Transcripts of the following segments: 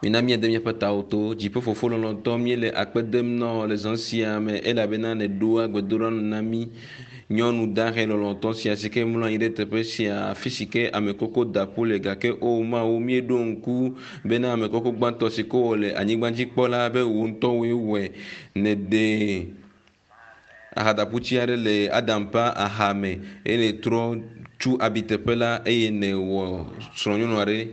Mina míade míaƒe tawo to. Dziƒofofo lɔlɔ̃tɔ, míele akpe dem na wò le zã sia me elabena nèɖoa gbedoɖa nu na mí. Nyɔnu dahe lɔlɔ̃tɔ sia si ke mlɔ anyi ɖe teƒe sia, afi si ke ame koko da ƒu le gake o Mawu, míeɖo ŋku bena ame koko gbãtɔ si ke wɔ le anyigba dzi kpɔ la be wò ŋutɔ wòe wɔe. Nèɖe ahadaƒutsi aɖe le Adam ƒe aha me eye nètrɔ tsu abiteƒe la eye nèwɔ srɔ̃nyɔnu aɖe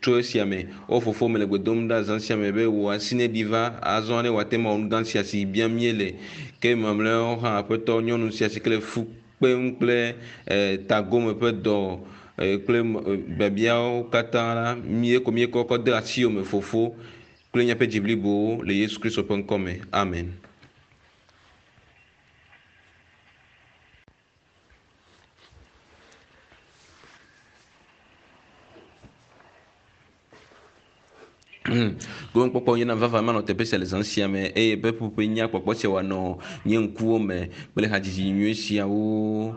tso esia me. O Fofo, mele gbe dom ɖa zã sia me be wò asi neɖi va azɔ ne wòate ŋu awɔ nu gã sia si biam míele. Ke mamlɛawo hã, Aƒetɔ, nyɔnu sia si ke le fu kpem kple e, tagome ƒe dɔ e, kple biabiawo katã la, mí ko míekɔ kɔ de asiwò me, Fofo, kple míaƒe dzi blibowo le Yesu Kristo ƒe ŋkɔ me. Amen. Gomekpɔkpɔ nyena vava manɔ teƒe sia le zã sia me eye ƒe ƒuƒe nya kpɔkpɔ sia wòanɔ nye ŋkuwo me kple hadzidzi nyui siawo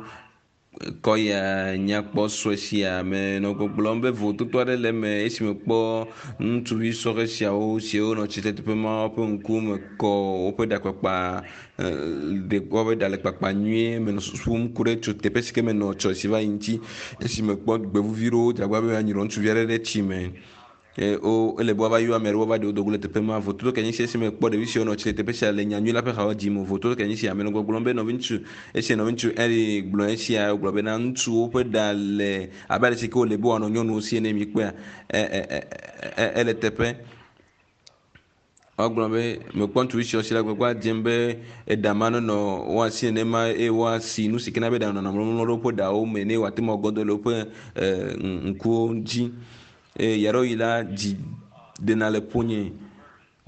kɔ ya nyakpɔ sue sia me nɔ gbɔgblɔm be vovototo aɖe le eme esime kpɔ ŋutsuvi sɔhɛ siawo siwo nɔ tsitre teƒe ma woƒe ŋkume kɔ woƒe ɖakpakpa ɖe woƒe ɖa le kpakpa nyuie menɔ susu ku ɖe tso teƒe si ke menɔ tsɔ si va yi ŋuti esime kpɔ gbevuvi ɖewo dzagba be woanyrɔ ŋutsuvi aɖe ɖe tsi me. Eye wo ele be woava yɔ ame aɖewo woava ɖe wo dogo le teƒe ma. Vototo ke nye esi esime kpɔ ɖevi siwo nɔ tsi le teƒe sia le nyanyui la ƒe hawo dzim o. Vototo ke nye esi ame nɔ gbɔgblɔm be nɔviŋutsu esi nɔviŋutsu Henry gblɔ esia wogblɔ bena ŋutsuwo ƒe ɖa le abe ale si ke wole be woanɔ nyɔnuwo si ene mikpɔea e e e e ele teƒe. Wogblɔ be mekpɔ ŋutsuvi siwo si le agbagba dzem be eɖa ma nenɔ woasi nenema eye woasi nu si ke na be ɖa nɔnɔ mlɔmlɔ ɖe woƒe ɖawo me ne woate ŋu agɔdɔ le woƒe ŋkuwo dzi. Eye ɣeaɖewoɣi la, dzi ɖena le ƒonye.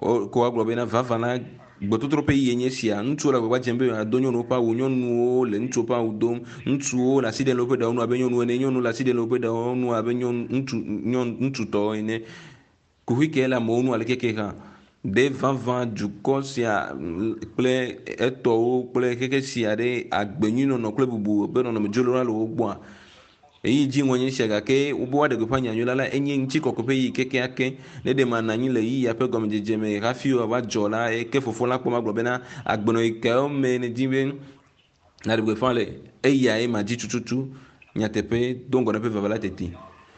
Ko woagblɔ bena vavã la, gbɔtotrɔ ƒe ɣeyiɣie nye esia. Ŋutsuwo le agbagba dzem be yewoado nyɔnuwo ƒe awu, nyɔnuwo le ŋutsuwo ƒe awu dom. Ŋutsuwo le asi ɖem le woƒe ɖawo ŋu abe nyɔnuwo ene, nyɔnuwo le asi ɖem le woƒe ɖawo ŋu abe nyɔnu, ŋutsu, nyɔnu, ŋutsutɔwo ene. Kuxi kae le amewo ŋu aleke hã? Ɖe vavã dukɔ sia kple etɔwo kple xexe sia ɖe agbenyuinɔnɔ kple bubu ƒe nɔnɔme dzro la le wo gbɔa? Ɣeyiɣi dziŋɔ nye esia gake wobe woaɖe gbeƒã nyanyui la la, enye ŋutikɔkɔe ƒe ɣeyiɣi kekeake. Ne ɖe manɔ anyi le ɣeyiɣia ƒe gɔmedzedze me hafi wòava dzɔ la, ke fofo la kpɔm agblɔ bena, Agbenɔɣi kawo mee nèdi be nàɖe gbeƒã le? Eyae madzi tututu nyateƒe do ŋgɔ na eƒe vava la teti.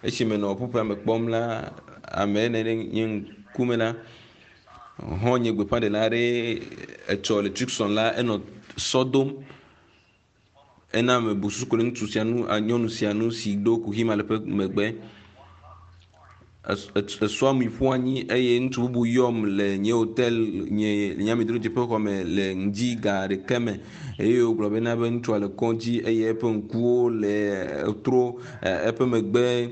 Esi menɔ ƒuƒoƒea me kpɔm la, ame ene ɖe nye ŋkume la, xɔ̃nye gbeƒãɖela aɖe etsɔ le Tucson la, enɔ sɔ dom. Ena mebu susu ku ɖe ŋutsu sia nu, nyɔnu sia nu si ɖo kuxi ma le eƒe megbe. Esɔa mi ƒu anyi eye ŋutsu bubu yɔm le nye hotel nye nye amedzrodzeƒe xɔ me le ŋdi ga ɖeka me eye wògblɔ bena be ŋutsua le kɔdzi eye eƒe ŋkuwo le tro eƒe megbe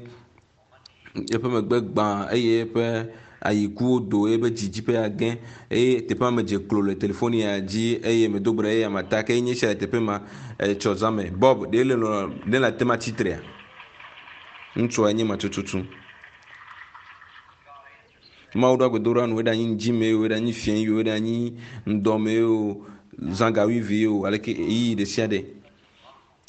eƒe megbe gbã eye eƒe ayikuwo do eye dzidzi ƒe age eye teƒea me dze klo le telefonia dzi eye medo gbe ɖa eye ame ta ke nye sia le teƒe ma etsɔ zã me. Bob ɖe le lɔ ɖe le ate ma tsitrea? Ŋutsua nye ma tututu. Mawu ɖo agbedoɖa nu eɖanyi ŋdi me o, eɖanyi fiẽ o, eɖanyi ŋdɔ me o, zã ga wuieve o, aleke ɣeyiɣi ɖe sia ɖe.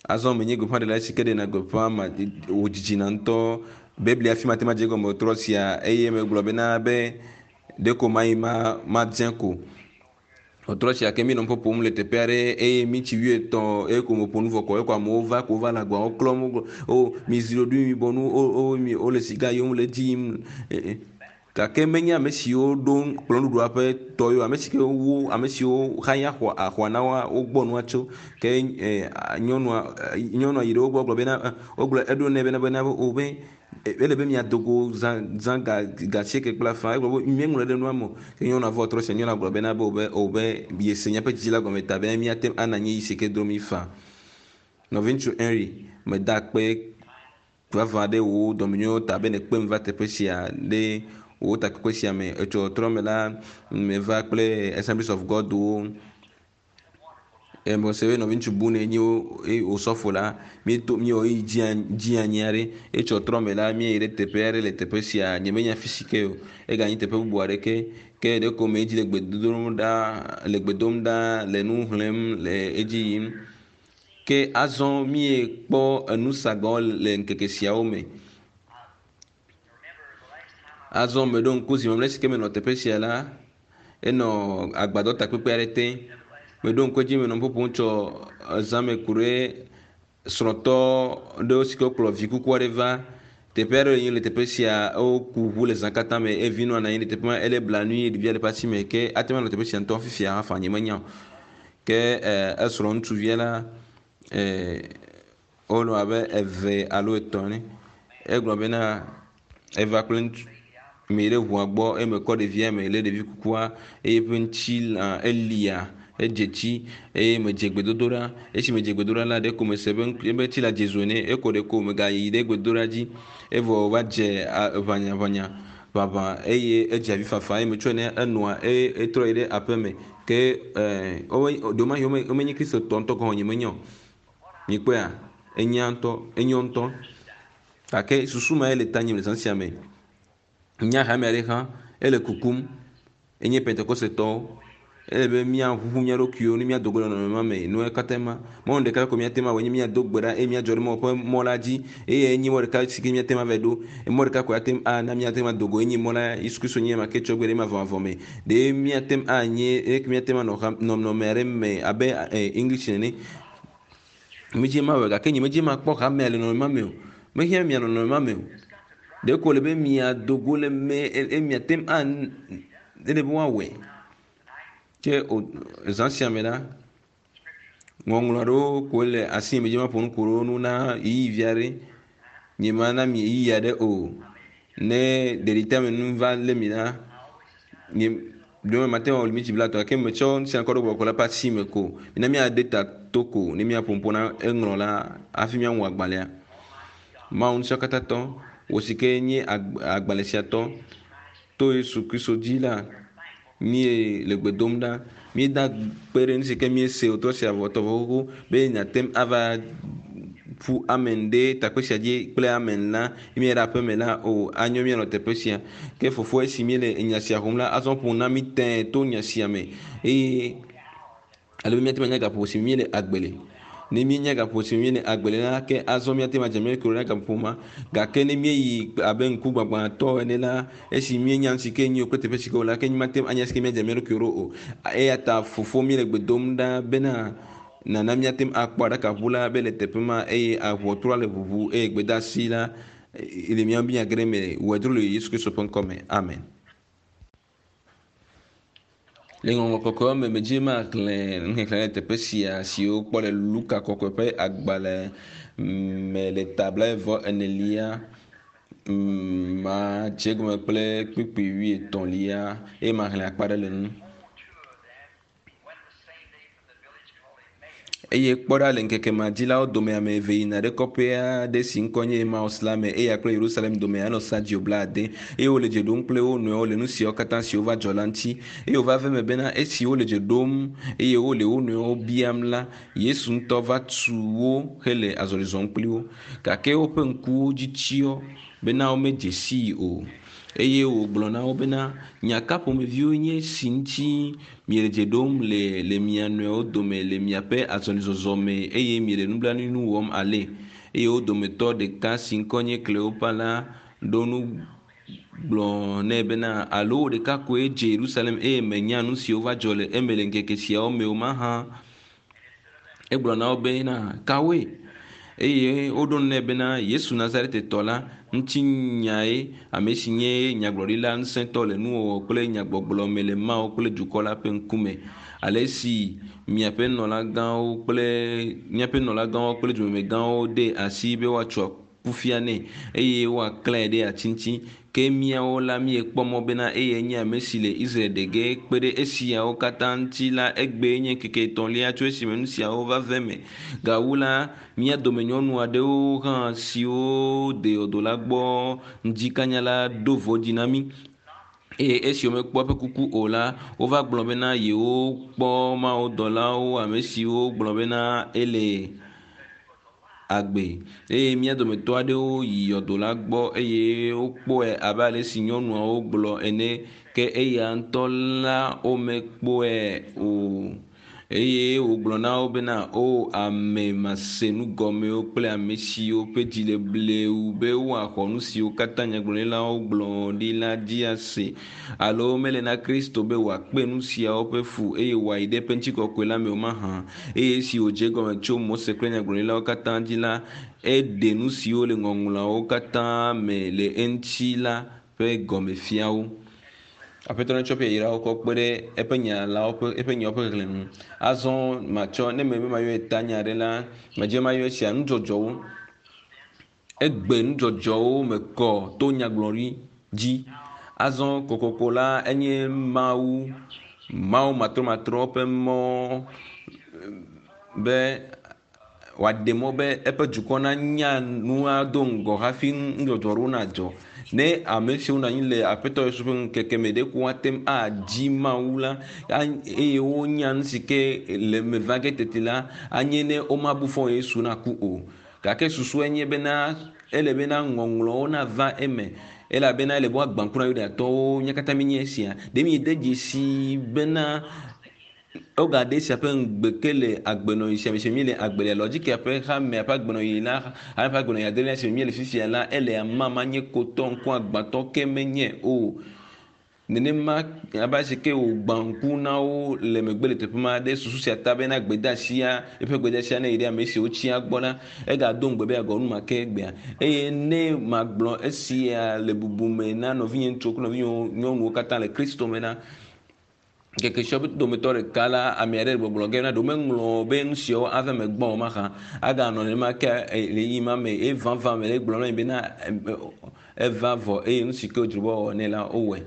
Azɔ menye gbeƒãɖela si ke ɖena gbeƒã ma wòdzidzina ŋutɔ. Biblia fi mate madze egɔme trɔ sia eye megblɔ bena be ɖeko mayi ma madze ko. Trɔ sia ke míenɔ ƒoƒom le teƒe aɖe eye mítsi wuietɔ̃ eye ko meƒo nu vɔ kɔ eko amewo va ko wova le agbawo klɔm wogblɔ o mizi ɖoɖoe mibɔ nu o o mi wole siga yom le edzi yim. Gake menye ame siwo ɖo kplɔ̃ɖuɖua ƒe tɔ ye o, ame si ke wo ame siwo xaya xɔa axɔa na woa wogbɔ nua tso. Ke e nyɔnua nyɔnua yi ɖe wo gbɔ gblɔ bena wogblɔ eɖo nɛ bena bena o be ele be miado go zã zã ga ga asieke kple afã. Egblɔ be míeŋlɔe ɖe nua me o. Ke nyɔnua vɔ trɔ se nyɔnua gblɔ bena be o be o be yese míaƒe dzidzi la gɔme ta be míate ŋu ana anyi si ke dro mí faa. Nɔviŋutsu Henry, meda akpe Vavã ɖe wò dɔmenyonyo ta be nèkpem va teƒe sia ɖe wò takpekpe sia me. Etsɔ trɔ me la, meva kple Assemblies of God wo. Mese be nɔviŋutsu Bune nye osɔfo la, míeto míewɔ ɣeyiɣi dzi anyi aɖe. Etsɔ trɔ me la, míeyi ɖe teƒe aɖe le teƒe sia. Nyemenya fi si ke o. Eganyi teƒe bubu aɖeke. Ke ɖeko medzi le gbe dodom ɖa, le gbe dom ɖa, le nu xlẽm le edzi yim. Ke azɔ míekpɔ enu sagãwo le ŋkeke siawo me. Azɔ meɖo ŋku zi mamlɛ si ke menɔ teƒe sia la, enɔ agbadɔ takpekpe aɖe te. Meɖo ŋku edzi menɔ ƒoƒom tsɔ zãme ku ɖe srɔ̃tɔ ɖewo si ke wokplɔ vi kuku aɖe va. Teƒe aɖe yi le teƒe sia woku ʋu le zã katã me eye vinɔa nɔ anyi ɖe teƒe ma ele blanui ɖevia le eƒe asi me ke ate ŋu anɔ teƒe sia ŋutɔ fifia hafi nye menya o. Ke esrɔ̃ ŋutsuvia la wonɔ abe eve alo etɔ̃ ene. Egblɔ bena eva kple ŋutsu mi ɖe ʋua gbɔ eye mekɔ ɖevia me lé ɖevi kukua eye eƒe ŋutilã elia edze tsi eye medze gbedodoɖa. Esi medze gbedoɖa la ɖeko mese be ebe tsi le dze zo ene eko ɖeko megayi ɖe gbedoɖa dzi evɔ wòva dze ʋanyaʋanya ʋaʋã eye edze avi fafa eye metsɔe ne enɔa eye etrɔ yi ɖe aƒeme ke ɖewomahi womenye kristotɔ ŋutɔ gɔ̃ nye menya o. Mikpɔea enya ŋutɔ enyo ŋutɔ gake susu ma ye le tanye le zã sia me. Nya hame aɖe hã ele kukum enye pentekosetɔwo ele be míaʋuʋu mía ɖokuiwo ne míado go le nɔnɔme ma me nua katã ma mɔnu ɖeka ko míate ŋu awɔ nye míado gbe ɖa eye míadzɔ ɖe Mawu ƒe mɔ la dzi eye enye mɔ ɖeka si ke míate ŋu ava ɖo mɔ ɖeka ko ate ŋu ana míate ŋu ado go enye mɔ la Yesu Kristo nye ma ke tsɔ gbe ɖe mavɔmavɔ me ɖe míate ŋu anye eye míate ŋu anɔ nɔnɔme aɖe me abe English nene medzi ma wɔ gake nye medzi ma kpɔ hamea le nɔnɔme ma me o mehiã mia nɔnɔme ma me o ɖeko le be miado go le me eye miate ŋu an ele be woawɔe ke zã sia me la ŋɔŋlɔ aɖewo koe le asi me dzi ma ƒo nu ku ɖe wo nu na ɣeyiɣi aɖe nye ma na mi ɣeyiɣi aɖe o ne ɖeɖiteame nu va lé mi la nye ɖewo mate ŋu awɔ miniti blaetɔ̃ gake metsɔ nu sia kɔ ɖo gbɔgbɔ la ƒe asi me ko mina míade ta to ko ne míaƒo ƒo na eŋlɔ la hafi míaŋu agbalẽa. Mawu ŋusẽkatãtɔ wò si ke nye agbalẽ sia tɔ to Yesu Kristo dzi la míele gbe dom ɖa míeda kpe ɖe nu si ke míese wòtrɔ sia vɔtɔ vɔ xoxo be nàte ŋu ava ƒu amen ɖe takpe sia dzi kple amen la míayi ɖe aƒeme la o anyo míanɔ teƒe sia ke fofo esi míele enya sia xɔm la azɔ ƒo na mí tẽe to nya sia me eye ale be míate ŋu anya gaƒoƒo si míele agbe le. Ne míenya gaƒoƒo si míele agbe le la ke azɔ míate ŋu adze mía ɖokuiwo ɖe gaƒoƒo ma gake ne míeyi abe ŋkugbagbatɔ ene la esi míenya nu si ke nyo kple teƒe si ke o la ke mímate ŋu anya si ke míadze mía ɖokuiwo ɖo o eya ta fofo míele gbe dom ɖa bena nana míate ŋu akpɔ aɖakaʋu la be le teƒe ma eye aʋɔtrua le ʋuʋu eye gbedeasi la le mía míage ɖe eme wɔe dro le Yesu Kristo ƒe ŋkɔ me amen. Le ŋɔŋlɔ kɔkɔewo me medzi maxlẽ nuxexlẽ le teƒe sia si wokpɔ le Luka kɔkɔe ƒe agbalẽ me le ta blaeve enelia madze egɔme kple kpukpui wuietɔ̃lia eye maxlẽ akpa ɖe le nu. Eye kpɔ ɖa le ŋkeke ma dzi la wo dome ame eve yina ɖe kɔƒe aɖe si ŋkɔ nye Emaus la me eya kple Yerusalem dome anɔ sadio blaade eye wole dze ɖom kple wo nɔewo le nu siawo katã siwo va dzɔ la ŋuti eye wòva ve me bena esi wole dze ɖom eye wole wo nɔewo biam la Yesu ŋutɔ va tu wo hele azɔli zɔm kpli wo gake woƒe ŋkuwo dzi tsyɔ bena womedze sii o eye wògblɔ na wo bena nya ka ƒomeviwo nye esi ŋuti miele dze ɖom le le mia nɔewo dome le miaƒe azɔlizɔzɔ me eye miele nublanuinu wɔm ale eye wo dometɔ ɖeka si ŋkɔ nye Kleopa la ɖo nu gblɔ nɛ bena alo wò ɖeka koe dze Yerusalem eye menya nu siwo va dzɔ le eme le ŋkeke siawo me o mahã. Egblɔ na wo bena kawoe? Eye woɖo nu nɛ bena Yesu Nazaretetɔ la ŋutinyae ame si nye nyagblɔɖila ŋusẽtɔ le nuwɔwɔ kple nyagbɔgblɔ me le Mawu kple dukɔ la ƒe ŋkume. Ale si miaƒe nɔlagãwo kple míaƒe nɔlagãwo kple dumemegãwo de asi be woatsɔ kufia nɛ eye woaklãe ɖe ati ŋuti. Ke míawo la míekpɔ mɔ bena eyae nye ame si le Israel ɖe ge kpe ɖe esiawo katã ŋuti la egbee nye ŋkeke etɔ̃lia tso esime nu siawo va ve me. Gawu la, mía dome nyɔnu aɖewo hã siwo de yɔdo la gbɔ ŋdikanya la ɖo vɔ̃dzi na mí eye esi womekpɔ eƒe kuku o la, wova gblɔ bena yewokpɔ mawudɔlawo ame siwo gblɔ bena ele agbe eye mía dometɔ aɖewo yi yɔdo la gbɔ eye wokpɔe abe ale si nyɔnuawo gblɔ ene ke eya ŋutɔ la womekpɔe o. Eye wògblɔ na wo bena, O ame masenugɔmewo kple ame siwo ƒe dzi le blewu be woaxɔ nu siwo katã nyagblɔɖilawo gblɔ ɖi la dzi ase. Alo mele na Kristo be wòakpe nu siawo ƒe fu eye wòayi ɖe eƒe ŋutikɔkɔe la me o mahã? Eye esi wòdze egɔme tso Mose kple nyagblɔɖilawo katã dzi la, eɖe nu siwo le ŋɔŋlɔawo katã me le eŋuti la ƒe gɔme fia wo. Aƒetɔ netsɔ eƒe yayrawo kɔ kpe ɖe eƒe nya la ƒe eƒe nyawo ƒe xexlẽ ŋu. Azɔ matsɔ ne mebe mayɔe tanya aɖe la, medze mayɔ esia nudzɔdzɔwo. Egbe nudzɔdzɔwo me kɔ to nyagblɔɖi dzi. Azɔ kokoko la enye Mawu, Mawu matrɔmatrɔ ƒe mɔ be wòaɖe mɔ be eƒe dukɔ nanya nua do ŋgɔ hafi nudzɔdzɔ aɖewo nadzɔ. Ne ame siwo nɔ anyi le Aƒetɔ Yesu ƒe ŋkeke me ɖe ko woate ŋu adzi Mawu la eye wonya nu si ke le eme va ge teti la, anye ne womabu fɔ Yesu naku o. Gake susue nye bena ele bena ŋɔŋlɔwo nava eme elabena ele be woagbã ŋku na Yudatɔwo. Mía katã míenye esia. Ɖe míede dzesi bena Wogaɖe esia ƒe ŋugbe ke le agbenɔɣi sia me si me míele agbe le Laodikea ƒe hamea ƒe agbenɔɣi la, hamea ƒe agbenɔɣi adelia si me míele fifia la, ele amama nye kotɔ ŋkuagbãtɔ ke menye o. Nenema abe ale si ke wògbã ŋku na wo le megbe le teƒe ma ɖe susu sia ta bena gbedeasia, eƒe gbedeasia ne yi ɖe ame siwo tsia gbɔ la, egado ŋugbe be yeagawɔ nu ma ke egbea. Eye ne magblɔ esia le bubu me na nɔvinye ŋutsuwo kple nɔvinye nyɔnuwo katã le Kristo me la, Ŋkeke siawo dometɔ ɖeka la, ame aɖe le gbɔgblɔ ge na ɖewo meŋlɔ be nu siawo ava eme gbɔ o mahã. Aganɔ nenema ke le ɣeyiɣi ma me eye vavã me le egblɔm na mi bena eva vɔ eye nu si ke wodzro be woawɔ nɛ la wowɔe.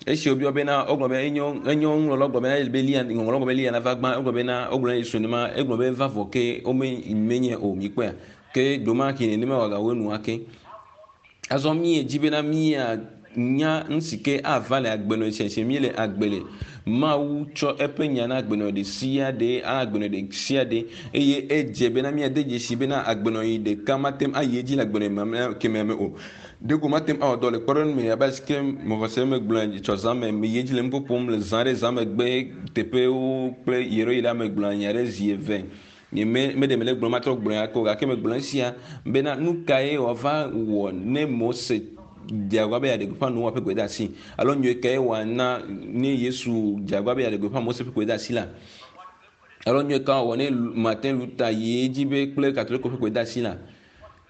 Esi wobiɔ bena wogblɔ be enyo enyo nuŋlɔlawo gblɔ bena ele be Eliya ŋɔŋlɔawo gblɔ be Eliya nava gbã egblɔ bena wogblɔ na Yesu nenema egblɔ be eva vɔ ke wome menye o mikpɔea ke ɖewomahi nenema wòagawɔ enua ke. Azɔ míedzi bena míanya nu si ke ava le agbenɔɣi sia si míele agbe le. Mawu tsɔ eƒe nya na agbenɔɣi ɖe sia ɖe, agbenɔɣi ɖe sia ɖe eye edze bena míade dzesi bena agbenɔɣi ɖeka mate ŋu ayi edzi le agbenɔɣi mamlɛa kemɛa me o. Ɖeko mate ŋu awɔ dɔ le kpɔɖeŋu me abe alesi ke mexɔse megblɔe tsɔ zã me, meyi edzi le nu ƒom le zã ɖe zã megbe teƒewo kple ɣeyiɣi la megblɔa nya ɖe zi eve. Nye me, meɖe mele gblɔm matrɔ gblɔe ake o, gake megblɔ esia bena nu kae wòava wɔ ne Mose dze agbagba be yeaɖe gbeƒã Noa ƒe gbedeasi? Alo nyui kae wòana ne Yesu dze agbagba be yeaɖe gbeƒã Mose ƒe gbedeasi la? Alo nyui ka wòawɔ ne Martin Luther yi edzi be kple Katoliko ƒe gbedeasi la?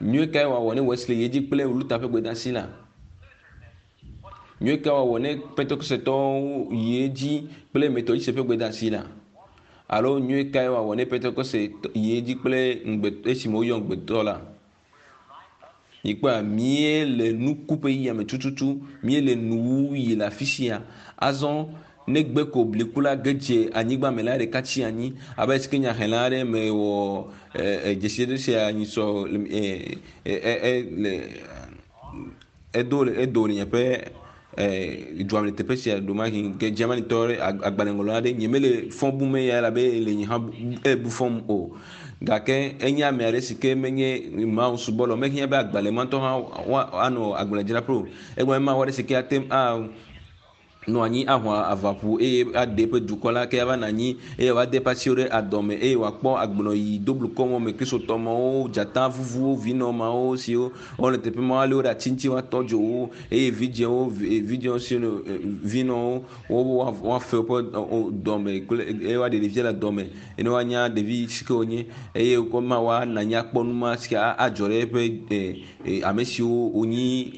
Nyui kae wòawɔ ne Wesley yi edzi kple Luther ƒe gbedeasi la? Nyui ka wòawɔ ne Pentekosetɔwo yi edzi kple Metodiste ƒe gbedeasi la? Alo nyui kae wòawɔ ne Pentekoste yi edzi kple ŋugbe esime woyɔ ŋugbetɔ la? Mikpɔa, míele nuku ƒe ɣeyiɣia me tututu, míele nuwuɣi le afi sia. Azɔ ne gbe ko bliku la ge dze anyigba me la, ɖeka tsi anyi abe si ke nyaxlẽla aɖe mewɔ dzesi ɖe sia nyisɔ le Edo le edo le nye ƒe e dua me le teƒe sia ɖomahi ke Germanytɔ aɖe agbalẽŋlɔla aɖe nye mele fɔ bum eya elabe le nye hã ebu fɔm o. Gake enye ame aɖe si ke menye Mawu subɔla o. Mehiã be agbalẽ ma ŋutɔ hã woanɔ agbalẽdzraƒe o. Egblɔ be Mawu aɖe si ke ate ŋu a nɔ anyi aho ava ƒu eye aɖe eƒe dukɔ la ke ava nɔ anyi eye wòade eƒe asiwo ɖe adɔme eye wòakpɔ agbenɔyi doblukɔ mɔ me kristotɔ mawo dzata vuvuwo vinɔ mawo siwo wole teƒe ma woali wo ɖe ati ŋuti woatɔ dzo wo eye vidzĩwo vidzĩwo siwo vinɔwo woafe woƒe dɔme kple eye woaɖe ɖevia le dɔme eye woanya ɖevi si ke wonye eye wokɔ ma woanɔ anyi akpɔ nu ma si ke adzɔ ɖe eƒe ame siwo wonyi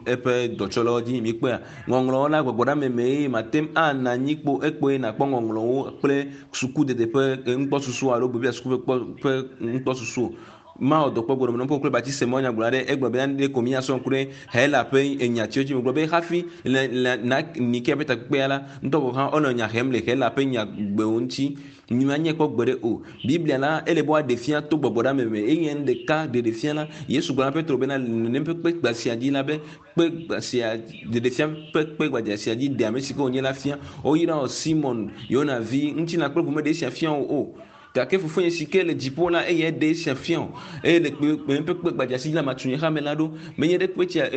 eƒe dɔtsɔlawo dzi. Mikpɔea? Ŋɔŋlɔwo la gbɔgbɔɖeame me eye mate ŋu ana anyi kpo ekpoe nakpɔ ŋɔŋlɔwo kple sukudede ƒe nukpɔsusu alo Biblia suku ƒe kpɔ ƒe nukpɔsusu o. Mawɔ dɔ kpɔ gbɔɖeme nɔƒe kple batise mɔ nyagblɔ aɖe egblɔ be ne ko míasrɔ̃ ku ɖe Hela ƒe enyatiwo dzi. Megblɔ be hafi le le na Nikea ƒe takpekpea la ŋutɔ gɔ̃ hã wonɔ nya hem le Hela ƒe nyagbewo ŋuti. Nyemanye kpɔ gbeɖe o. Biblia la, ele be woaɖe fia to gbɔgbɔɖeame me. Eye nu ɖeka ɖeɖe fia la, Yesu gblɔ na Petro bena, le nenem ƒe kpe gba sia dzi la be, kpe gba sia, ɖeɖe fia ƒe kpe gbadza sia dzi ɖe ame si ke wònye la fia. Woyra wò Simon, Yona vi, ŋutilã kple ʋu meɖe esia fia wò o. Gake fofonye si ke le dziƒo la eyae ɖe esia fia wò. Eye le kpe kpe ƒe kpe gbadza si dzi la matu nye hame la ɖo. Menye ɖe kpe tsia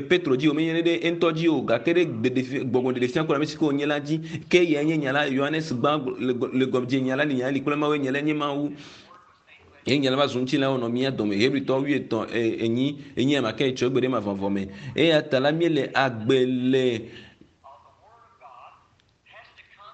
Petro dzi o, menye ɖe eŋutɔ dzi o, gake ɖe ɖeɖefia gbɔgbɔ ɖeɖefia ku ɖe ame si ke wònye la dzi. Ke eyae nye nya la. Yohanes gbã le le gɔmedze nya la li, nya la li kple Mawu, nya lae nye Mawu. Ye nya la va zu ŋutilã wònɔ mía dome. Hebritɔwo wuietɔ̃ enyi enyi ame ake tsɔ egbe ɖe mavɔmavɔ me. Eya ta la míele agbe le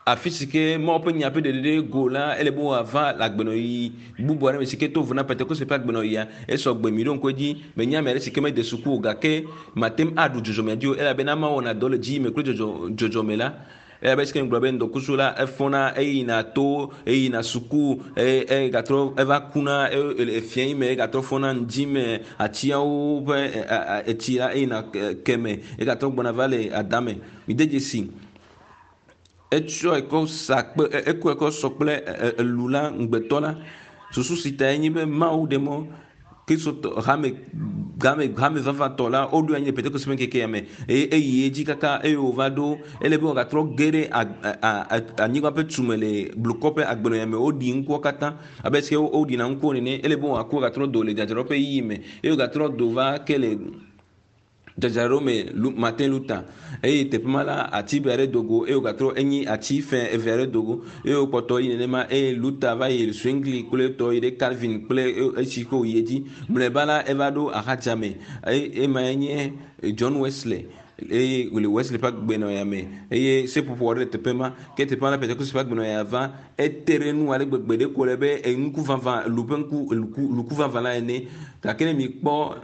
afi si ke Mawu ƒe nya ƒe ɖeɖe go la, ele be wòava le agbenɔɣi bubu aɖe me si ke to vo na Pentekoste ƒe agbenɔɣia. Esɔ gbe mi ɖo ŋku edzi. Menye ame aɖe si ke mede suku o gake mate ŋu aɖu dzɔdzɔmea dzi o elabena Mawu wɔna dɔ le dziyi me kple dzɔdzɔ dzɔdzɔme la. Eya be esike ŋgblɔ be ŋdɔkusu la efɔna eyina to eyina suku eye egatrɔ eva kuna efia yi me egatrɔ fɔna ŋdi me atiawo ƒe etsi la eyina keme egatrɔ gbɔna va le adame. Mide dzesi etsɔ ekɔ sa kpe ekɔ ekɔ sɔ kple elu la ŋugbetɔ la. Susu si ta enye be Mawu ɖe mɔ Kristotɔ hame game hame vavãtɔ la woɖo anyi le Pentekoste ƒe ŋkekea me eye eyi edzi kaka eye wòva ɖo ele be wòagatrɔ ge ɖe anyigba ƒe tume le blukɔ ƒe agbenɔya me woɖi ŋkuwo katã abe esike woɖina ŋkuwo nene ele be wòaku agatrɔ do le dzadzraɖo ƒe yiyi me eye wògatrɔ do va ke le dzadzraɖo me Martin Luther eye teƒe ma la ati be aɖe do go eye wògatrɔ enyi ati fẽ eve aɖe do go eye wòkpɔtɔ yi nenema eye Luther va yi Zwingli kple tɔ yi ɖe Calvin kple esi ke wòyi edzi mlɔeba la eva ɖo axadzame eye ema nye John Wesley eye wòle Wesley ƒe agbenɔya me eye seƒoƒo aɖe le teƒe ma ke teƒe ma la Pentekoste ƒe agbenɔya va ete ɖe nu ale gbegbe ɖe ko le be ŋku vavã lu ƒe ŋku luku luku vavã la ene gake ne mikpɔ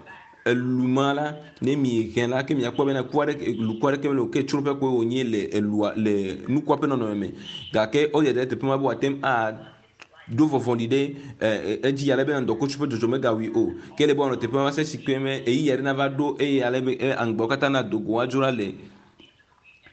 elu ma la ne mi he la ke miakpɔ bena ku aɖeke luku aɖeke mele o ke tsroƒe koe wònye le elua le nukua ƒe nɔnɔme me gake wodzedze ɖe teƒe ma be wòate ŋu aɖo vɔvɔli ɖe edzi ale be ŋdɔkutsu ƒe dzodzo megawui o ke ele be wòanɔ teƒe ma va se si ke me ɣeyiɣi aɖe nava ɖo eye ale be aŋgbawo katã nado go woadzo ɖa le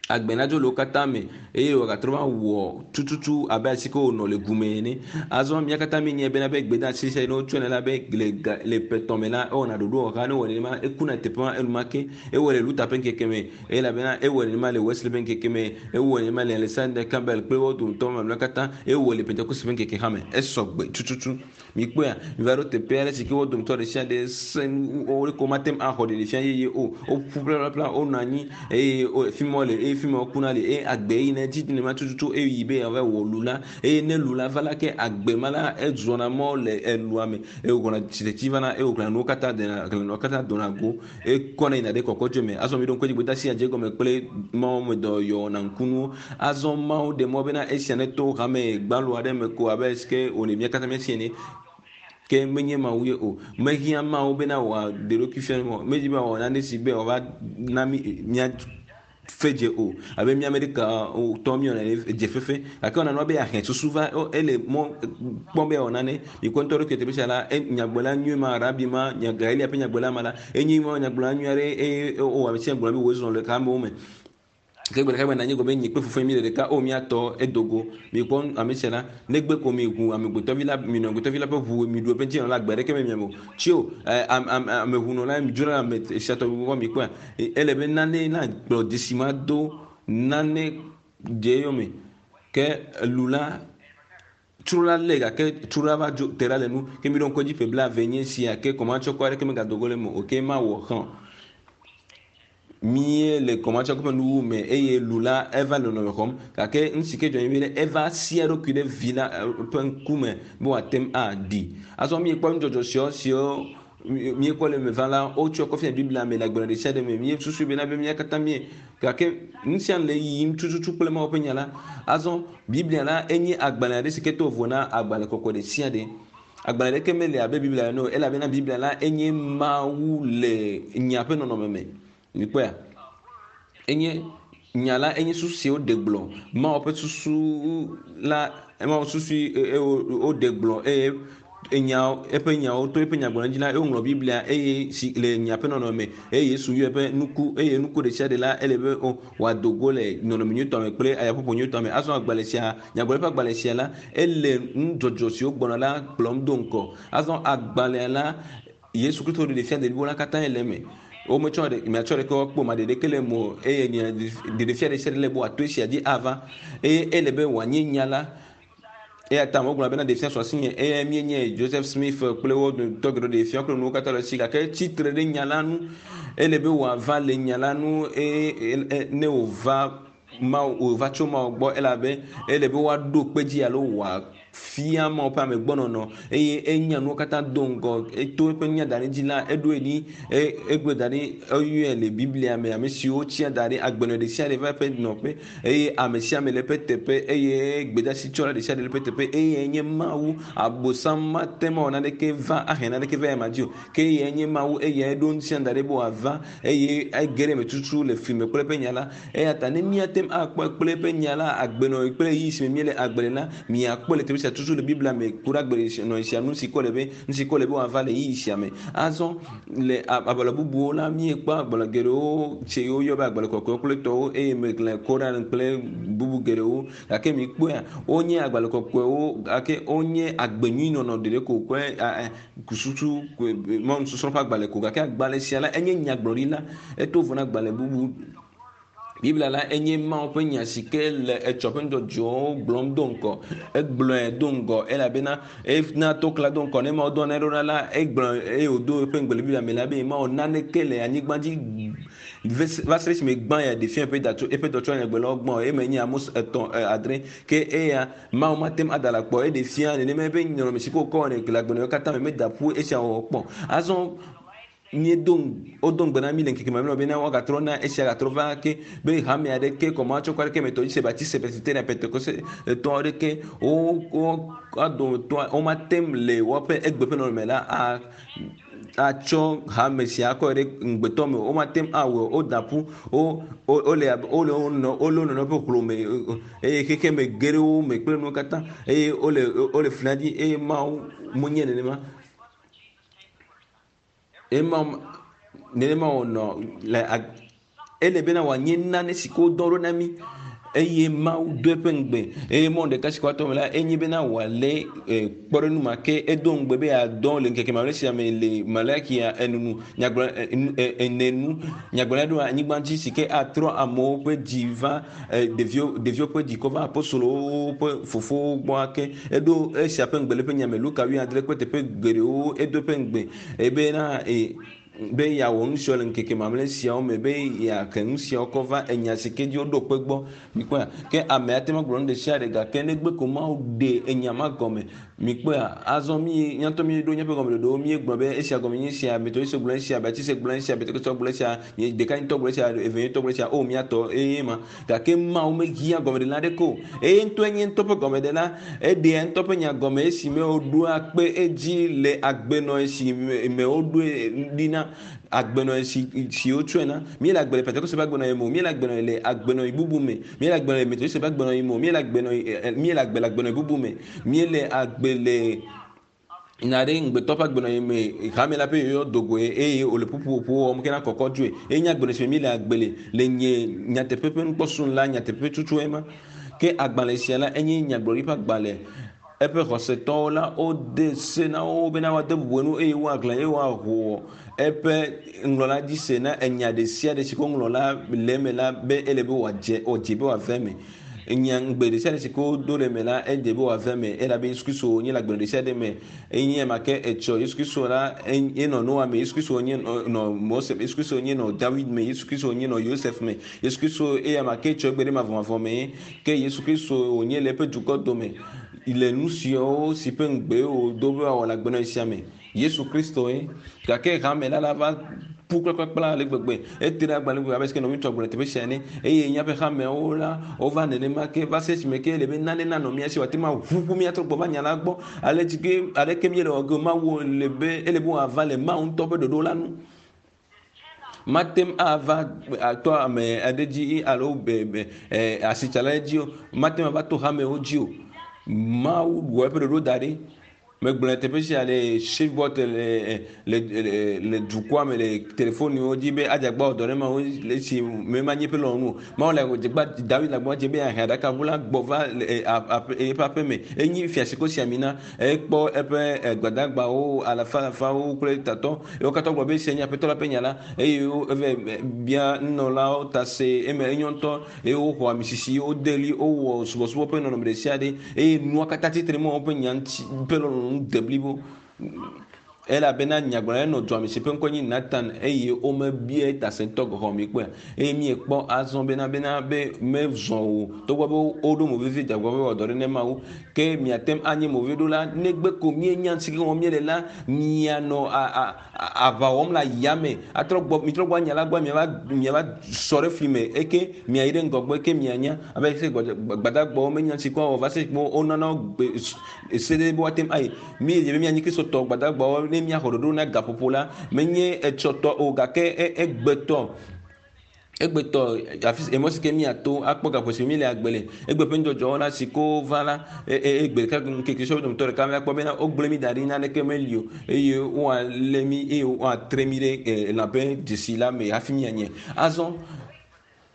agbe nadzo le wo katã me eye wòagatrɔ va wɔ tututu abe asi ke wònɔ le gume ene. Azɔ mía katã míenyae bena be gbedeasi sia ne wotsɔe la be le ga le ƒe etɔ̃ me la ewɔna ɖoɖo wɔha ne ewɔ nenema ekuna teƒe ma enumake. Ewɔe le Luther ƒe ŋkeke me elabena ewɔe nenema le Wesley ƒe ŋkeke me, ewɔe nenema le Alexander Campbell kple wo dometɔ mamlɛawo katã, ewɔe le Pentekoste ƒe ŋkeke hã me. Esɔ gbe tututu. Mikpɔea, miva ɖo teƒe aɖe si ke wo dometɔ ɖe sia ɖe sẽ nu wo ko mate ŋu axɔ ɖeɖefia yeye o. Woƒu ƒlaƒlaƒla, wonɔ anyi eye fi ma wole eye fi ma wokuna le eye agbe yina edzi nenema tututu eye yi be yeava wɔ lu la eye ne lu la va la ke agbe ma la ezɔna mɔ le elua me eye wògbɔna tsitretsi vana eye wògblɔna nuwo katã dena nuwo katã dona go ekɔna yina ɖe kɔkɔdzoe me. Azɔ miɖo ŋku edzi gbedeasi dze egɔme kple Mawu me dɔyɔwɔna ŋkunuwo. Azɔ Mawu ɖe mɔ bena esia neto hame gbalo aɖe me ko abe esike wòle mía katã míasi ene. Ke menye Mawu ye o. Mehiã Mawu bena wòaɖe ɖokui fia mí o. Medzi be wòawɔ nane si be wòava na mí mía fe dze o abe mía ame ɖeka tɔ míewɔna ene dze fefe gake wɔna nua be yeahe susu va ele mɔ kpɔm be yeawɔ nane mikpɔ ŋutɔ ɖokui teƒe sia la nyagblɔla nyui ma rabi ma Galilea ƒe nyagblɔla ma la enye ma nyagblɔla nyui aɖe eye wowɔ ame sia gblɔ be wòzɔ le amewo me ke gbe ɖeka gbe nanyi gɔme nyi kple fofonye mi le ɖeka o míatɔ edo go mikpɔ ame sia la negbe ko mi ʋu amegbetɔvi la mi nɔ amegbetɔvi la ƒe ʋu mi ɖu eƒe ŋuti nɔ la agbe aɖeke me miame o tsi o ame ʋu nɔ la mi dzro la ame sia tɔgbi gbɔ mi kpɔa ele be nane na gblɔ dzesi ma do nane dze eyome ke lu la tsro la lé gake tsro la va dzo te ɖa le nu ke mi ɖo ŋku edzi ƒe blaeve nye sia ke kɔmatsɔkɔ aɖeke megado go le eme o ke ma wɔ hã mie le kɔmatsɔkɔ ƒe nuwu me eye lu la eva le nɔnɔme xɔm gake nu si ke dzɔ nyi be eva sia eɖokui ɖe vi la ƒe ŋkume be wòate ŋu aɖi. Azɔ miekpɔ nudzɔdzɔ siawo siwo miekpɔ le eme va la wotsɔ kɔ fia Biblia me le agbalẽ ɖe sia ɖe me. Míesusu bena be mía katã mie gake nu sia nu le yiyim tututu kple Mawu ƒe nya la. Azɔ Biblia la enye agbalẽ aɖe si ke to vovo na agbalẽ kɔkɔe ɖe sia ɖe. Agbalẽ ɖeke mele abe Biblia ene o elabena Biblia la enye Mawu le nya ƒe nɔnɔme me. Mikpɔea? Enye nya la enye susu si woɖe gblɔ. Mawu ƒe susu la Mawu susu woɖe gblɔ eye enya eƒe nyawo to eƒe nyagblɔɖi dzi la eye woŋlɔ Biblia eye si le nya ƒe nɔnɔme me eye Yesu yɔ eƒe nuku eye nuku ɖe sia ɖe la ele be wòado go le nɔnɔme nyuitɔ me kple ayaƒoƒo nyuitɔ me. Azɔ agbalẽ sia nyagblɔɖi ƒe agbalẽ sia la ele nudzɔdzɔ siwo gbɔna la kplɔm do ŋgɔ. Azɔ agbalẽa la Yesu Kristo ɖe fia ɖeviwo la katã le eme. Wometsɔ ɖe miatsɔ ɖeke woakpɔ ma ɖeɖeke le eme o eye ɖeɖefia ɖe sia ɖe le be wòato esia dzi ava eye ele be wòanye nya la. Eya ta amewo gblɔna bena ɖe fia su asinye eye míenye Joseph Smith kple wo dometɔ geɖewo ɖe fia kple nuwo katã le esi gake etsi tre ɖe nya la nu. Ele be wòava le nya la nu eye ne wòva Mawu wòva tso Mawu gbɔ elabe ele be woaɖo kpe dzi alo wòafia Mawu ƒe amegbɔnɔnɔ eye enya nuwo katã do ŋgɔ eto eƒe nya da ɖe dzi la eɖoe ɖi egblɔe da ɖi eyɔe le Biblia me ame siwo tsia da ɖi agbenɔ ɖe sia ɖe va eƒe nɔƒe eye ame sia ame le eƒe teƒe eye gbedeasi tsɔla ɖe sia ɖe le eƒe teƒe eye nye Mawu abosam mate ŋu awɔ naneke va ahe naneke va ema dzi o ke eyae nye Mawu eyae ɖo ŋutia da ɖi be wòava eye ege ɖe eme tutu le fli me kple eƒe nya la. Eya ta ne míate ŋu akpɔe kple eƒe nya la, agbenɔɣi kple ɣeyiɣi si me míele agbe le la, míakpɔe le teƒe sia tutu le Biblia me ku ɖe agbenɔɣi sia nu si ke wòle be nu si ke wòle be wòava le ɣeyiɣi sia me. Azɔ le agbalẽ bubuwo la, míekpɔ agbalẽ geɖewo tse woyɔ be agbalẽ kɔkɔewo kple tɔwo eye mexlẽ Koran kple bubu geɖewo. Gake mikpɔea, wonye agbalẽ kɔkɔewo gake wonye agbe nyui nɔnɔ ɖeɖe ko kple susu mɔnusɔsrɔ̃ ƒe agbalẽ ko. Gake agbalẽ sia la enye nyagblɔɖi la, eto vovo na agbalẽ bubu. Biblia la enye Mawu ƒe nya si ke le etsɔ ƒe nudzɔdzɔwo gblɔm do ŋgɔ. Egblɔe do ŋgɔ elabena ena to kla do ŋgɔ ne Mawu dɔ ne ɖo ɖa la egblɔ eye wòdo eƒe ŋugbe le Biblia me la be Mawu naneke le anyigba dzi va se ɖe esime gbã ya ɖe fia eƒe datso eƒe dɔtsɔ nyagblɔlawo gbã o. Eme nye Amos etɔ̃ adre ke eya Mawu mate ŋu ada le akpɔ eɖe fia nenema eƒe nɔnɔme si ke wòkɔ wɔnɛ le agbenɔɣi katã me meda ƒu esia wɔwɔ kpɔ. Azɔ míedo wodo ŋugbe na mí le ŋkeke mamlɛawo bena woagatrɔ na esia gatrɔ va ake be hame aɖeke kɔmatsɔkɔ aɖeke me tɔ dzi se Baptiste, Presbyterian, Pentekoste tɔ aɖeke wo wo adometɔ womate ŋu le woƒe egbe ƒe nɔnɔme la a atsɔ hame sia akɔ ɖe ŋugbetɔ me o. Womate ŋu awɔe o. Woda ƒu wo wole abe wole wo nɔ wole wo nɔnɔewo ƒe hlome eye xexeme ge ɖe wo me kple nuwo katã eye wole wole flia dzi eye Mawu menye nenema. Ema nenema wònɔ le ele bena wòanye nane si ke wodɔ ɖo na mí eye Mawu do eƒe ŋugbe eye mɔ ɖeka si ke woato eme la enye bena wòalé kpɔɖeŋu ma ke edo ŋugbe be yeadɔ le ŋkeke mamlɛ sia me le Malakia enunu nyagblɔ ene nu nyagblɔɖia ɖo anyigba dzi si ke atrɔ amewo ƒe dzi va ɖeviwo ɖeviwo ƒe dzi kɔ va apostolowo ƒe fofowo gbɔ ake. Eɖo esia ƒe ŋugbe le eƒe nya me Luka wuiadre kple teƒe geɖewo edo eƒe ŋugbe ebena be yeawɔ nu siawo le ŋkeke mamlɛ siawo me be yeahe nu siawo kɔ va enya si ke dzi woɖo kpe gbɔ. Mikpɔea? Ke ame ate ŋu agblɔ nu ɖe sia ɖe gake negbe ko Mawu ɖe enya ma gɔme. Mikpɔea? Azɔ mi míatɔ míeɖo míaƒe gɔmeɖoɖowo míegblɔ be esia gɔme nye esia, Metodist gblɔ esia, Baptist gblɔ esia, Pentekoste gblɔ esia, nye ɖeka ŋutɔ gblɔ esia, eve ŋutɔ gblɔ esia, o míatɔ eye ma. Gake Mawu mehiã gɔmeɖela aɖeke o. Eye ŋutɔe nye ŋutɔ ƒe gɔmeɖela. Eɖea ŋutɔ ƒe nya gɔme esime wòɖoa kpe edzi le agbenɔɣi si me woɖoe ɖi na agbenɔɣi si si wotsɔe na. Míele agbe le Pentekoste ƒe agbenɔɣi me o. Míele agbenɔɣi le agbenɔɣi bubu me. Míele agbe le Metodist ƒe agbenɔɣi me o. Míele agbenɔɣi míele agbe le agbenɔɣi bubu me. Míele agbe le nya ɖe ŋugbetɔ ƒe agbenɔɣi me hame la ƒe yɔyɔ do goe eye wòle ƒuƒoƒo wɔm kena kɔkɔ dzoe. Eye nye agbenɔɣi si me míele agbe le le nye nyateƒe ƒe nukpɔsunu la nyateƒe tutu ema. Ke agbalẽ sia la enye nyagblɔɖi ƒe agbalẽ. Eƒe xɔsetɔwo la wode se na wo bena woade bubu enu eye woaxlẽ eye woaho eƒe ŋlɔla dzi se na enya ɖe sia ɖe si ke woŋlɔ la le eme la be ele be wòadze wòdze be wòave eme. Nya ŋugbe ɖe sia ɖe si ke wodo le eme la edze be wòave eme elabe Yesu Kristo nye le agbenɔ ɖe sia ɖe me. Enye ema ke etsɔ Yesu Kristo la enɔ Noa me, Yesu Kristo nye nɔ Mose me, Yesu Kristo nye nɔ David me, Yesu Kristo nye nɔ Yosef me. Yesu Kristo eya ma ke etsɔ egbe ɖe mavɔmavɔ me ke Yesu Kristo wònye le eƒe dukɔ dome le nu siawo si ƒe ŋugbe wòdo be wòawɔ le agbenɔɣi sia me. Yesu Kristoe. Gake hame la la va ƒu kplakplakpla ale gbegbe. Ete ɖe agbalẽ gbegbe abe sike nɔviŋutsu agblɔ le teƒe sia ene. Eye míaƒe hameawo la, wova nenema ke va se esime ke ele be nane nanɔ mía si wòate ŋu aʋuʋu mía trɔ gbɔ va nya la gbɔ. Ale tsi ke aleke míele wɔ ge o, Mawu le be ele be wòava le Mawu ŋutɔ ƒe ɖoɖo la nu. Mate ŋu ava atɔ ame aɖe dzi alo be be asitsala aɖe dzi o. Mate ŋu ava to hamewo dzi o. Mawu wɔ eƒe ɖoɖo da ɖi. Megblɔ le teƒe sia le Shreveport le le le le dukɔa me le telefoniwo dzi be adzagba wɔ dɔ ɖe Mawu le esi me ma nye eƒe lɔlɔ̃nu o. Mawu le dzegba David le agbagba dze be yeahe aɖakaʋu la gbɔ va le aƒe eƒe aƒe me. Enyi fia si ko si ami na. Ekpɔ eƒe gbadagbawo alafa alafawo kple tatɔ. Wo katã gblɔ be esia nye Aƒetɔ la ƒe nya la eye wo eve bia nunɔlawo ta se eme enyo ŋutɔ eye woxɔ ami sisi, wode ɣli, wowɔ subɔsubɔ ƒe nɔnɔme ɖe sia ɖe eye nua katã tsitre mɔ woƒe nya ŋuti ƒe lɔlɔ̃nu de blibo. Elabena nyagblɔɖila nɔ dua me si ƒe ŋkɔe nye Natan eye womebia eta se ŋutɔ gɔ̃ hã o. Mikpɔea? Eye miekpɔ azɔ bena bena be mezɔ o togbɔ be woɖo mo vevi dze agbagba be woawɔ dɔ ɖe ne Mawu. Ke miate ŋu anye moveɖola negbe ko mienya nu si ke wɔm miele la, mianɔ a a aʋa wɔm le ayame atrɔ gbɔ mitrɔ gbɔ anya la gbɔ miava miava sɔ ɖe fli me eke miayi ɖe ŋgɔgbe ke mianya abe se gbadagbawo menya si kɔ va se kpɔ wonana gbe se ɖe be woate ŋu ayi mi dze be mianyi kristotɔ gbadagbawo ne miaxɔ ɖoɖo na gaƒoƒo la menye etsɔtɔ o gake egbetɔ Egbetɔ afi emɔ si ke míato akpɔ gaƒo si míele agbe le. Egbe ƒe nudzɔdzɔwo la si ko va la egbe ɖeka ŋkeke sɔwo dometɔ ɖeka míakpɔ bena wogblẽ mí da ɖi naneke meli o eye woalé mí eye woatre mí ɖe lã ƒe dzesi la me hafi míanye. Azɔ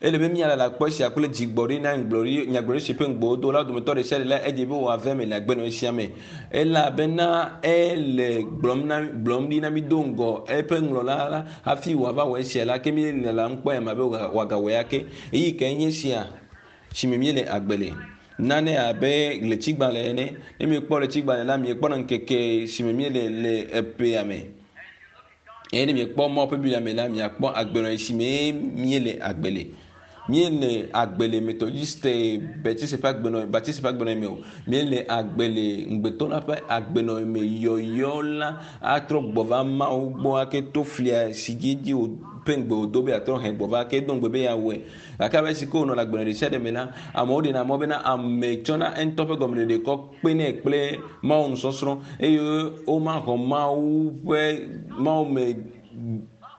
ele be míalala akpɔ esia kple dzigbɔɖi na nyagblɔɖi nyagblɔɖi si ƒe ŋugbe wodo la dometɔ ɖe sia ɖe la edze be wòave eme le agbenɔɣi sia me. Elabena ele gblɔm na gblɔm ɖi na mí do ŋgɔ eƒe ŋlɔla la Hafi wòava wɔ esia la, ke míele la ŋu kpɔm ema be wòagawɔe ake. Ɣeyiɣi kae nye esia si me míele agbe le? Nane abe ɣletigbalẽ ene. Ne miekpɔ ɣletigbalẽ la, miekpɔna ŋkeke si me míele le eƒea me. Eye ne miekpɔ Mawu ƒe Biblia me la, miakpɔ agbenɔɣi si me míele agbe le. Míele agbe le Methodiste Baptiste ƒe agbenɔɣi Baptiste ƒe agbenɔɣi me o. Míele agbe le ŋugbetɔ la ƒe agbenɔɣi me. Yɔyɔ la atrɔ gbɔ va Mawu gbɔ ake to flia si dzi dzi wòƒe ŋugbe wòdo be yeatrɔ hɛ gbɔ va ake. Edo ŋugbe be yeawɔe. Gake abe esi ke wònɔ le agbenɔɣi ɖesiaɖe me la, amewo ɖena mɔ bena ame tsɔna eŋutɔ ƒe gɔmeɖeɖe kɔ kpenɛ kple Mawu nusɔsrɔ̃ eye womaxɔ Mawu ƒe Mawu me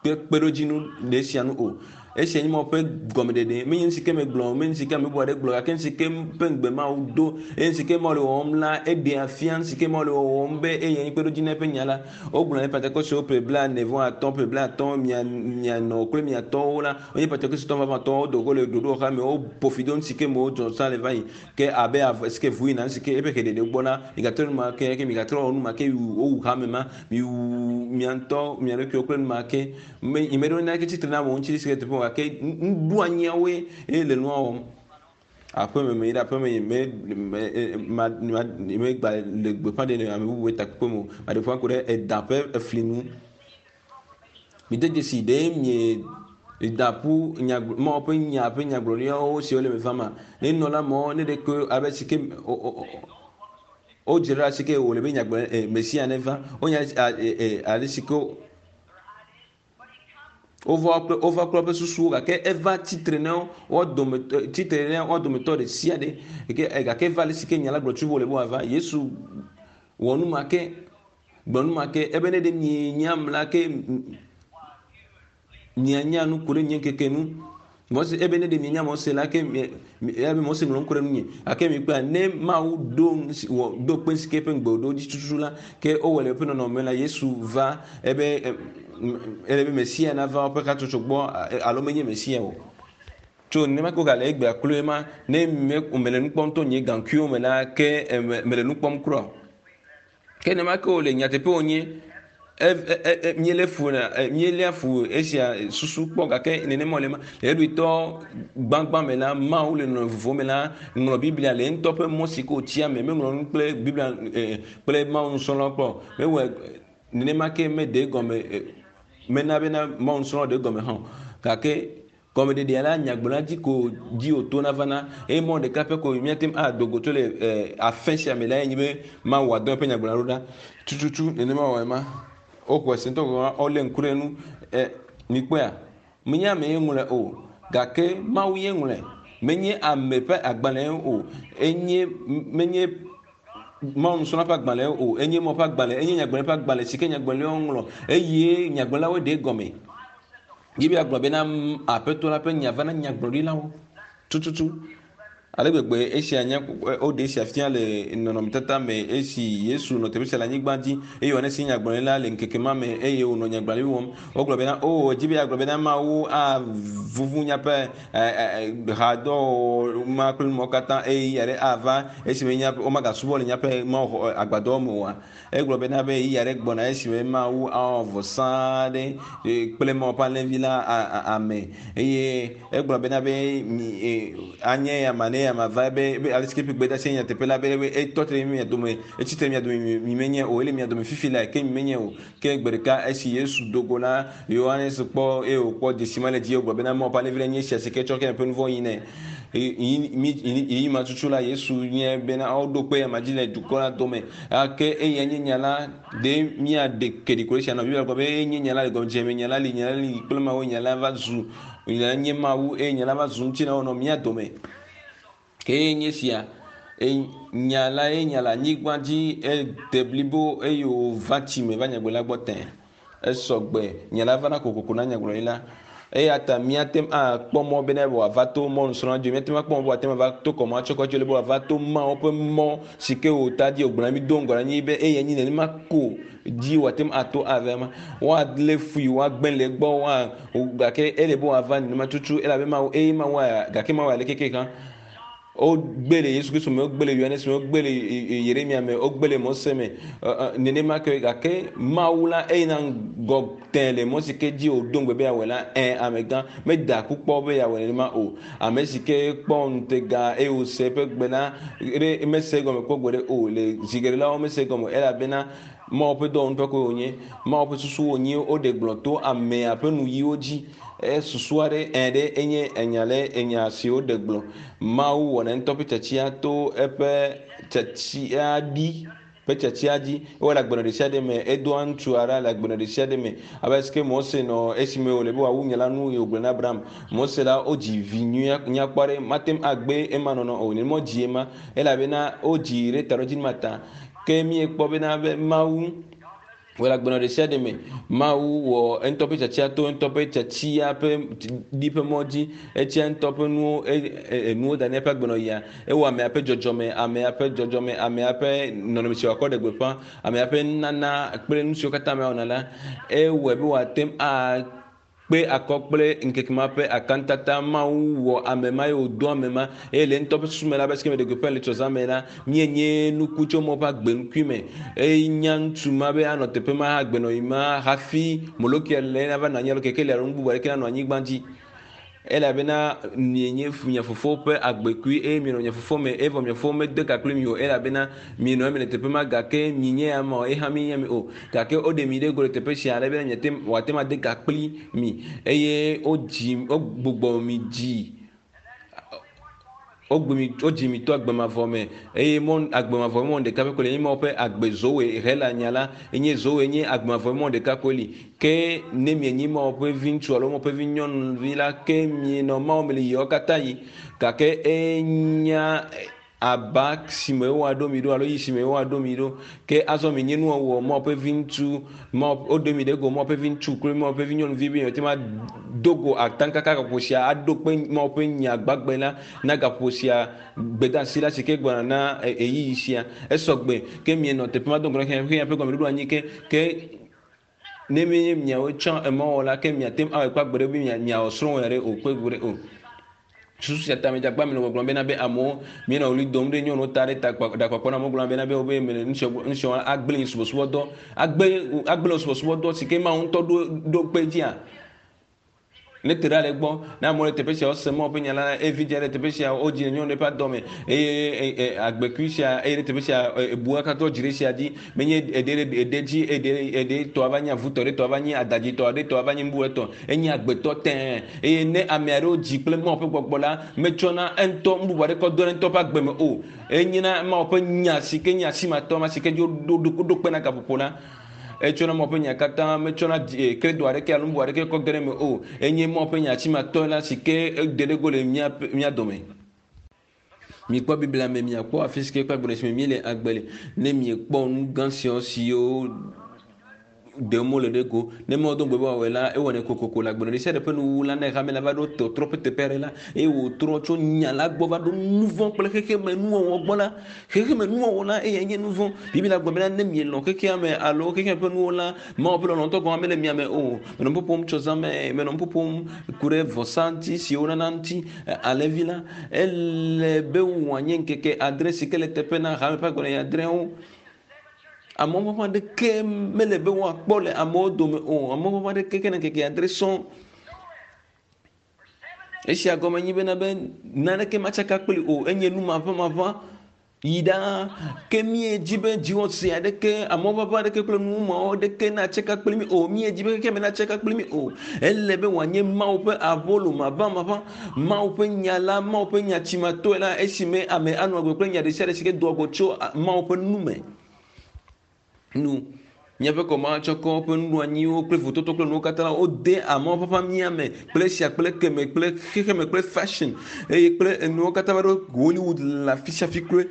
kpeɖodzinu ɖe sia nu o. Esia nye Mawu ƒe gɔmeɖeɖe. Menye nu si ke megblɔ o, menye nu si ke ame bubu aɖe gblɔ gake nu si ke ƒe ŋugbe Mawu do eye nu si ke Mawu le wɔwɔm la, eɖea fia nu si ke Mawu le wɔwɔm be eyae nye kpeɖodzi na eƒe nya la. Wogblɔ ne Pentekostewo ƒe blaene vɔ atɔ̃, ƒe blaatɔ̃, mia, mianɔ kple mia tɔwo la, wonye Pentekostetɔ vavãtɔwo, wodo go le ɖoɖowɔxa me, woƒo fi do nu si ke me wodzɔ sã le va yi. Ke abe ave si ke ʋu yina, nu si ke eƒe heɖeɖe gbɔ la, migatrɔ nu ma ke, ke migatrɔ wɔ nu ma ke, wowu hame ma, miwu mia ŋutɔ mia ɖokuiwo kple nu ma ke. Me, nyemeɖo naneke tsitre na amewo ŋuti si ke teƒe o, gake nuɖoanyiawoe ye le nua wɔm. Aƒeme me yi ɖe aƒeme yi me me ma ma megba le gbeƒã ɖe le ame bubu ƒe takpekpe me o. Maɖe gbeƒã ku ɖe eda ƒe efli ŋu. Mide dzesi ɖe mie da ƒu nya Mawu ƒe nya ƒe nyagblɔɖiawo siwo le me vama. Ne nɔla mɔ ne ɖe ke abe si ke wodzra si ke wòle be nyagblɔ Mesia neva. Wonya ale si ke wova kple wova kple woƒe susuwo gake eva tsitre na wo dometɔ tsitre na wo dometɔ ɖe sia ɖe gake eva ale si ke nya la gblɔ tso wòle be wòava. Yesu wɔ nu ma ke. Gblɔ nu ma ke ebe ne ɖe mienyam la ke mianya nu ku ɖe nye ŋkeke nu. Mose ebe ne ɖe mienya Mose la ke ebe Mose ŋlɔ nu ku ɖe nunye. Gake mikpɔa ne Mawu ɖo wɔ ɖo kpe si ke eƒe ŋugbe wòɖo dzi tututu la ke wowɔ le eƒe nɔnɔme la Yesu va ebe ele be Mesia nava woƒe hatsotso gbɔ alo menye Mesia o. Tso nenema ke wogale egbea kloe ma ne mele nu kpɔm to nye gaŋkuiwo me la ke mele nu kpɔm kura o. Ke nenema ke wòle nyateƒe wònye míelé fu na míeléa fu esia susu kpɔ gake nenema wòle ma. Le eɖoetɔ gbãgbã me la, Mawu le nɔnɔme vovovowo me la ŋlɔ Biblia le ŋutɔ ƒe mɔ si ke wòtia me. Meŋlɔ nu kple Biblia kple Mawu nusrɔ̃lawo kpɔ o. Mewɔe nenema ke meɖe egɔme mena bena Mawu nusrɔ̃lawo ɖe egɔme hã o. Gake Gɔmeɖeɖea la, nyagblɔɖia dzi ko dzi wòtona vana eye mɔ ɖeka pɛ ko míate ŋu ado go tso le afẽ sia me lae nye be Mawu wòadɔ eƒe nyagblɔɖia ɖo ɖa. Tututu nenema wɔe ma. Woxɔe se ŋutɔ gɔ̃ hã, wolé ŋku ɖe enu. E, mikpɔea? Menye ame ye ŋlɔe o, gake Mawu ye ŋlɔe. Menye ame ƒe agbalẽe o, enye menye Mawu nusrɔ̃la ƒe agbalẽ o, enye Mawu ƒe agbalẽ, enye nyagblɔɖi ƒe agbalẽ si ke nyagblɔɖilawo ŋlɔ eye nyagblɔɖilawoe ɖe egɔme. Biblia gblɔ bena Aƒetɔ la ƒe nya va na nyagblɔɖilawo tututu. Ale gbegbe esia nya woɖe esia fia le nɔnɔmetata me esi Yesu nɔ teƒe sia le anyigba dzi eye Yohanes nye nyagblɔɖila le ŋkeke ma me eye wònɔ nyagblɔɖi wɔm. Wogblɔ bena, o edzi be yeagblɔ bena Mawu avuvu míaƒe hadɔwɔwɔ ma kple numawo katã eye ɣeyiɣi aɖe ava esime míaƒe womagasubɔ le míaƒe Mawu agbadɔwo me oa. Egblɔ bena be ɣeyiɣi aɖe gbɔna esime Mawu awɔ vɔsa aɖe kple Mawu ƒe alẽvi la ame eye egblɔ bena be anye ya ma ne ya ma va be be ale si ke gbedeasi nyateƒe la be etɔ te ɖe mia dome etsi tre mia dome mi menye o ele mia dome fifi la ke mi menye o ke gbe ɖeka esi Yesu do go la Yohanes kpɔ eye wòkpɔ dzesi ma le dzi wògblɔ bena Mawu ƒe alẽvi la nye esia si ke tsɔ ke miaƒe nu vɔ̃ yi nɛ ɣeyiɣi ma tutu la Yesu nye bena woɖo kpe ama dzi le dukɔ la dome ake eya nye nya la ɖe míaɖe ke ɖi ko esia nɔ Biblia gblɔ be enye nya la le gɔmedzedze me nya la li nya la li kple Mawu nya la va zu nya la nye Mawu eye nya la va zu ŋutilã wònɔ mía dome. Ke nye sia nya la ye nya le anyigba dzi ede blibo eye wòva tsi me va nyagblɔɖila gbɔ tẽ. Esɔgbe nya la vana kokoko na nyagblɔɖila. Eya ta míate ŋu akpɔ mɔ bena wòava to mɔnusrɔ̃la dzi. Míate ŋu akpɔ mɔ be wòate ŋu ava to kɔmɔ atsɔ kɔ dzi le be wòava to Mawu ƒe mɔ si ke wòta dzi wògblɔ na mí do ŋgɔ na anyi be eyae nyi nenema ko dzi wòate ŋu ato ava ema. Woalé fui, woagblẽ le egbɔ, woa gake ele be wòava nenema tutu elabe Mawu eye Mawu gake Mawu aleke ke hã. Wogbe le Yesu Kristo me, wogbe le Yohanes me, wogbe le Yeremia me, wogbe le Mose me. Nenema ke gake Mawu la eyina ŋgɔ tẽ le mɔ si ke dzi wòdo ŋugbe be yeawɔe la, ẽ amegã meda aku kpɔ be yeawɔe nenema o. Ame si ke kpɔ ŋutega eye wòse eƒe gbe la, ɖe mese egɔme kpɔ gbeɖe o. Le zi geɖe la, womese egɔme o elabena Mawu ƒe dɔwɔnu ƒe koe wònye. Mawu ƒe susu wònye woɖe gblɔ to amea ƒe nuyiwo dzi. Susu aɖe ẽ ɖe enye enya le enya si woɖe gblɔ. Mawu wɔna ŋutɔ ƒe tiatia to eƒe tiatia ɖi ƒe tiatia dzi. Ewɔ le agbenɔ ɖesiaɖe me. Edoa ŋutsu aɖe le agbenɔ ɖesiaɖe me. Abe ale si ke Mose nɔ esime wòle be wòawu nya la nu eye wògblɔ na Abraham. Mose la wodzi vi nyui nyakpɔ aɖe. Mate ŋu agbe ema nɔnɔ o. Nenema wodzi ema elabena wodzii ɖe taɖodzinu ma ta. Ke míekpɔ bena be Mawu wɔ le agbenɔ ɖe sia ɖe me. Mawu wɔ eŋutɔ ƒe tiatia to eŋutɔ ƒe tiatia ƒe ɖi ƒe mɔ dzi. Etia ŋutɔ ƒe nuwo enuwo da ɖe eƒe agbenɔɣia. Ewɔ amea ƒe dzɔdzɔme, amea ƒe dzɔdzɔme, amea ƒe nɔnɔme si wòakɔ ɖe gbeƒã, amea ƒe nunana kple nu siwo katã amea wɔna la, ewɔe be wòate ŋu a kpe akɔ kple ŋkeke ma ƒe akantata. Mawu wɔ ame ma eye wòdo ame ma eye le ŋutɔ ƒe susu me la, be esime ɖe gbeƒã le tsɔzã me la, míenye nuku tso Mawu ƒe agbenukui me. Eye nya ŋutsu ma be anɔ teƒe ma agbenɔɣi ma hafi Molokia le nava nɔ anyi alo kekeli alo nu bubu aɖeke nanɔ anyigba dzi. Elabena mienye mia fofo ƒe agbekui eye mienɔ mia fofo me evɔ mia fofo mede ka kpli mi o elabena mienɔ eme le teƒe ma gake mienye ya ma o eye hã mienye mi o gake woɖe mi ɖe go le teƒe sia ale bena miate wòate ŋu ade ka kpli mi eye wodzi wogbugbɔ mi dzi Wogbe mi, wodzi mi to agbe mavɔ me eye mɔ agbe mavɔ mɔ ɖeka pɛ koe li. Enye Mawu ƒe agbe zoe Hela nya la enye zoe nye agbe mavɔ mɔ ɖeka koe li. Ke ne mienyi Mawu ƒe viŋutsu alo Mawu ƒe vinyɔnuvi la, ke mienɔ Mawu me le ɣeyiɣiawo katã ɣi. Gake enya aba si me woaɖo mi ɖo alo yi si me woaɖo mi ɖo. Ke azɔ mienye nuwɔwɔ Mawu ƒe viŋutsu, Mawu woɖe mi ɖe go Mawu ƒe viŋutsu kple Mawu ƒe vinyɔnuvi be miate ŋu ado go ataŋkaka gaƒoƒo sia aɖo kpe Mawu ƒe nya gbagbe la na gaƒoƒo sia gbedeasi la si ke gbɔna na ɣeyiɣi sia. Esɔ gbe ke mienɔ teƒe ma do ŋgɔ na xexea ƒe gɔmeɖoɖo anyi ke ke ne menye miawo tsã emɔwɔla ke miate ŋu awɔe kple agbe ɖe be miawɔ srɔ̃wò ya ɖe o kpe go ɖe o. Susu sia ta medzagba mi le gbɔgblɔm bena be amewo mienɔ ɣli dom ɖe nyɔnuwo ta ɖe ta ɖakpakpɔ na amewo gblɔm bena be wobe mele nu siawo nu siawo agblẽ nye subɔsubɔdɔ agbe agblẽ subɔsubɔdɔ si ke Mawu ŋutɔ ɖo ɖo kpe dzia. Ne te ɖa le egbɔ ne amewo le teƒe siawo sem Mawu ƒe nya la eye vidzĩa le teƒe sia wodzi le nyɔnu ɖe ƒe adɔ me eye agbekui sia eye ɖe teƒe sia ebua katã dzi ɖe sia dzi menye eɖe ɖe eɖe dzi eɖe eɖe tɔ ava nye avutɔ ɖe tɔ ava nye adadzitɔ ɖe tɔ ava nye nu bubu ɖe tɔ enye agbetɔ tẽe Eye ne ame aɖewo dzi kple Mawu ƒe gbɔgbɔ la, metsɔna eŋutɔ nu bubu aɖeke dona ŋutɔ ƒe agbe me o. Enyena Mawu ƒe nya si ke nye asimatɔ ma si ke dzi woɖo kpe na gaƒoƒo la. Etsɔna Mawu ƒe nya katã, metsɔna kredo aɖeke alo nu bubu aɖeke kɔ ge ɖe eme o. Enye Mawu ƒe nya asimatɔ la si ke de ɖe go le mía dome. Mikpɔ Biblia me, miakpɔ afi si ke kple agbenɔ si me míele agbe le. Ne miekpɔ nu gã siawo siwo. Ɖem wole ɖe go. Ne Mawu do ŋugbe be wòawɔe la, ewɔnɛ kokoko le agbenɔnɔ ɖesiaɖe ƒe nuwuwu la. Ne hame la va ɖo tɔtrɔ ƒe teƒe aɖe la, eye wòtrɔ tso nya la gbɔ va ɖo nuvɔ̃ kple xexemenuwɔwɔ gbɔ la, xexemenuwɔwɔ la eyae nye nuvɔ̃. Biblia gblɔ bena ne mielɔ̃ xexea me alo xexea ƒe nuwo la, Mawu ƒe lɔlɔ̃tɔ gɔ̃ hã mele mia me o. Menɔ nu ƒoƒom tso zã me, menɔ nu ƒoƒom ku ɖe vɔsa ŋuti si wonana ŋuti. Alẽvi la, ele be wòanye ŋkeke adre si ke le teƒe na hame ƒe agbenɔɣi adreawo. Amewo ƒe aɖeke mele be woakpɔ le amewo dome o. Amewo ƒe aɖeke ke ne ŋkeke adre sɔŋ. Esia gɔme nyi bena be naneke matsaka kpli o. Enye nu maʋãmaʋã yi ɖaa. Ke míedzi be dziwɔse aɖeke, amewo ƒe aɖeke kple nu mawo aɖeke natsaka kpli mí o. Míedzi be xexeame natsaka kpli mí o. Ele be wòanye Mawu ƒe abolo maʋãmaʋã, Mawu ƒe nya la, Mawu ƒe nya tsimatɔe la, esime ame anɔ agbe kple nya ɖesiaɖe si ke doa go tso Mawu ƒe nu me. Nu. Míaƒe kɔmahatsɔkɔ ƒe nuɖoanyiwo kple vototo kple nuwo katã la, wode amewo ƒe mía me kple esia kple ekeme kple xexeme kple fashion eye kple enuwo katã va ɖo Hollywood le afi sia afi kloe.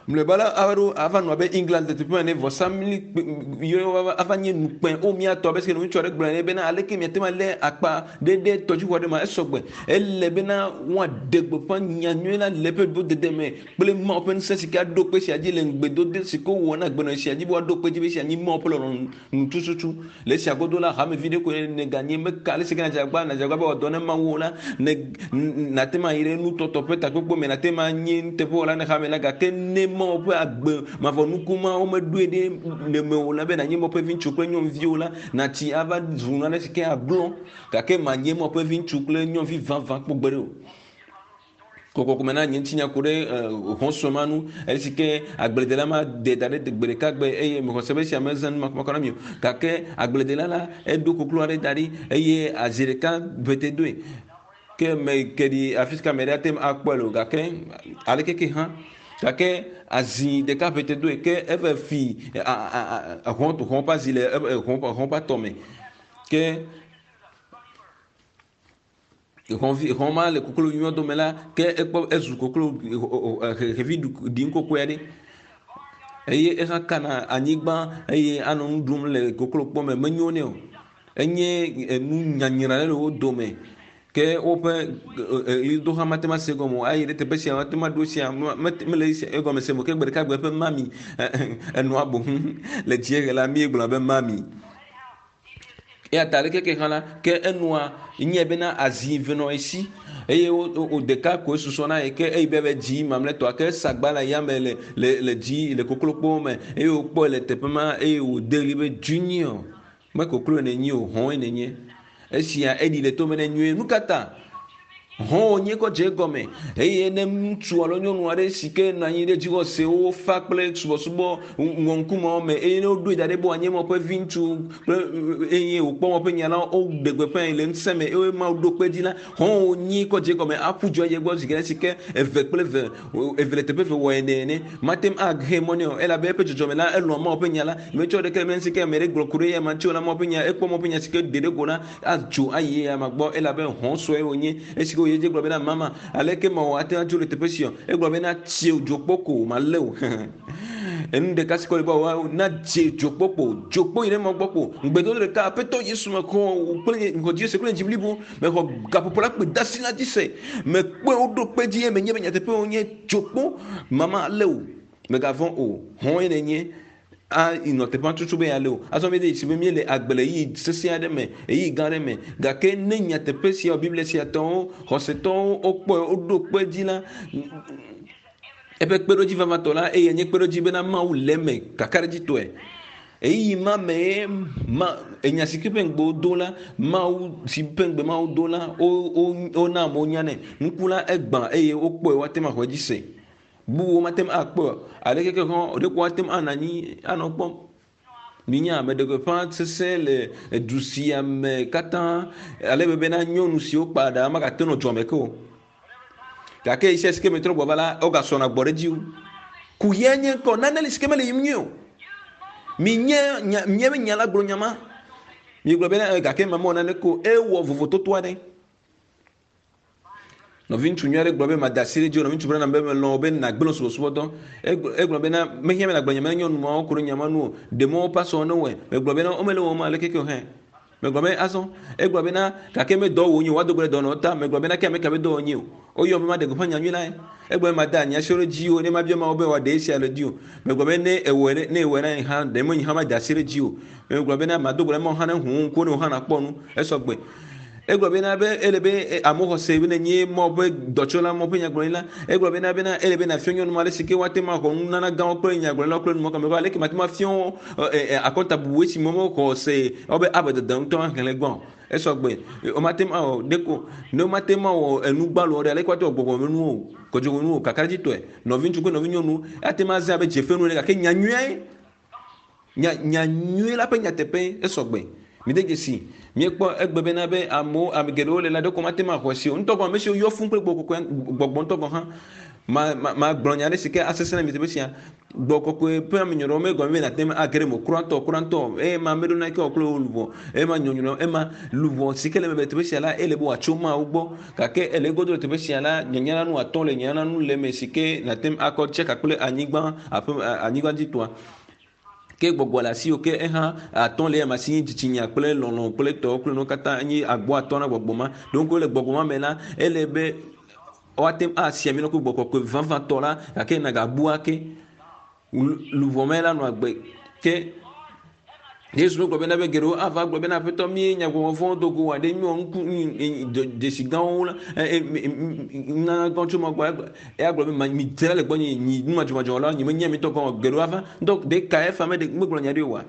Mlɔeba la, ava ɖo ava nɔ abe England le teƒe ma ene, vɔsamli yɔ ava nye nukpẽ. O mía tɔ, abe si ŋutsu aɖe gblɔ ene bena aleke miate ŋu alé akpa ɖe ɖe tɔdziʋu aɖe ma, esɔ gbe. Ele bena woaɖe gbeƒã nyanyui la le eƒe ɖoɖodede me kple Mawu ƒe ŋusẽ si ke aɖo kpe sia dzi le ŋugbedode si ke wowɔ na agbenɔɣi sia dzi be woaɖo kpe edzi be esia nyi Mawu ƒe lɔlɔ̃nu tututu. Le esia godo la, hamevi ɖe koe nèganye. Meka ale si ke nàdze agbagba nàdze agbagba be wòadɔ na Mawu o la, ne nàte ŋu ayi ɖe nutɔtɔ ƒe takpekpe me, nàte ŋu anye nuteƒewɔla na hame la, gake ne Mawu ƒe agbe mavɔ nuku ma womeɖoe ɖe mewò la be nànye Mawu ƒe viŋutsu kple nyɔnuvi o la, nàtsi ava zu nane si ke aglɔ̃, gake mànye Mawu ƒe viŋutsu kple nyɔnuvi vavã kpɔ gbeɖe o. Kɔkɔkɔ me na nye ŋutinya ku ɖe hɔ̃ sue ma nu esi ke agbledela ma de da ɖe gbe ɖeka gbe eye mexɔ se be esia mezã nu makɔmakɔ na mi o. Gake agbledela la eɖo koklo aɖe da ɖi eye azi ɖeka ʋete doe. Ke me ke ɖi afi si ke ame ɖe ate ŋu akpɔe le o gake aleke ke hã gake azi ɖeka ʋete doe ke eve fi hɔ̃ hɔ̃ ƒe azi le hɔ̃ hɔ̃ ƒe atɔ me ke Xɔvi xɔ ma le koklo nyuiwo dome la, ke ekpɔ ezu koklo xevi ɖi ŋkɔkɔe aɖe eye eha kana anyigba eye anɔ nu ɖum le koklo kpɔ me menyo nɛ o. Enye enu nyanyra ɖe le wo dome ke woƒe ɣlidoha mate ŋu ase egɔme o. Ayi ɖe teƒe sia mate ŋu aɖo esia mele egɔme sem o. Ke gbe ɖeka gbe eƒe mami enɔa boŋ le dziehe la míegblɔna be mami. Eya ta aleke ke hã la, ke enɔa nye bena azi ve nɔ esi eye wo ɖeka koe susɔ na ye ke eyi be be dzi mamlɛtɔa ke esagba le yame le le le dzi le koklokpowo me eye wokpɔe le teƒe ma eye wòde ɣli be junior me kokloe nènye o hɔ̃e nènye. Esia eɖi le tome nɛ nyuie. Nu ka ta? Hɔ̃ wònye kɔ dze egɔme. Eye ne ŋutsu alo nyɔnu aɖe si ke nɔ anyi ɖe dzixɔsewo fa kple subɔsubɔ ŋɔŋkumewo me eye ne woɖoe da ɖi be wòanye Mawu ƒe viŋutsu kple eye wòkpɔ Mawu ƒe nya la, woɖe gbeƒãe le ŋusẽ me eye Mawu ɖo kpe edzi la, hɔ̃ wònye kɔ dze egɔme aƒu du ayi egbɔ zi geɖe si ke eve kple eve eve le teƒe eve wɔ ene ene. Mate ŋu ahe mɔ nɛ o elabe eƒe dzɔdzɔme la elɔ̃a Mawu ƒe nya la. Metsɔ ɖeke le eme si ke ame ɖe gblɔ ku ɖe eya ma ŋuti o la, Mawu ƒe nya, ekpɔ Mawu ƒe nya si ke ɖe ɖe go la, adzo ayi eya ma gbɔ elabe hɔ̃ sue wònye. Esi ke wòyi edzi gblɔ bena, Mama, aleke mawɔ ate ŋu adzo le teƒe sia? Egblɔ bena, Tsi dzokpo ko malé wò. Enu ɖeka si kɔ li be wòawɔ na dze dzokpo kpo, dzokpo yi ɖe mɔ gbɔ kpo. Ŋugbedodo ɖeka, Aƒetɔ Yesu, mexɔ wò kple nye, mexɔ dziwò se kple nye dzi blibo. Mexɔ gaƒoƒo la kpe dasi la dzi se. Mekpɔe woɖo kpe edzi eye menye be nyateƒe wònye. Dzokpo, mama lé wò. Mègavɔ̃ o. Hɔ̃e nènye. A nɔ teƒea tutu be yealé o. Azɔ míede dzesi be míele agbe le ɣeyiɣi sesẽ aɖe me, ɣeyiɣi gã aɖe me. Gake ne nyateƒe sia Biblia sia tɔwo, xɔsetɔwo wokpɔe woɖo kpe edzi la, eƒe kpeɖodzi vavãtɔ la, eyae nye kpeɖodzi bena Mawu le eme kakaɖedzitɔe. Ɣeyiɣi ma mee ma enya si ke ƒe ŋugbe wodo la, Mawu si ƒe ŋugbe Mawu do la, wona amewo nyanɛ. Nuku la egbã eye wokpɔe woate ŋu axɔe dzi se. Bubuwo mate ŋu akpɔe o. Aleke ke hã ɖeko woate ŋu anɔ anyi anɔ kpɔm. Minya meɖe gbeƒã sesẽ le edu sia me katã ale be bena nyɔnu siwo kpa ɖa magate nɔ dua me ke o. Gake ɣesiaɣi si ke metrɔ gbɔ va la, wogasɔna gbɔ ɖe edzi wu. Kuxia nye ŋkɔ nane li si ke mele yiyim nyuie o. Minye nya, míaƒe nya la gblɔ nya ma. Miegblɔ bena gake mamewɔ naneke o. Ewɔ vovototo aɖe. Nɔviŋutsu nyui aɖe gblɔ be mada asi ɖe edzi o. Nɔviŋutsu Branham be melɔ̃ wò be nàgblẽ subɔsubɔdɔ. Egblɔ bena mehiã be nàgblɔ nya ma na nyɔnu mawo ku ɖe nya ma ŋu o. Ɖe mɔ woƒe asɔwo ne wɔe. Megblɔ bena womele wɔm aleke ke o hã. Megblɔ be azɔ. Egblɔ bena gake medɔ wò nye o, woado gbe ɖe dɔnɔwo ta. Megblɔ bena ke ame ka be dɔ wònye o. Woyɔm be maɖe gbeƒã nyanyui lae. Egblɔ be mada nye asiwo ɖe dziwò ne mabia Mawu be wòaɖe esia le dziwò. Megblɔ be ne ewɔe ɖe, ne ewɔe na nye hã, ɖe menye hã mada asi ɖe dziwò. Megblɔ bena mado gbe ɖe Mawu hã ne ʋu wò ŋkuwo ne wò hã nàkpɔ nu. Esɔ gbe. Egblɔ bena be ele be amewo xɔ se be nenye Mawu ƒe dɔtsɔla, Mawu ƒe nyagblɔɖila. Egblɔ bena bena ele be nàfia nyɔnu ma ale si ke woate ŋu axɔ nunana gãwo kple nyagblɔɖilawo kple numɔwo kame. Aleke mate ŋu afia wo akɔntabubu esi me womexɔ se wobe abe dede ŋutɔ xexlẽ gbã o. Esɔ gbe. Womate ŋu awɔ ɖeko ne womate ŋu awɔ enu gbalo ɖe aleke woate ŋu awɔ gbɔgbɔmenuwo o, kɔdzɔmenuwo o, kakaɖedzitɔe. Nɔviŋutsu kple nɔvinyɔnu ate ŋu azã abe dzefenu ene gake nyanyuiae Nya, nya nyui la ƒe nyateƒe esɔ gbe. Mide dzesi, míekpɔ egbe bena be amewo, ame geɖewo le la ɖeko mate ŋu axɔe se o. Ŋutɔ gɔ̃ ame siwo yɔ fũu kple gbɔgbɔ kɔkɔea, gbɔgbɔ ŋutɔ gɔ̃ hã. Ma, ma, magblɔ nya aɖe si ke asesẽ na mi teƒe sia. Gbɔgbɔ kɔkɔe ƒe amenyɔɖɔ megɔme be nàte ŋu age ɖe eme o. Kura ŋutɔ, kura ŋutɔ. Eye ma meɖo naneke wɔ kple wò luʋɔ. Eye ma nyɔnyrɔ, ema luʋɔ si ke le eme le teƒe sia la, ele be wòatso Mawu gbɔ. Gake ele egodo le teƒe sia la, nyanya la nu atɔ le nyanya la nu le eme si ke nàte ŋu akɔ tsaka kple anyigba, aƒe, anyigba dzi tɔa. Ke gbɔgbɔ le asiwò ke eha atɔ le eyama si nye dzitsinya kple lɔlɔ̃ kple tɔwo kple nuwo katã enye agbo atɔ na gbɔgbɔ ma. Ɖo ŋku le gbɔgbɔ ma me la, ele be woate ŋu asi ami na ku gbɔgbɔ kɔkɔe vavãtɔ la gake nagabu ake. Luʋɔ me la nɔ agbe ke Yesu gblɔ bena be geɖewo ava gblɔ bena aƒetɔ mí nya gbɔgbɔ vɔ̃wo do go aɖe míwɔ nuku dzesi gãwo la nana gã tso ma gbɔ eya gblɔ be mi dzra le gbɔnye nyi nu madzɔmadzɔ la nyi menya mi tɔ gɔn geɖewo ava ŋutɔ ɖeka efa me ɖe megblɔ nya ɖe oa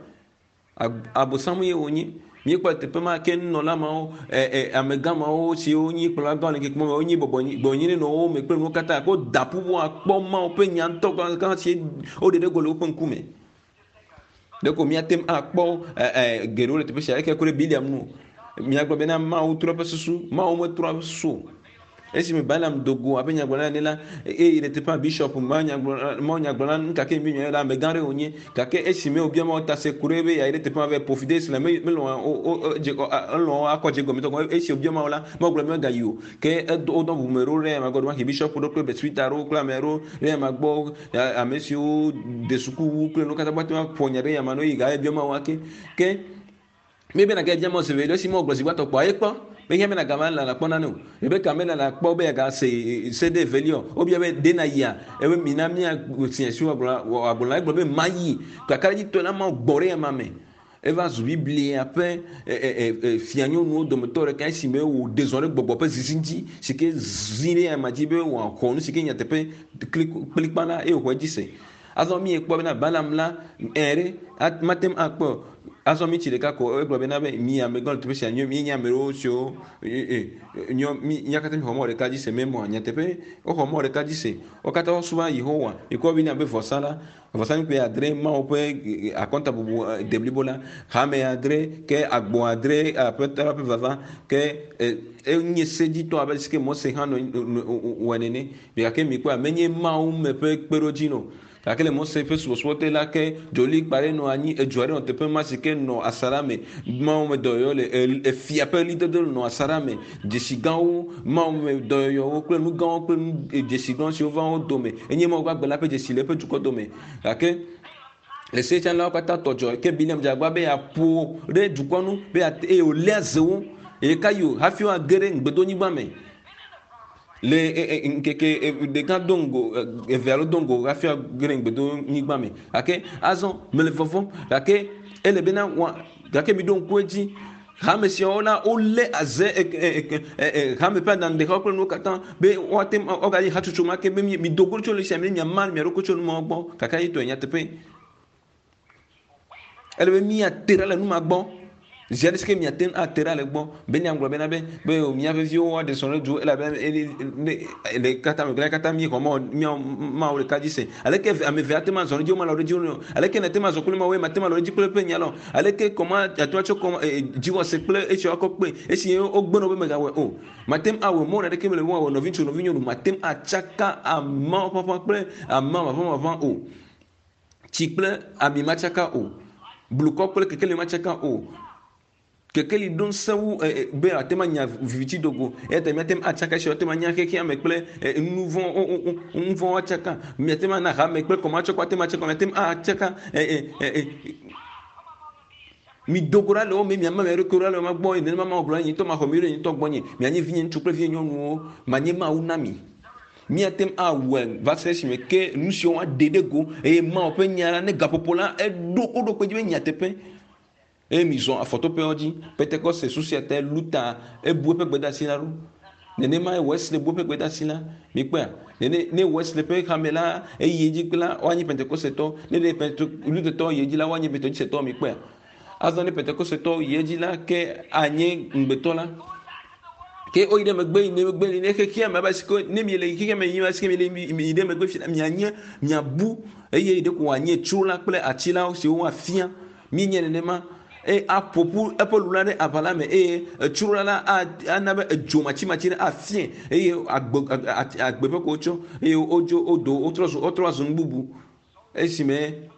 abosam ye wonye míekpɔ teƒe ma ke nunɔla mawo amegã mawo siwo nyi kplɔla gã le ŋkeke me wonyi bɔbɔ gbɔnyi nɔ wo me kple nuwo katã ko da ƒu akpɔ Mawu ƒe nya ŋutɔ gã si woɖe ɖe go le woƒe ŋkume. Ɖeko míate ŋu akpɔ geɖewo le teƒe sia eke ku ɖe Biliam ŋu. Míagblɔ bena Mawu trɔ eƒe susu. Mawu metrɔ eƒe susu o. Esime Balaam do go abe nyagblɔɖila ene la, eye le teƒea bishop mawunyagblɔla nu ka ke mi nyɔe la, amegã aɖe wònye. Gake esime wòbia Mawu ta se ku ɖe be yeayi ɖe teƒe ma vɛ ƒo fi de esi la, melɔ̃ elɔ̃ akɔ dze gɔme tɔ. Esi wòbia Mawu la, Mawu gblɔ be megayi o. Ke edo wodɔ ʋume ɖo ɖe ema gbɔ, ɖewohĩ bishop ɖo kple presbyter ɖewo kple ame aɖewo ɖe ema gbɔ, ame siwo de suku wu kple nuwo katã woate ŋu aƒo nya ɖe nya ma ne woyi gaye biɔ Mawu ake. Ke míebe nàgayi bia Mawu zi velia esi Mawu gblɔ zi gbãtɔ kpɔa, yekpɔ. Mehiã be nàgava lala kpɔ nane o. Rebeka melala kpɔ be yeagase se ɖe evelia o. Wobia be, ɖe nàyia? Ebe mina míasi asi wòagblɔ wòagblɔ la, egblɔ be mayi. Kakaɖedzitɔe la Mawu gbɔ ɖe ema me. Eva zu Biblia ƒe fianyɔnuwo dometɔ ɖeka esime wòɖe zɔ ɖe gbɔgbɔ ƒe zizi dzi si ke zi ɖe ama dzi be wòaxɔ nu si ke nyateƒe kplikpa la eye wòxɔ edzi se. Azɔ míekpɔ bena Balaam la ɛ ɖe mate ŋu akpɔe o. Azɔ mítsi ɖeka ko egblɔ bena be mi amegã le teƒe sia nyɔ míenye ame ɖewo siwo nyɔ mía katã míxɔ mɔ ɖeka dzi se memɔa nyateƒe woxɔ mɔ ɖeka dzi se. Wo katã wosubɔna Yehowa. Mikpɔ bena be vɔsa la Vɔsamlekpui adre, Mawu ƒe akɔntabubu deblibo la, hame adre, ke agbo adre, Aƒetɔ la ƒe vava, ke enye sedzitɔ abe si ke Mose hã nɔ wɔe nene. Gake mikpɔa, menye Mawu me ƒe kpeɖodzi nɔ. Gake le Mose ƒe subɔsubɔ te la, ke dzolikpa ɖe nɔ anyi, edzo aɖe nɔ teƒe ma si ke nɔ asaɖa me. Mawu me dɔyɔyɔ le efia ƒe ɣlidodo nɔ asaɖa me. Dzesi gãwo, Mawu me dɔyɔyɔwo kple nu gãwo kple nu dzesi gã siwo va wo dome. Enye Mawu gbagbe la ƒe dzesi le eƒe dukɔ dome. Gake le setsalawo katã tɔ dzɔ ke Bileam dze agbagba be yeaƒo ɖe dukɔ nu be eye wòléa ze wo ɣekaɣi o hafi woage ɖe ŋugbedonyigba me. Le ŋkeke ɖeka do ŋgo eve alo do ŋgo hafi woage ɖe ŋugbedonyigba me. Gake azɔ mele vɔvɔ̃m gake ele bena wa gake miɖo ŋku edzi hame siawo la wolé aze hame ƒe aɖaŋuɖexawo kple nuwo katã be woate ŋu woagayi hatsotso ma ke be mido go tso le sia me miama mia ɖokui tso nu mawo gbɔ gake yetɔe nyateƒe. Ele be míate ɖa le nu ma gbɔ. Zi aɖe si ke míate ŋu ate ɖa le gbɔ be míagblɔ bena be be mía veviwo woaɖe srɔ̃ ɖe du elabena le katã me katã míexɔ Mawu míawo Mawu ɖeka dzi se. Aleke ame eve ate ŋu azɔ ɖe edzi womalɔ̃ ɖe edzi o? Aleke nàte ŋu azɔ kple Mawu eye màte ŋu alɔ̃ ɖe edzi kple eƒe nya la o? Aleke kɔma ate ŋu atsɔ kɔma dziwɔse kple esiawo akɔ kpee esi wogbe na wò be mègawɔe o? Màte ŋu awɔe mɔ aɖeke mele be woawɔ nɔviŋutsu nɔvinyɔnu màte ŋu atsaka amawo ƒaƒã kple ama maʋãmaʋã o. Tsi kple ami matsaka o. Blukɔ kple kekeli matsaka o. Kekeli ɖo ŋusẽ wu be ate ŋu anya viviti dogo. Eya ta míate ŋu atsaka esi woate ŋu anya xexea me kple nu vɔ̃ nu vɔ̃ atsaka. Míate ŋu ana hame kple kɔmatsɔkɔ ate ŋu atsaka. Míate ŋu atsaka mido go ɖa le wo me, miama mia ɖokuiwo ɖa le wo gbɔ eye nenema Mawu gblɔ nye ŋutɔ maxɔ mi ɖe nye ŋutɔ gbɔnye. Mianye vinye ŋutsu kple vinye nyɔnuwo, manye Mawu na mi. Míate ŋu awɔe va se ɖe esime ke nu siwo woaɖe ɖe go eye Mawu ƒe nya la ne gaƒoƒo la eɖo woɖo kpe edzi be nyateƒe. Eye mizɔ afɔtoƒewo dzi. Pentekoste susia tae Luther ebu eƒe gbedeasi la ɖo. Nenemae Wesley bu eƒe gbedeasi la. Mikpɔea? Nene ne Wesley ƒe hame la eyi edzi kple la, woanye Pentekostetɔ. Ne ɖe Pente Luthertɔ yi edzi la, woanye Methodistetɔ. Mikpɔea? Azɔ ne Pentekostetɔ yi edzi la, ke anye ŋugbetɔ la. Ke woyi ɖe megbe yi megbe yi ne xexea me abe si ne miele xexea me yim esi miele yi ɖe megbe fi la, mianye miabu eye ɖeko wòanye tso la kple ati la siwo woafia. Míenye nenema eye aƒo ƒu eƒe lu la ɖe aʋa la me eye etsrola la ana be edzo matsimatsi ɖe afiẽ eye agbe agbe ƒe ko wotsɔ eye wodzo wodo wotrɔ zu wotrɔ azu nu bubu esime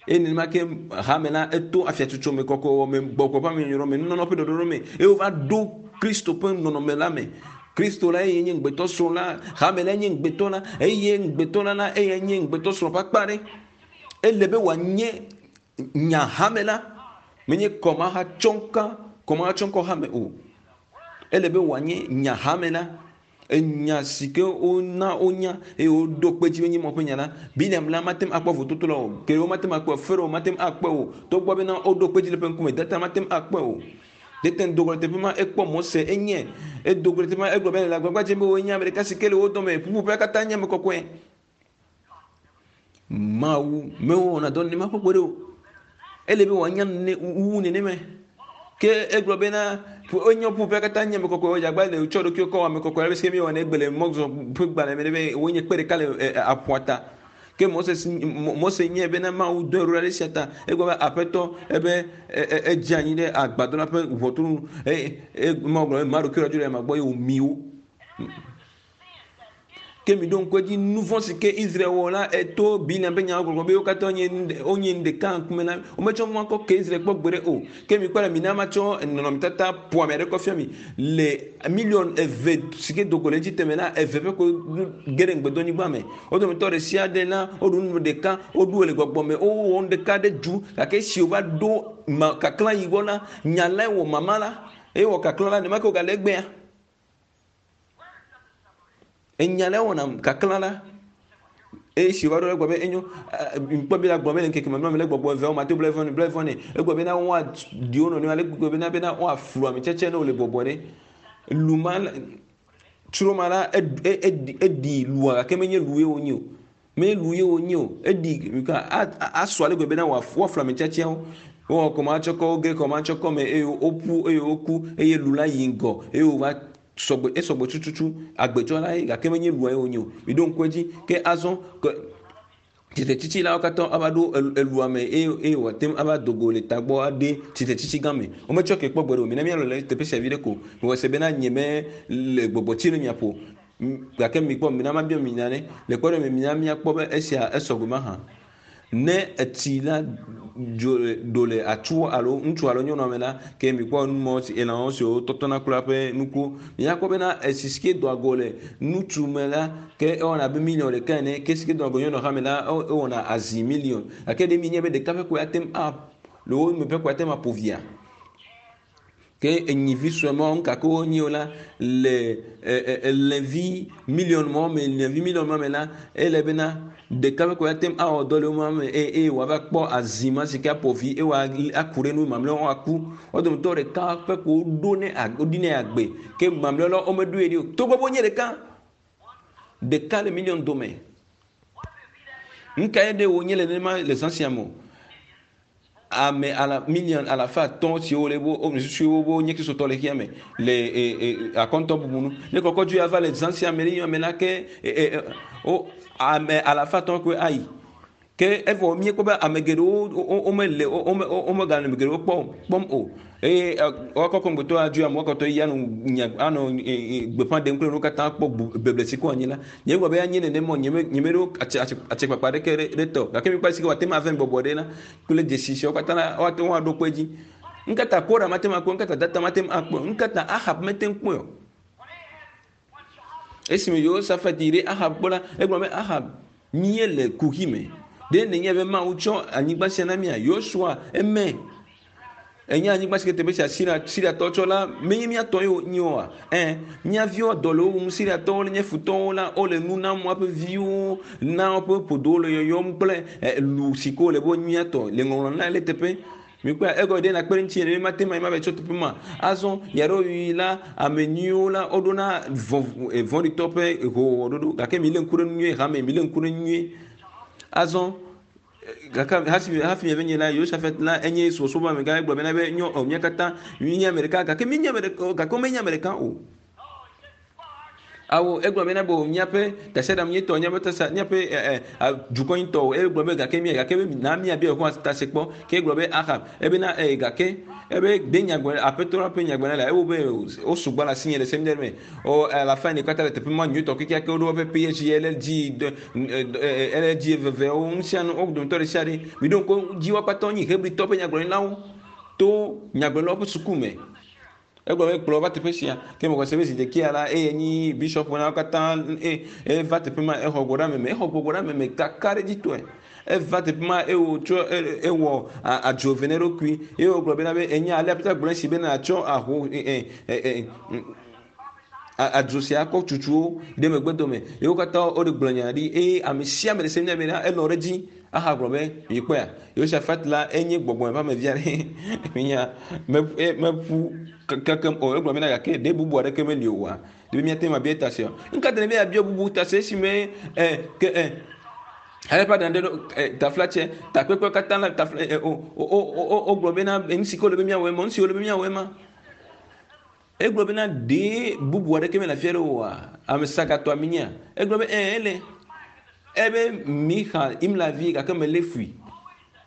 eye nenema ke hame la eto afiatsotso me kɔkɔwɔ me gbɔgbɔ ƒe amenyɔnyrɔ me nunɔnɔ ƒe ɖɔɖɔɖo me eye wova ɖo Kristo ƒe nɔnɔme la me. Kristo la eye nye ŋugbetɔ srɔ̃ la, hame la nye ŋugbetɔ la eye ŋugbetɔ la la eya nye ŋugbetɔ srɔ̃ ƒe akpa ɖe. Ele be wòanye nya hame la menye kɔmahatsɔŋka kɔmahatsɔŋkɔ hame o. Ele be wòanye nya hame la enya si ke wona wonya eye woɖo kpe dzi be nye Mawu ƒe nya la. Bileam la mate ŋu akpɔ vototo la o. Kewo mate ŋu akpɔe o. Farao mate ŋu akpɔe o. Togbɔ bena woɖo kpe dzi le eƒe ŋkume, Datan mate ŋu akpɔe o. Tete do go le teƒe ma, ekpɔ Mose, enye. Edo go le teƒe ma, egblɔ be le agbagba dzem be wòe nye ame ɖeka si ke le wo dome. Ƒuƒoƒea katã nye ame kɔkɔe. Mawu mewɔna dɔ nenema ƒe gbeɖe o. Ele be wòanya nene wu nenema. Ke egblɔ bena enye ƒuƒoƒea katã nye ame kɔkɔe wodze agba le tsɔ ɖokuiwo kɔ ame kɔkɔe ale si míewɔnɛ egbe le mɔzɔ ƒe gbalẽ me ɖe be wonye kpe ɖeka le aƒua ta. Ke Moses Mose nye bena Mawu dɔe ɖo ɖe esia ta. Egblɔ be Aƒetɔ ebe edze anyi ɖe agbadɔ la ƒe ʋɔtru nu eye Mawu gblɔ be ma ɖokuiwo ɖa dzo le ema gbɔ eye wòmi wo. Ke miɖo ŋku edzi nu vɔ̃ si ke Israel wɔ la, eto Bileam ƒe nyawo gbɔgblɔ be wo katã wonye wonye nu ɖeka ŋkume na wometsɔ nua kɔ ke Israel kpɔ gbeɖe o. Ke mikpɔ ɖa, mina matsɔ nɔnɔmetata ƒoame aɖe kɔ fia mi. Le miliɔn eve si ke do go le Egipte me la, eve ƒe ko ge ɖe ŋugbedonyigba me. Wo dometɔ ɖe sia ɖe la, woɖu nu ɖeka, woɖu le gbɔgbɔ me, wowɔ nu ɖeka ɖe du. Gake esi wova ɖo ma kaklã yi gbɔ la, nya lae wɔ mama la. Eye wɔ kaklã la, nenema ke wogale egbea. Enya ɖe wɔna kaklã la eye si wòva ɖo egblɔ be enyo ŋkpɔ be la gblɔ be le ŋkeke mamlɛ me le gbɔgbɔ eveawo mate bla evɔ ne bla evɔ ne egblɔ bena woaɖi wo nɔnɔewo ale gblɔ bena bena woaflu ame tsɛtsɛ ne wole bɔbɔ ɖe lu ma tsro ma la eɖi lua gake menye lu ye wonye o menye lu ye wonye o eɖi asɔ ale gbe bena woaflu ame tsɛtsɛwo wowɔ kɔmatsɔkɔ woge kɔmatsɔkɔ me eye woƒu eye woku eye lu la yi ŋgɔ eye wova sɔgbe esɔgbe tututu agbetsɔ la ye gake menye lua ye wonye o miɖo ŋku edzi ke azɔ ke tsitretsitsi la wo katã ava ɖo elua me eye eye wòate ŋu ava do go le tagbɔ aɖe tsitretsitsi gã me wometsɔ ke kpɔ gbeɖe o mina míalɔ le teƒe sia vi ɖe ko mewɔ se bena nye me le gbɔgbɔ tsi le mia ƒo gake mikpɔ mina mabia mi nane le kpɔɖeŋu me mina míakpɔ be esia esɔgbe mahã Ne etsi la dzo ɖo le atsu alo ŋutsu alo nyɔnua me la, ke mikpɔ numɔ si elãwo siwo tɔtɔna kura ƒe nukuwo. Miakpɔ bena etsi si ke doa go le ŋutsu me la, ke ewɔna abe miliɔn ɖeka ene. Ke si ke doa go nyɔnua hã me la, ewɔna azi miliɔn. Gake ɖe mienya be ɖeka ƒe koe ate ŋu a le wo me ƒe koe ate ŋu aƒo via? Ke enyivi sue mawo nu gake wonyi o la le elẽvi miliɔn mawo me, lẽvi miliɔn ma me la, ele bena ɖeka ƒe koe ate ŋu awɔ dɔ le wo me eye eye wòava kpɔ azi ma si ke aƒo vi eye wòaku ɖe nu mamlɛawo woaku. Wo dometɔ ɖeka ƒe ko woɖo ne woɖi nɛ agbe ke mamlɛawo la womeɖoe ɖi o. Togbɔ be wonye ɖeka, ɖeka le miliɔn dome. Nu kae ɖe wònye le nenema le zã sia me o? Ame ala miliɔn alafa atɔ̃ siwo le wo susu wo wonye kristotɔ le xexea me le e, e, akɔntɔ bubu nu. Ne kɔkɔdzu ya va le zã sia me ɖe ame la ke e, e, o ame alafa atɔ̃ koe ayi. Ke evɔ míekpɔ be ame geɖewo womele womegale ame geɖewo kpɔ kpɔm o. Eye woakɔ kɔŋgbetɔ adzoe amewo akɔtɔ yi anɔ nya anɔ gbeƒã ɖem kple nuwo katã kpɔ beble si ko anyi la. Nye gblɔ be anye nenema o, nye me nye meɖo atse atse atsekpakpa aɖeke ɖe ɖe tɔ. Gake mikpɔ ale si ke wòate ŋu ave bɔbɔ ɖe la kple dzesi siawo katã la woate ŋu aɖo kpe edzi. Nkata Kora mate ŋu akpɔe, nkata Datan mate ŋu akpɔe, nkata Ahab mete ŋu kpɔe o. Esime Yehosafat yi ɖe Ahab gbɔ la, egblɔ be Ahab, míele kuxi me. Ɖe nènya be Mawu tsɔ anyigba sia na mía? Yosua eme. Ènya anyigba si ke teƒe sia Siria, Siriatɔwo tsɔ la menye mía tɔ ye wònye oa? Ẽ, mía viwo dɔ le wo wum, Siriatɔwo nye futɔwo la, wole nu nam woaƒe viwo, na woƒe ƒodowo le yɔyɔm kple lu si ke wole be wonye mía tɔ le ŋɔŋlɔ na le teƒe. Mikpɔe, egɔme ɖe nakpe ɖe ŋutinye ɖe mate ŋu ayi mava tsɔ teƒe ma. Azɔ ɣeaɖewoɣi la, ame nyuiwo la woɖona vɔ̃ vɔ̃ɖitɔ ƒe howɔwɔ ɖoɖo gake milé ŋku ɖe nu nyuie hame, milé ŋku ɖe nu nyuie. Azɔ gake hafi hafi miave nye la, Yosafat la enye subɔsubɔ amegã egblɔ bena be nyɔ ɔ mía katã míenye ame ɖeka gake míenye ame ɖeka gake womenye ame ɖeka o. Awo egblɔ bena bo míaƒe tasiaɖam nye tɔ míaƒe tasa míaƒe ɛ ɛ dukɔ nye tɔ o. Egblɔ be gake mía gake be na míabia Yehowa ta se kpɔ. Ke egblɔ be Ahab ebena ɛ gake ebe de nyagblɔ aƒetɔ la ƒe nyagblɔ la ewo be wo sugbɔ le asinye le seminari me. O alafa ene katã le teƒe ma nyuitɔ kekeake woɖo woƒe PhD LLD LLD evevewo nusianu wo dometɔ ɖe sia ɖe. Miɖo ŋku dzi wo katã wonye Hebritɔ ƒe nyagblɔɖilawo to nyagblɔɖilawo ƒe suku me. Egblɔ be kplɔ va teƒe sia. Ke mexɔ se be zi ɖekea la eye nyi bishop na wo katã e eva teƒe ma exɔ gbɔ ɖe ame me. Exɔ gbɔgbɔ ɖe ame me kakaɖedzitɔe. Eva teƒe ma eye wòtsɔ ewɔ adzo eve na eɖokui eye wògblɔ bena be enya ale aƒetɔ gblɔ esi bena atsɔ aho e e e adzo sia akɔ tutuwo ɖe megbe dome ye wo katã woɖe gblɔ nya ɖi eye ame sia ame ɖe se nya bena elɔ̃ ɖe edzi ahagblɔ be mikpɔea Yosafat la enye gbɔgbɔ ƒe ame vi aɖe minya meƒu kekem o egblɔ bena gake ɖe bubu aɖeke meli oa ɖe míate ŋu abia ta sia nuka ta ne míabia bubu ta se esime ɛ ke ɛ ale ƒe aɖaŋu ɖe taflatse takpekpe katã la tafla ɛ o o o wogblɔ bena nu si ke wole be míawɔe ma nu si wole be míawɔe ma Egblɔ bena, Ɖe bubu aɖeke mele afi aɖe oa? Ame sagatɔa minyea? Egblɔ be, Ɛ̃, ele. Ebe Mixa, Imla vi, gake melé fui.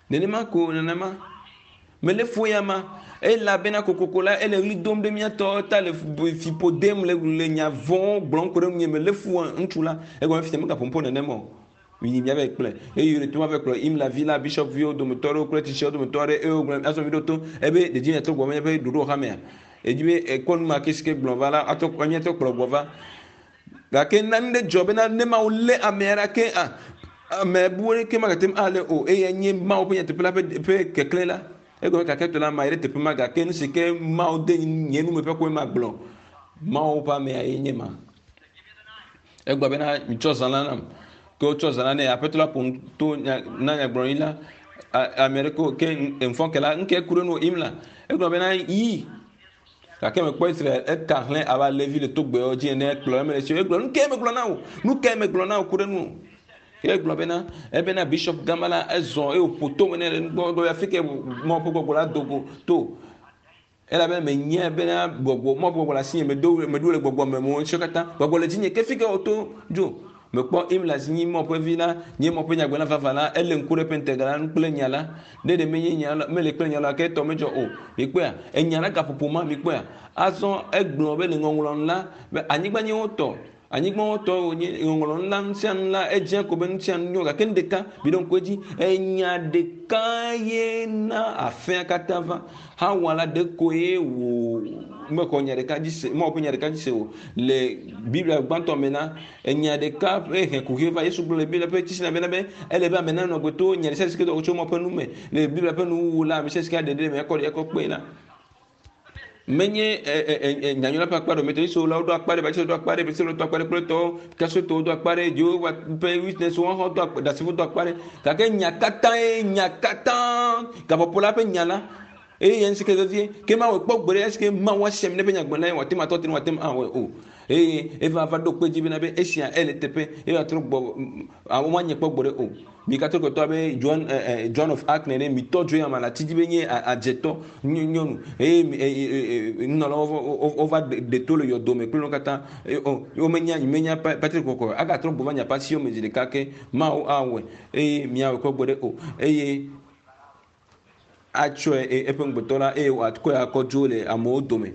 Nenema ko nenema. Melé fu eya ma. Elabena kokoko la, ele ɣli dom ɖe mía tɔ ta le fiƒo dem le, le nya vɔ̃wo gblɔm ku ɖe ŋunye. Melé fu ŋutsu la. Egɔme fifia megaƒom ƒo nenem o. Miyi miava kplɔe. Eye wòle to va kplɔ Imla vi la, bishɔp viwo dometɔ aɖewo kple tsitsiawo dometɔ aɖe eye wogblɔ azɔ miɖo to ebe ɖedzi miatrɔ gbɔ míaƒe ɖoɖo xamea. Edzi be ekpɔ nu ma ke si ke gblɔ va la atrɔ míatrɔ kplɔ gbɔ va. Gake nane ɖe dzɔ bena ne Mawu lé ame aɖe ke a ame bu ɖeke magate ŋu alé o eye nye Mawu ƒe nyateƒe la ƒe ƒe keklẽ la. Egɔme gake tɔ la ma yi ɖe teƒe ma gake nu si ke Mawu de nye nu me ƒe koe magblɔ. Mawu ƒe amea ye nye ma. Egblɔ bena, Mitsɔ zã la nam. Ke wotsɔ zã la nɛ. Aƒetɔ la ƒo nu to na nyagblɔɖi la. Ame aɖeke ke ŋfɔ ke la, ŋke ku ɖe nu Imla. Egblɔ bena, Yi. Gake mekpɔ Israel eka hlẽ abe alẽvi le togbɛwo dzi ene kplɔ eme le tsi. Egblɔ, nu kae megblɔ na wò? Nu kae megblɔ na wò ku ɖe nu? Ke egblɔ bena, ebena bishop gama la ezɔ eye wòƒo tome nɛ le nugbɔ. Egblɔ be, afi ke Mawu ƒe gbɔgbɔ la do go to. Elabena menyae bena gbɔgbɔ, Mawu ƒe gbɔgbɔ le asinye, medo, meɖo le gbɔgbɔ me, mewɔ nusiwo katã. Gbɔgbɔ le dzinye, ke fike wòto dzo? Mekpɔ Imla si nye Mawu ƒe vi la, nye Mawu ƒe nyagblɔla vavã la, elé ŋku ɖe eƒe ŋutega la ŋu kple nya la. Ne ɖe menye nya la, mele kple nya la, ke etɔ medzɔ o. Mikpɔea? Enya la gaƒoƒo ma, mikpɔea? Azɔ egblɔ be le ŋɔŋlɔ nu la, be anyigba nye wo tɔ. Anyigba wo tɔ wònye ŋɔŋlɔ nu la, nu sia nu la, edze ko be nu sia nu nyo, gake nu ɖeka, miɖo ŋku edzi, enya ɖeka ye na afea katã va. Xawa la ɖe koe wò mexɔ nya ɖeka dzi se, Mawu ƒe nya ɖeka dzi se o. Le Biblia gbãtɔ me la, enya ɖeka ƒe he kuxi va. Yesu gblɔ le Biblia ƒe tsitsina bena be ele be ame nanɔ agbe to nya ɖe sia ɖe si ke do tso Mawu ƒe nu me. Le Biblia ƒe nuwuwu la, ame sia si ke aɖe ɖe eme akɔ ɖe akɔ kpee la, menye nyanyui la ƒe akpa ɖe metɔ Yesu la woɖo akpa ɖe Baptist ɖo akpa ɖe Baptist ɖo akpa ɖe kple tɔwo Kasotɔwo do akpa ɖe Jehovah ƒe witness wɔn hã do akpa ɖasefo do akpa ɖe gake nya katã ye nya katã gaƒoƒo la ƒe nya la eye yɛn si ke vevie ke ma wɔ kpɔ gbe ɖe esi ke Mawu asem ne ƒe nyagblɔ la ye wòate ŋu atɔ te ne wòate ŋu awɔe o eye eva va ɖo kpe dzi bena be esia ele teƒe eye wòatrɔ gbɔ womanye kpɔ gbe ɖe o Mi Katolikotɔ abe John, eh, eh, John of Arc nene, mitɔ dzo ya ma le ati dzi be nye adzetɔ nyɔnu eye nunɔlawo wova ɖe to le yɔdo me kple nu katã. Womenya, menya Patrick kɔkɔ agatrɔ gbɔ va nya pasiwo me zi ɖeka ke Mawu awɔe eye miawɔe kpɔ gbeɖe o eye atsɔe eƒe ŋugbetɔ la eye wòakɔe akɔ dzo le amewo dome.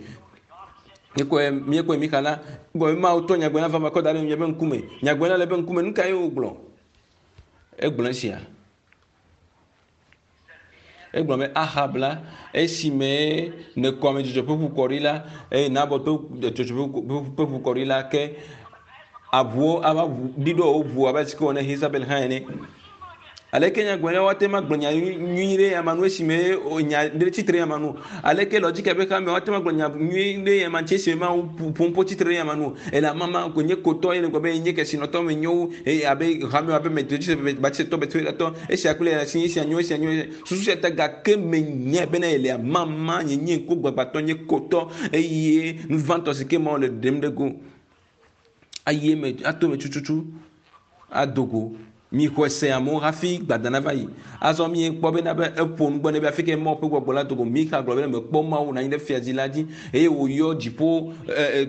Míekɔe, míekɔe Mixa la, gɔme Mawu tɔ nyagblɔɖila vava kɔ da ɖe miaƒe ŋkume. Nyagblɔɖila le eƒe ŋkume, nu kae wògblɔ? Egblɔ esia. Egblɔ be Ahab la, esime nèkɔ ame dzudzɔ ƒe ʋu kɔ ɖi la, eye Nabot ƒe dzudzɔ ƒe ʋu kɔ ɖi la, ke aʋuwo ava ɖiɖɔ wo ʋu abe si ke wɔ ne Isabel hã ene. Aleke nyagblɔɖila woate ŋu agblɔ nya nyui ɖe ame nu esime nya ɖe tsitre ɖe ame nu? Aleke lɔdzika ƒe xame woate ŋu agblɔ nya nyui ɖe ame ŋuti esime Mawu ƒom ƒo tsitre ɖe ame nu? Ele amama ko nye kotɔ ye nègblɔ be nye kesinɔtɔ menyo wu eye abe hame abe Metodistɔ, Baptistɔ, esia kple esia, esia nyo, esia nyo, susu sia ta gake menyae bena ele amama nye nye ŋkugbagbatɔ, nye kotɔ eye nu vãtɔ si ke Mawu le ɖem ɖe go ayi eme ato eme tututu ado go. Mixɔe se amewo hafi gbada nava yi. Azɔ miekpɔ bena be eƒo nu gbɔ nɛ be afi ke Mawu ƒe gbɔgbɔ la do go. Mixa gblɔ bena mekpɔ Mawu nɔ anyi ɖe fiazi la dzi eye wòyɔ dziƒo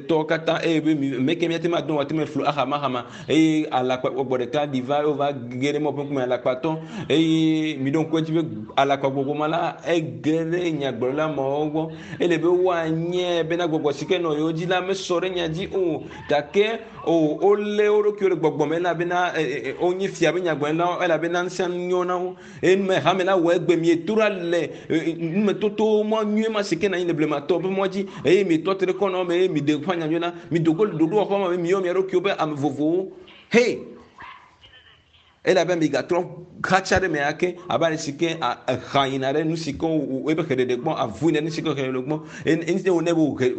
tɔwo katã eye be meke míate ŋu ado wòate ŋu flu axamaxama eye alakpa gbɔgbɔ ɖeka ɖi va eye wova ge ɖe Mawu ƒe ŋkume alakpatɔ eye miɖo ŋku edzi be alakpa gbɔgbɔ ma la ege ɖe nyagblɔɖila mawo gbɔ. Ele be woanye bena gbɔgbɔ si ke nɔ yewo dzi la mesɔ ɖe nya dzi o gake o wolé wo ɖokuiwo ɖe gbɔgbɔ me elabena wonye fia be nyagblɔɖilawo elabena ŋusẽ nyo na wo. Eye nume hame la wɔ egbe mieto ɖa le numetoto mɔ nyui ma si ke nɔ anyi le blematɔ ƒe mɔ dzi eye mietɔ te ɖe kɔnɔ me eye miɖe gbeƒã nyanyui la. Mido go le ɖoɖowɔƒe ma me miyɔ mia ɖokuiwo be ame vovovowo. He! Elabe migatrɔ xatsa ɖe me ake abe ale si ke exa yina ɖe nu si ke eƒe xeɖeɖe gbɔ, avu yina ɖe nu si ke xeɖeɖe gbɔ. Eye wònɛ be wòhe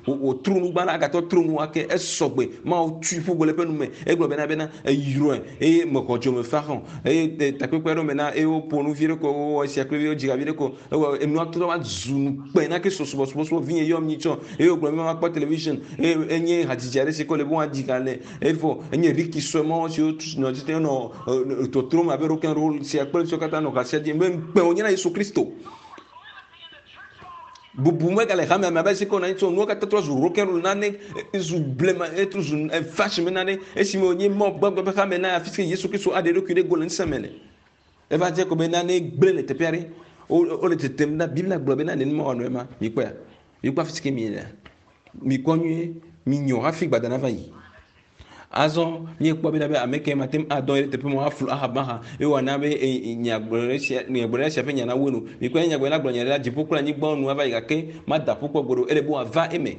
wòtro nu gbã la, agatrɔ tro nu ake. Esɔgbe. Mawu tui ƒu gbe le eƒe nu me. Egblɔ bena bena eyrɔe eye mexɔ dzo me fa hã o. Eye takpekpe aɖewo me na eye woƒo nu vi ɖe ko, wowɔ esia kple wodzi ha vi ɖe ko. Ewɔ enua trɔ va zu ŋukpe na Kristo subɔsubɔsubɔ. Vinye yɔm nyitsɔ eye wògblɔ be makpɔ television eye enye hadzidzi aɖe si ke wòle be woadzi ha le. Evɔ enye Ricky sue mɔ siwo nɔ tete nɔ tɔtrɔm abe rock and roll sia kple siwo katã nɔ ha sia dzi be ŋukpe wònye na Yesu Kristo. Bubu megale hamea me abe si ke wònɔ anyi tso nuwo katã trɔ zu rock and roll nane zu blema etrɔ zu fashion me nane esime wònye mɔ gbagbe ƒe hame na afi si Yesu Kristo aɖe eɖokui ɖe go le ŋusẽ me le. Eva dze ko be nane gblẽ le teƒe aɖe. Wole tetem ɖa. Biblia gblɔ bena nenema wòanɔ ema. Mikpɔea? Mikpɔ afi si ke mielea? Mikpɔ nyuie. Minyɔ hafi gbada nava yi. Azɔ míekpɔ bena be ame ke mate ŋu adɔ ɖe teƒe ma woaflu ahaba hã eye wòana be nyagblɔɖi sia nyagblɔɖila sia ƒe nya nawu enu. Mikpɔ ne nyagblɔɖila gblɔ nya ɖe la, dziƒo kple anyigba nu ava yi gake mada ƒu kpɔ gbeɖe o. Ele be wòava eme.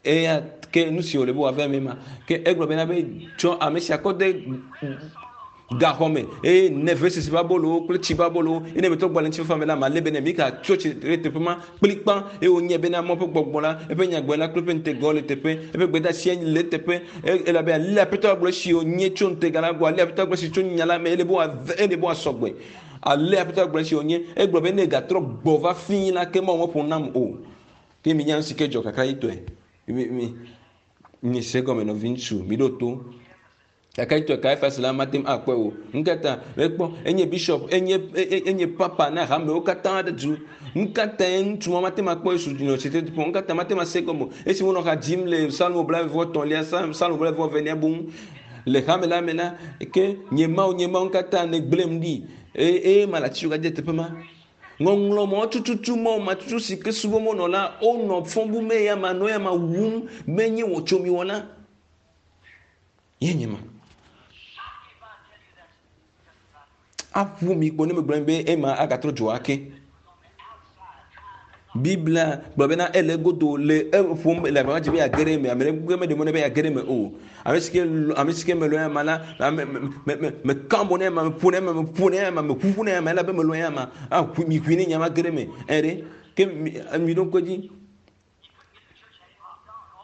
Eya ke nu si wòle be wòava eme ma. Ke egblɔ bena be tsɔ ame sia kɔ de gaxɔ me eye ne vesese ƒe abolowo kple tsi ƒe abolowo eye ne metrɔ gbɔ le ŋutifafa me la malé be nɛ. Mika tso tsi ɖe teƒe ma kplikpa eye wònyae bena Mawu ƒe gbɔgbɔ la, eƒe nyagblɔɖila kple eƒe ŋutegawo le teƒe, eƒe gbedeasia le eteƒe elabe ale Aƒetɔ la gblɔ esi wònye tso ŋutega la gbɔ, ale Aƒetɔ la gblɔ esi tso nya la me, ele be wòave, ele be wòasɔ gbe. Ale Aƒetɔ la gblɔ esi wònye, egblɔ be ne egatrɔ gbɔ va fii la, ke Mawu meƒo nam o. Ke minya nu si ke dzɔ kakaɖitɔe. Mi, mi, mise egɔme nɔviŋutsu, miɖo to. Kakaɖitɔe Kaifas la mate ŋu akpɔe o. Nukata? Mekpɔ, enye bishop, enye, enye papa na hamewo katã ɖe du. Nukatae ŋutsu ma mate ŋu akpɔ Yesu nɔ tsitre ɖi kpɔ? Nukata mate ŋu ase egɔme o? Esi wonɔ ha dzim le Psalmo blaeve-vɔ-etɔ̃lia, Psalmo blaeve-vɔ-evelia boŋ le hame la me la, ke nye Mawu, nye Mawu, nukata nègblẽm ɖi? Eye, eye mele atitsoga dze teƒe ma. Ŋɔŋlɔ mɔ tututu mɔ ma tutu si ke subɔm wonɔ la, wonɔ fɔ bum eya ma nɔ eya ma wum be nye wɔtsomiwɔla. Ye nye ma. Aƒu mi kpo ne megblɔ be ema agatrɔ dzo ake. Biblia gblɔ bena ele egodo le eƒom le agbagba dzi be yeage ɖe eme. Ame ɖe meɖe mɔ nɛ be yeage ɖe eme o. Ame si ke ame si ke melɔ̃ ama la, ame me me me meka mo nɛ ama, meƒo nɛ ama, meƒo nɛ ama, meʋuʋu nɛ ama elabe melɔ̃ ama. Ah, ʋui mi ʋui ne nya ma ge ɖe eme. Ɛ ɖe ke mi mi ɖo ŋku edzi.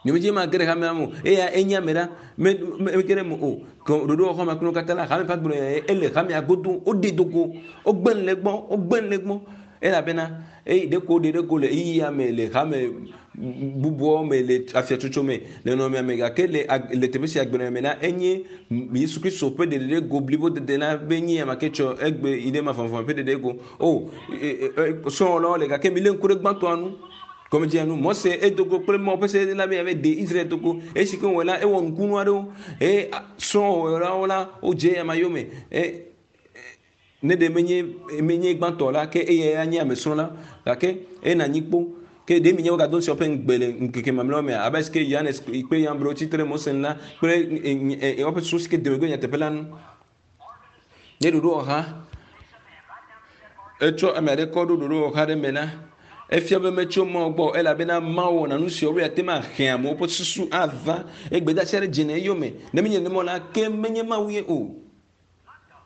Nyemedzi ma ge ɖe hamea me o. Eya enye ame ɖa me me mege ɖe eme o. Ke ɖoɖowɔxɔ me kple wo katã la hame ƒe agbenɔnɔ ele hamea godo. Woɖee do go. Wogbe nu le egbɔ. Wogbe nu le egbɔ. Elabena eye ɖeko woɖe ɖe go le ɣeyiɣia me le hame bubuawo me le afiatsotso me le nɔnɔmea me gake le le teƒe sia agbenɔnɔ me la enye Yesu Kristo ƒe ɖeɖe ɖe go blibo dede la be nye ame ke tsɔ egbe yi ɖe mavɔmavɔ ƒe ɖeɖe go. O srɔ̃wɔlawo le gake milé ŋku ɖe gbãtɔa nu. Gɔmedzea nu Mose edo go kple Mawu ƒe se la be yeave de Israel do go. Esi ke wòwɔe la ewɔ nukunu aɖewo eye srɔ̃wɔlawo la wodze eyama yome. E, Ne ɖe menye menye gbãtɔ la, ke eyae anye ame srɔ̃la. Gake ena anyi kpo. Ke ɖe minye wogado ŋusẽ woƒe ŋugbe le ŋkeke mamlɛawo mea? Abe alesi ke Yohanes kple Yambro tsi tre ɖe Mose ŋu la kple woƒe susu si ke de megbe nyateƒe la nu. Ne ɖoɖowɔha. Etsɔ ame aɖe kɔ ɖo ɖoɖowɔha aɖe me la, efia be metso Mawu gbɔ o elabena Mawu wɔna nu siawo be yeate ŋu ahe amewo ƒe susu ava egbedasi aɖe dze le eyome. Ne menye nenema o la, ke menye Mawu ye o.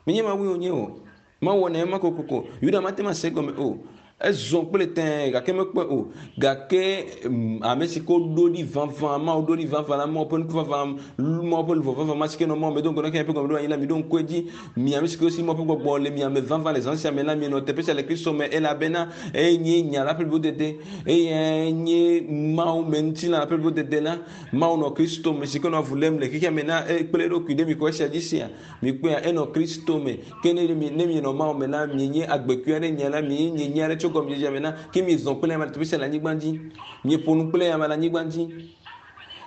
Menye Mawue wònye o. Mawu wɔnɛ ema kokoko. Yuda mate ŋu ase egɔme o. Ezɔ kple tẽe gake mekpɔe o. Gake mm, ame si ke woɖo ɖi vavã, Mawu ɖo ɖi vavã la, Mawu ƒe ŋku vavã, Mawu ƒe luʋɔ vavã ma si ke nɔ Mawu me do ŋgɔ na xexea ƒe gɔmeɖoanyi la, miɖo ŋku edzi. Mi ame si ke si Mawu ƒe gbɔgbɔ le mia me vavã le zã sia me la, mienɔ teƒe sia le Kristo me elabena enye nya la ƒe blibodede. Eyae nye Mawu me ŋutilã la ƒe blibodede la. Mawu nɔ Kristo me si ke nɔ avu lém le xexea me na kple eɖokui. Ɖe mixɔ esia dzi sea? Mikpɔea, enɔ Kristo me. Ke ne mi, ne mienɔ Mawu me la, mienye agbekui aɖe nya la, mienye nye nya aɖe tso gɔmedzedzea me na, ke miezɔ kple ame le teƒe sia le anyigba dzi. Mieƒo nu kple ame le anyigba dzi.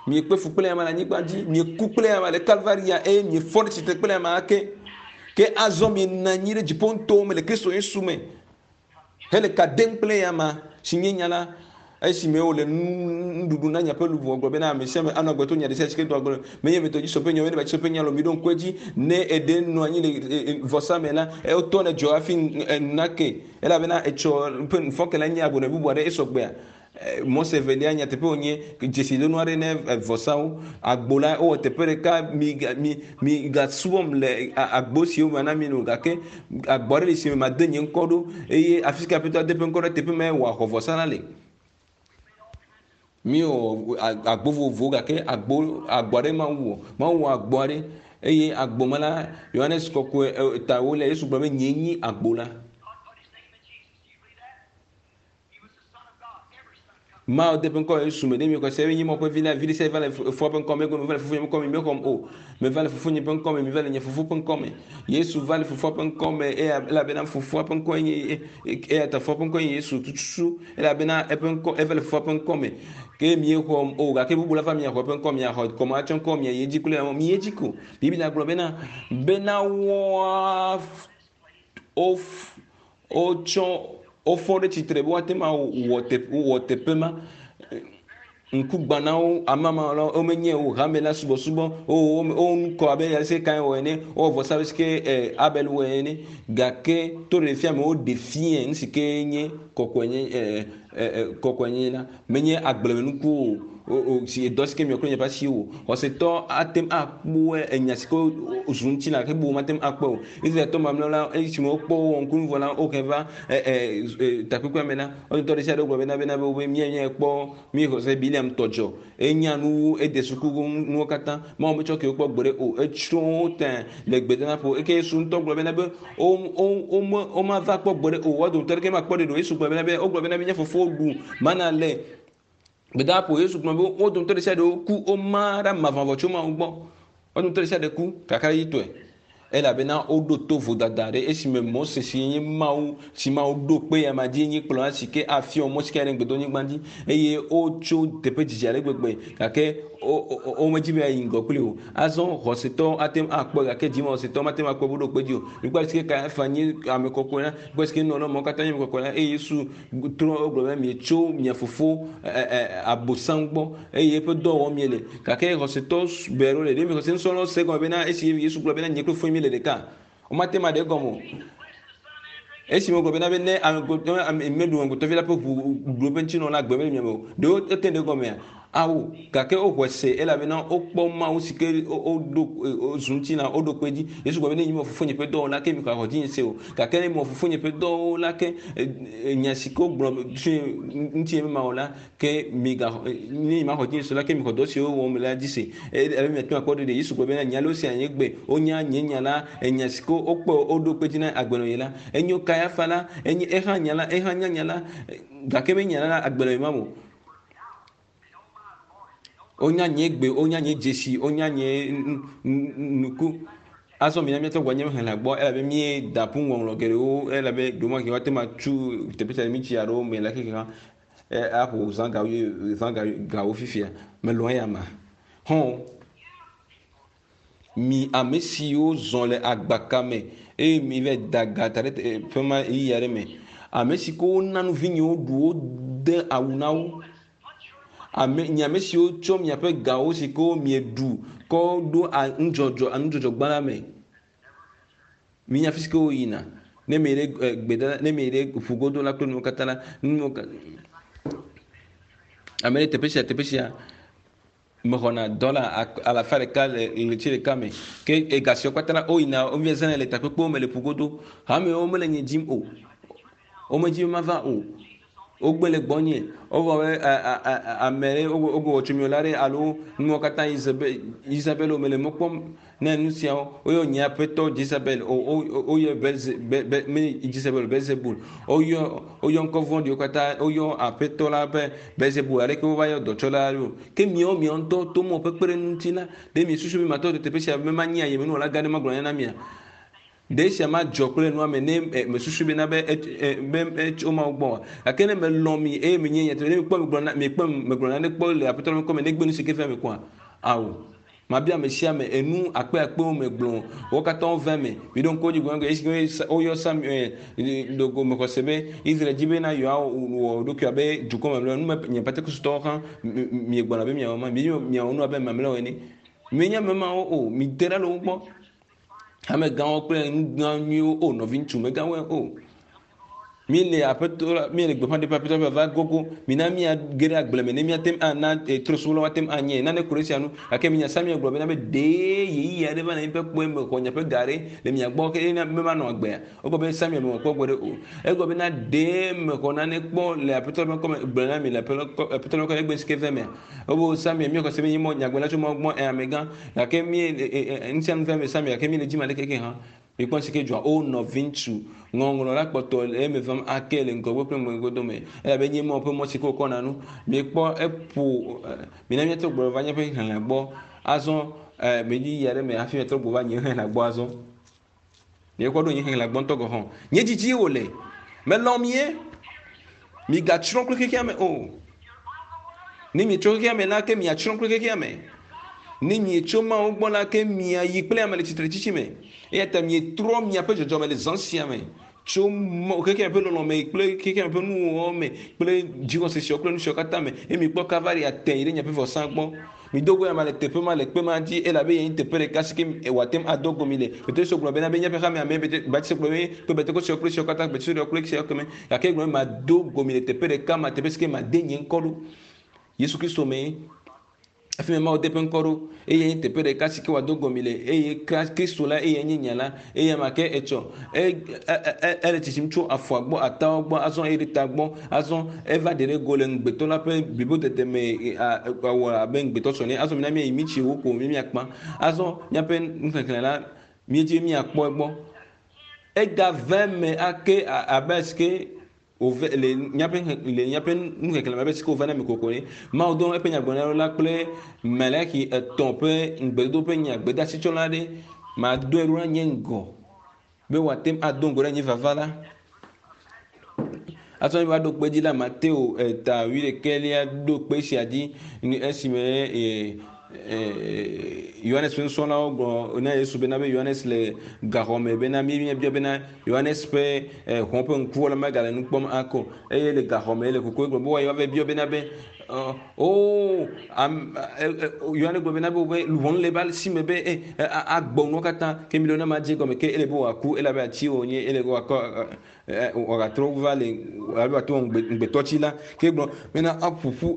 Miekpe fu kple ame le anyigba dzi. Mieku kple ame le Kalvaria eye miefɔ ɖe tsitre kple ame ake. Ke azɔ mienɔ anyi ɖe dziƒo ŋutɔwo me le Kristo Yesu me. Hele ka dem kple eyama, si nye nya la, esime wòle nuɖuɖu na miaƒe luʋɔ, gblɔ bena, Ame sia ame anɔ agbe to nya ɖesiaɖe si ke doa gbe menye metɔ dzi sɔƒe nya o, menye batsi sɔƒe nya o. Miɖo ŋku edzi, ne eɖe nɔ anyi le vɔsa me la, wotɔ ne dzɔ hafi enu nake, elabena etsɔ ƒe nufɔke la nye agbonɔ bubu aɖe, esɔ gbea. Mose evelia nyateƒe wònye dzesidonu aɖe ne vɔsawo. Agbo la wowɔ teƒe ɖeka mi mi mi gasubɔm le agbo siwo mana mi no gake agbo aɖe li si me made nye ŋkɔ ɖo eye afi si ke Aƒetɔ ade eƒe ŋkɔ ɖe teƒe mae wòaxɔ vɔsa la le. Míewɔ agbo vovovowo gake agbo agbo aɖe Mawu wɔ. Mawu wɔ agbo aɖe eye agbo me la Yohanes kɔkɔe ta ewolia Yesu gblɔ be nyee nyi agbo la. Mawu de ƒe ŋkɔ Yesu me ɖe mi xɔse be nye Mawu ƒe vi la, vi ɖe sia va le fofoa ƒe ŋkɔ me, egɔme meva le fofonye ƒe ŋkɔ me, mexɔm o. Meva le fofonye ƒe ŋkɔ me, meva le nye fofo ƒe ŋkɔ me. Yesu va le fofoa ƒe ŋkɔ me eya elabena fofoa ƒe ŋkɔe nye eya ta fofoa ƒe ŋkɔe nye Yesu tututu elabena eƒe ŋkɔ eva le fofoa ƒe ŋkɔ me. Ke miexɔm o gake bubu la va miaxɔ eƒe ŋkɔ miaxɔ kɔma atsɔ ŋkɔ miayi edzi kple miyi edzi ko. Biblia gblɔ bena bena woa wotsɔ wofɔ ɖe tsitre be woate ŋu awɔ teƒe wɔ teƒe ma. Ŋkugbãnawo, amamalawo womenye o, hame la subɔsubɔ wo wo wo nu kɔ abe ale si Kain wɔ ene, wowɔ vɔsa abe si ke e Abel wɔe ene. Gake to ɖeɖefia me woɖe fiae nu si ke nye kɔkɔenye e e kɔkɔenyenye la. Menye agblemenukuwo o, o, o, si dɔ si ke miɔ kple miaƒe asiwo o. Xɔsetɔ ate ŋu akpɔe enya si ke zu ŋutilã gake bubu mate ŋu akpɔe o. Israeltɔ mamlɛawo la, esime wokpɔ wowɔ ŋkunu vɔ la, wohe va e, e, e, takpekpea me la, wo dometɔ ɖe sia ɖe gblɔ bena bena be wobe mía míekpɔ míexɔ se Bileam tɔ dzɔ. Enya nu wu, ede suku nuwo katã. Mawu metsɔ ke wokpɔ gbeɖe o. Etsrɔ̃ wo tẽ le gbedadaƒo. Eke Yesu ŋutɔ gblɔ bena be womava kpɔ gbeɖe o. Woa dometɔ aɖeke makpɔ ɖeɖe o. Yesu gblɔ bena be wogblɔ bena be nye fofowo ɖu mana le gbedadaƒo. Yesu gblɔ be wo dometɔ ɖe sia ɖe woku, woma ɖe mavɔmavɔ tso Mawu gbɔ. Wo dometɔ ɖe sia ɖe ku kakaɖedzitɔe elabena woɖo to vodada ɖe esime Mose si nye Mawu si Mawu ɖo kpe ya ma dzi nyi kplɔla si ke afiɔ mɔ si ke aɖe gbedonyigba dzi eye wotso teƒe dzidzi ale gbegbe gake womedi be yeayi ŋgɔ kpli o. Azɔ xɔsetɔwo ate ŋu akpɔe gake dzimaxɔsetɔwo mate ŋu akpɔe be woɖo kpe edzi o. Mikpɔ ale si ke Kayafa nye ame kɔkɔe la, mikpɔ ale si ke nunɔla mawo katã nye ame kɔkɔe la eye Yesu trɔ wogblɔ be mietso mia fofo Abosam gbɔ eye eƒe dɔ wɔm miele. Gake xɔsetɔ ʋɛ aɖewo le ɖe mi xɔse nusrɔ̃lawo se egɔme bena esi Yesu gblɔ bena nye kple fofonye míele ɖeka, womate ŋu aɖe egɔme o. Esime wogblɔ bena be ne ame meɖu amegbetɔvi la ƒe ʋu ɖu eƒe ŋutinɔ la, agbe mele mia me o. Ɖe wote ŋu ɖe egɔmea? Ao, gake woxɔe se elabena wokpɔ Mawu si ke woɖo zu ŋutilã, woɖo kpe edzi. Yesu gblɔ be ne nyemewɔ Fofonye ƒe dɔwo la, ke mixɔ axɔ dzinye se o. Gake ne mewɔ Fofonye ƒe dɔwo la, ke nya si ke wogblɔ tsoe ŋutinye be mawɔ la, ke migaxɔ, ne nyemaxɔ dzinye se o la, ke mixɔ dɔ siwo wɔm mele la dzi se. Elabe miate ŋu akpɔ ɖeɖe. Yesu gblɔ bena, Nye alo sea nye gbe, wonya nye nya la, enya si ke wokpɔ woɖo kpe edzi na agbenɔɣi la. Enyo Kayafa la, enye eha nya la, eha nya nya la, gake menya la agbenɔɣi ma o. Wonya nye gbe, wonya nye dzesi, wonya nye nuku. Azɔ mina míatrɔ gbɔ nye xexlẽ gbɔ elabe míeda ƒu ŋɔŋlɔ geɖewo elabe ɖewomahi woate ŋu atsu teƒe sia mítsi aɖewo me le xexea aƒo zã gawo zã gawo fifia. Melɔ̃ eya ma. Hɔn mi ame siwo zɔ le agbaka me eye mi va da ga da ɖe ƒe ma ɣeyiɣi aɖe me. Ame si ke wona nu vinyewo ɖu wo de awu na wo. Ame nye ame siwo tsɔ miaƒe gawo si ke mieɖu kɔ ɖo nudzɔdzɔ nudzɔdzɔgba la me. Minya fi si ke woyina. Ne mi yi ɖe gbedada, ne mi yi ɖe ƒugodo la kple nuwo katã la, nuwo ame ɖe teƒe sia teƒe sia mexɔna dɔla alafa ɖeka le ɣleti ɖeka me. Ke ega siawo katã la woyina wovia zãnɛ le takpekpewo me le ƒugodo. Hamewo mele nye dzim o. Womedzi be mava o. Wogbe le gbɔnye. Wogblɔ be ame ɖe wogblɔ wɔtsomiwɔla ɖe alo nuwo katã Isabel o mele mɔ kpɔm ne nu siawo. Woyɔ nye aƒetɔ Jezebel o woyɔ Belze be be me Jezebel Belzebul. Woyɔ woyɔ ŋkɔ vɔ̃ɖiwo katã woyɔ aƒetɔ la be Belzebul aleke wova yɔ dɔtsɔla ɖo. Ke miawo miawo ŋutɔ to mɔ ƒe kpeɖeŋu ŋuti la, ɖe miesusu be matɔ teƒe sia be manyi ayemenuwɔla gã ɖe magblɔ nya na mia? Ɖe esia madzɔ kple nua me ne mesusu bena be be etso Mawu gbɔ oa? Gake ne melɔ̃ mi eye menye nyateƒe, ne mikpɔ megblɔ na miekpɔ megblɔ nane kpɔ le Aƒetɔ la ƒe ŋkɔ me negbe nu si ke vea me koa? Ao. Mabia ame sia ame enu akpe akpewo megblɔ wo katã wova eme. Miɖo ŋku edzi gblɔ esi woyɔ Samuel dogo mexɔ se be Israel dzi bena yewoawɔ ɖokui abe dukɔ mamlɛwo. Nu me nye Pentekostɔwo hã miegbɔna be miawɔ ma. Miedzi be miawɔ nu abe mamlɛwo ene. Mienye ame mawo o. Mite ɖa le wo gbɔ. Amegãwo kple nu gã nyuiwo o nɔviŋutsu megãwoe o. Míele aƒetɔ la, míele gbeƒã ɖem aƒetɔ ƒe vava gogo. Mina míage ɖe agble me ne míate ŋu ana trɔ̃subɔlawo ate ŋu anye nane ku ɖe esia ŋu. Gake minya Samuel gblɔ bena be ɖee ɣeyiɣi aɖe va le míaƒe kpɔe me xɔ miaƒe ga ɖe le mia gbɔ ke na be manɔ agbea. Egblɔ be Samuel mewɔ kpɔ gbeɖe o. Egblɔ bena ɖee mexɔ nane kpɔ le aƒetɔ ƒe ŋkɔ me gblɔ na mi le aƒetɔ ƒe ŋkɔ me egbe si ke ve mea. Ebo Samuel míexɔ se be nye mɔ nyagblɔla tso Mawu gbɔ ẽ amegã gake mí ŋutia nu veme Samuel gake míle dzi ma ɖeke ke hã. Mikpɔ si ke dzɔa o nɔviŋutsu ŋɔŋlɔ la kpɔtɔ le eme vam ake le ŋgɔgbe kple megbe dome elabe nye Mawu ƒe mɔ si ke wokɔna nu. Mikpɔ eƒo mina míatrɔ gbɔ va míaƒe xexlẽ gbɔ azɔ medzi yi aɖe me hafi míatrɔ gbɔ va nye xexlẽ gbɔ azɔ. Miekpɔ ɖo nye xexlẽ gbɔ ŋutɔ gɔ̃ hã. Nye dzidzi wòle. Melɔ̃ mie. Migatsrɔ̃ kple xexea me o. Ne mietso xexea me la, ke miatsrɔ̃ kple xexea me. Ne mietso Mawu gbɔ la, ke miayi kple ame le tsitretsitsi me. Eya ta mietrɔ miaƒe dzɔdzɔme le zã sia me tso xexea me ƒe lɔlɔ̃ me kple xexea me ƒe nuwɔwɔ me kple dzixɔse siawo kple nu siawo katã me eye mikpɔ Kalvaria tẽ yi ɖe miaƒe vɔsa gbɔ. Mido go ame le teƒe ma le kpe ma dzi elabe ye nye teƒe ɖeka si ke wòate ŋu ado go mi le. Petro gblɔ bena be míaƒe hamea me Baptist gblɔ be kple Pentekoste kple esiawo katã Baptist kple esiawo keme. Gake egblɔ be mado go mi le teƒe ɖeka ma teƒe si ke made nye ŋkɔ ɖo. Yesu Kristo mee. Afi ma Mawu de eƒe ŋkɔ ɖo. Eye nye teƒe ɖeka si ke wòado go mi le. Eye Kristo la eye nye nya la. Eye ma ke etsɔ ele tsitsim tso afɔa gbɔ, atawo gbɔ, azɔ eye ɖe ta gbɔ, azɔ eva ɖe ɖe go le ŋugbetɔ la ƒe blibodede me awɔ abe ŋugbetɔ sɔ ne. Azɔ mina míayi mitsi wo ko míakpã. Azɔ míaƒe nuxexlẽ la míedzi míakpɔ egbɔ. Egave me ake abe si ke wòve le míaƒe le míaƒe nuxexlẽ me abe si ke wòva na mi kokoko ne. Mawu dɔ eƒe nyagblɔɖila la kple Malaki etɔ̃ ƒe ŋugbedodo ƒe nya gbedeasitsɔla ɖe madoe ɖo ɖe nye ŋgɔ be wòate ŋu ado ŋgɔ ɖe nye vava la. Azɔ mi va ɖo kpe dzi la Mateo eta wuiɖekɛlia ɖo kpe sia dzi esime Yohanes ƒe nusrɔ̃lawo gblɔ na Yesu bena be Yohanes le gaxɔ me bena mi míebia bena Yohanes ƒe hɔn ƒe ŋkuwo la megale nu kpɔm akɔ eye le gaxɔ me le kuku egblɔ be woayi woava biɔ bena be o Yohanes gblɔ bena be wobe luʋɔ le ebe si me be agbɔ nuwo katã ke mi ɖo ne ma dze gɔme ke ele be wòaku elabe ati wònye ele be wòakɔ wòagatrɔ va le alo wòato ŋugbetɔ tsi la ke gblɔ bena aƒoƒu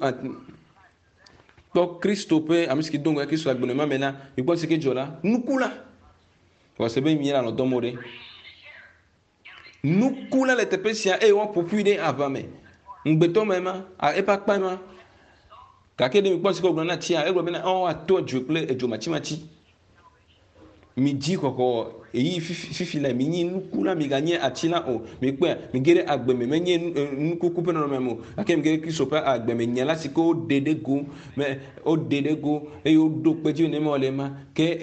kpɔ Kristo ƒe ame si ke do ŋgɔ Kristo agbenɔnɔ ma me la mikpɔ si ke dzɔ la nuku la wɔse be mi le alɔ dɔm o ɖe nuku la le teƒe sia eye woaƒo ƒui ɖe aʋa me ŋugbetɔ me ma eƒe akpa ma gake ɖe mikpɔ si ke wògblɔ na tsia egblɔ bena ɔ woato edzo kple edzo matsimatsi mi dzi xɔxɔ eyi fifi la mi nyi nuku la mi ganye ati la o mi kpɔe mi ge ɖe agbe me menye nukuku ƒe nɔnɔme me o gake mi ge ɖe Kristo ƒe agbe me nya la si ke woɖe ɖe go me woɖe ɖe go eye woɖo kpe dzi ne me le ma ke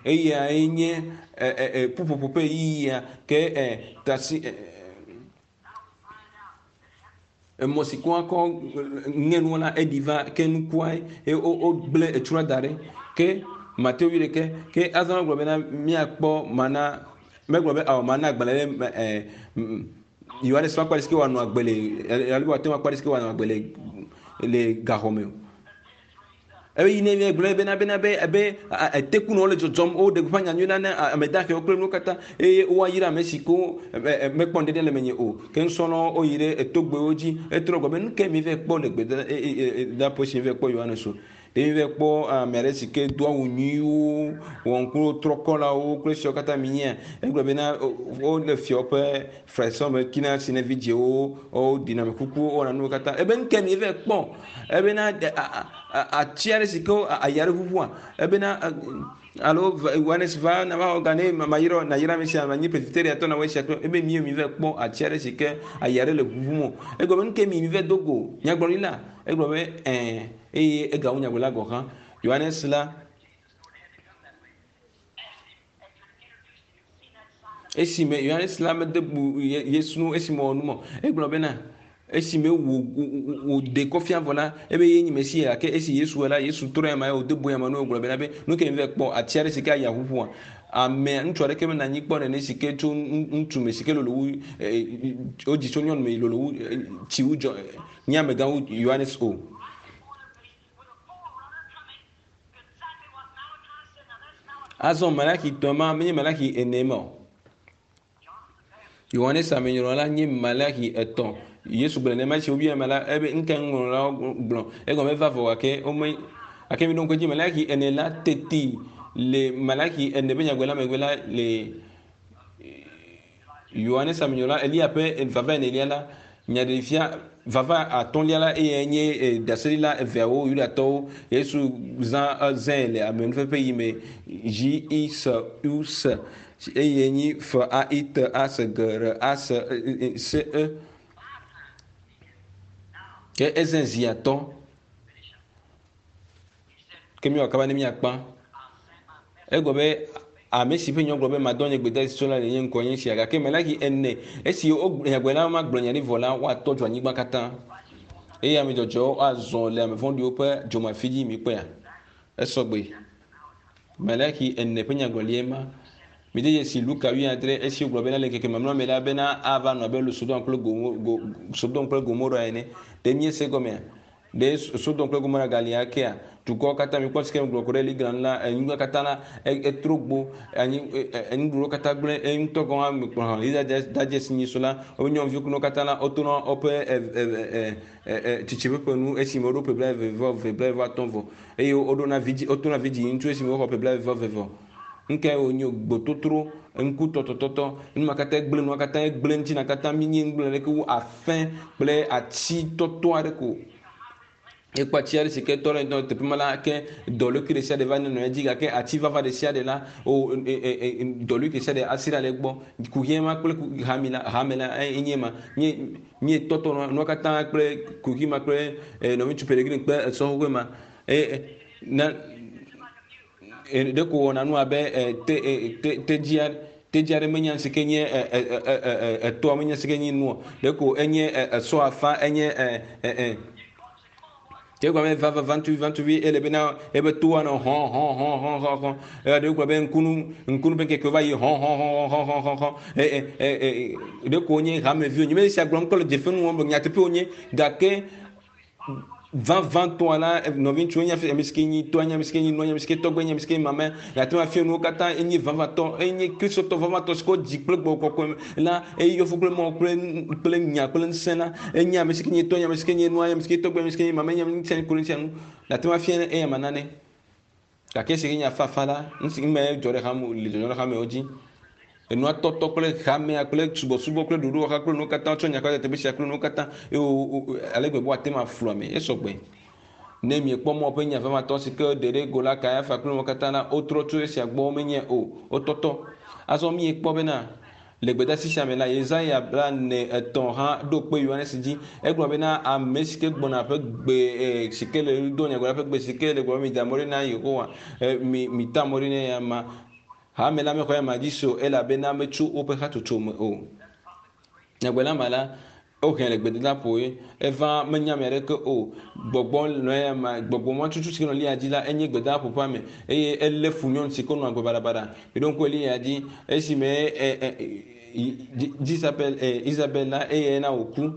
eyae nye ƒuƒoƒo ƒe ɣeyiɣia ke tasi emɔ si ke woakɔ ŋe nua la eɖi va ke nukua ye wogblẽ etsua da ɖe ke Mateo wuiɖekɛ ke azɔ megblɔ bena míakpɔ mana megblɔ be awɔ mana agbalẽ ɖe ɛ Yohanes ƒe akpa ɖe si ke wòanɔ agbe le alo wòate ŋu akpa ɖe si ke wòanɔ agbe le le gaxɔ me o. Ebe yi ne gblɔ bena bena be ebe etekunɔwo le dzɔdzɔm woɖe gbeƒã nyanyui la ne ame dahewo kple nuwo katã eye woayra ame si ko mekpɔ ŋɖeɖe le menye o. Ke nusrɔ̃lawo woyi ɖe etogbewo dzi etrɔ gblɔ be nu ke mi va kpɔ le gbedoɖaƒe si mi va kpɔ Yohanes o. Ɖe mi va kpɔ ame aɖe si ke do awu nyuiwo, wɔ ŋkuwo trɔ kɔlawo kple esiawo katã mi nyea? Egblɔ bena wole fiawo ƒe fesre me kina si ne vidzĩwo woɖina ame kukuwo wowɔna nuwo katã. Ebe nu ke mi va kpɔ ebena ati aɖe si ke aya ɖe ʋuʋua ebena alo Yohanes va na va xɔ ga ne mayra nayra ame sia manyi presbyteriatɔ na wɔ esia kple ebe mi mi va kpɔ ati aɖe si ke aya ɖe le ʋuʋum o. Egblɔ be nu ke mi mi va do go nyagblɔɖila egblɔ be ɛɛ eye egawu nyagblɔɖila gɔ̃ hã. Yohanes la esime Yohanes la mede bu Yesu ŋu esime wòwɔ nu ma o. Egblɔ bena esime wòɖe kɔ fia vɔ la, ebe ye nyi Mesia gake esi Yesu wɔ la, Yesu trɔ ema ye wòde bu ema nu wògblɔ bena be nu ke mi va kpɔ ati aɖe si ke aya ʋuʋua amea ŋutsu aɖeke menɔ anyi kpɔ nene si ke tso ŋutsu me si ke lolo wu wodzi tso nyɔnu me lolo wu tsi wu dzɔ nye amegã wu Yohanes o. Azɔ Malaki tɔ ma menye Malaki ene ma o. Yohanes Amenyrɔla la nye Malaki etɔ̃. Yesu gblɔ nenema esi wobia ema la, ebe nuka nuŋlɔlawo gblɔ. Egɔme eva vɔ gake wome gake mi ɖo ŋku edzi Malaki ene la teti le Malaki ene ƒe nyagbe la megbe la le Yohanes Amenyrɔla Eliya ƒe vava enelia la nyaɖeɖefia vava atɔ̃lia la eyae nye e, ɖaseɖila eveawo Yudatɔwo. Yesu zã ezãe le amenuƒeƒe yi me J I S U S eye nyi F A I T A S G R A S S E. Ke ezẽ zi atɔ̃. Ke míwɔ kaba ne míakpã. Egblɔ be ame si ƒe nya gblɔ be madɔ nye gbedeasi tso la le nye ŋkɔ nye sia gake Malaki ene esi nyagblɔɖila ma gblɔ nya ɖi vɔ la woatɔ dzo anyigba katã eye ame dzɔdzɔewo azɔ le ame vɔ̃ɖiwo ƒe dzomafi dzi mikpɔea esɔ gbe Malaki ene ƒe nyagblɔɖie ma mide dzesi Luka wuiadre esi wogblɔ bena le ŋkeke mamlɛa me la bena ava nɔ abe Sodom kple Sodom kple Gomora ene ɖe míese gɔmea Ɖe Sodom kple Gomora gali akea? Dukɔwo katã mikpɔ si ke megblɔ ku ɖe Ligran la, anyigba katã la, etro gbo, anyi, nuɖuɖuwo katã gblẽ, eye ŋutɔ gɔ̃ hã mekplɔ hã. Israel dadze si nyi so la, woƒe nyɔnuviwo kple nuwo katã la, wotona woƒe tsitsi ƒe ƒe nu esime woɖo ƒe blaeve vɔ eve, blaeve vɔ atɔ̃ vɔ, eye woɖona vidzi, wotona vidzi ŋutsu esime woxɔ ƒe blaeve vɔ eve vɔ. Nukae wònye gbototro, ŋkutɔtɔtɔtɔ, nu ma katã gblẽ nua katã gblẽ ŋuti na katã míenye nu gblẽ ɖeke wu afẽ kple ati tɔtɔ aɖe ko. Ekpɔ ati aɖe si ke tɔ ɖe ŋutɔ teƒe ma la ke dɔlékui ɖe sia ɖe va nɔ edzi gake ati vava ɖe sia ɖe la o dɔlékui ɖe sia ɖe asi ɖa le egbɔ. Kuxi ma kple hame la hame la enye ma. Mie mietɔtɔ nua katã kple kuxi ma kple nɔviŋutsu Peregrine kple esɔ xoxoe ma. E na Ɖeko wòwɔna nu abe te te tedzi tedzi aɖe menya si ke nye etɔa menya si ke nye nua. Ɖeko enye esɔ afã enye e ke gblɔ be va va va ŋutsuvi va ŋutsuvi ele bena ebe toa nɔ hɔn hɔn hɔn hɔn hɔn hɔn. Eya ɖewo gblɔ be ŋkunu ŋkunu ƒe ŋkekewo va yi hɔn hɔn hɔn hɔn hɔn hɔn hɔn. E e e ɖeko wonye hameviwo. Nye me sia gblɔm kple dzefe nu wɔm nyateƒe wonye gake vavãtɔa la, nɔviŋutsuwo nye ame si ke nyi tɔa nye ame si ke nyi nɔa nye ame si ke tɔgbe nye ame si ke mama yeate ŋu afia nuwo katã enye vavãtɔ enye kristotɔ vavãtɔ si ke wodzi kple gbɔgbɔ kɔkɔe la eye yɔ fũ kple Mawu kple kple nya kple ŋusẽ la enye ame si ke nyi tɔ nye ame si ke nyi nɔa nye ame si ke tɔgbe ame si ke nyi mama nye ame si ke ŋu sia nu yeate ŋu afia eya ma nane Gake esi nye afafa la, nu si me dzɔ ɖe hame le dzɔdzɔm ɖe hamewo dzi. Enua tɔtɔ kple hamea kple subɔsubɔ kple ɖoɖowɔha kple nuwo katã tsɔ nya kɔ teƒe sia kple nuwo katã eye wo ale gbegbe woate ŋu aflu ame esɔ gbe. Ne miekpɔ mɔ ƒe nya vavãtɔ si ke ɖe ɖe go la Kayafa kple nuwo katã la wotrɔ tso esia gbɔ womenyae o. Wotɔtɔ. Azɔ miekpɔ bena Le gbedeasi sia me la, Yesaya 43 hã ɖo kpe Yohanes dzi. Egblɔ bena, Ame si ke gbɔna ƒe gbe si ke le ɣli dom nyagblɔɖila ƒe gbe si ke le gblɔm be, Mida mɔ ɖi na Yehowa, mita mɔ ɖi na eyama. Hame la mexɔ eyama dzi se o, elabena metso woƒe hatsotso me o. Nyagblɔɖila ma la, Wohɛ le gbedadaƒo ye eva menya ame aɖeke o. Gbɔgbɔ nɔ eya ma, gbɔgbɔ ma tutu si ke nɔ Eliya dzi la, enye gbedadaƒo ƒe ame eye elé fu nyɔnu si ke nɔ agbe baɖabaɖa. Miɖo ŋku Eliya dzi esime e, e, Jezabel Isabel la eye na wòku.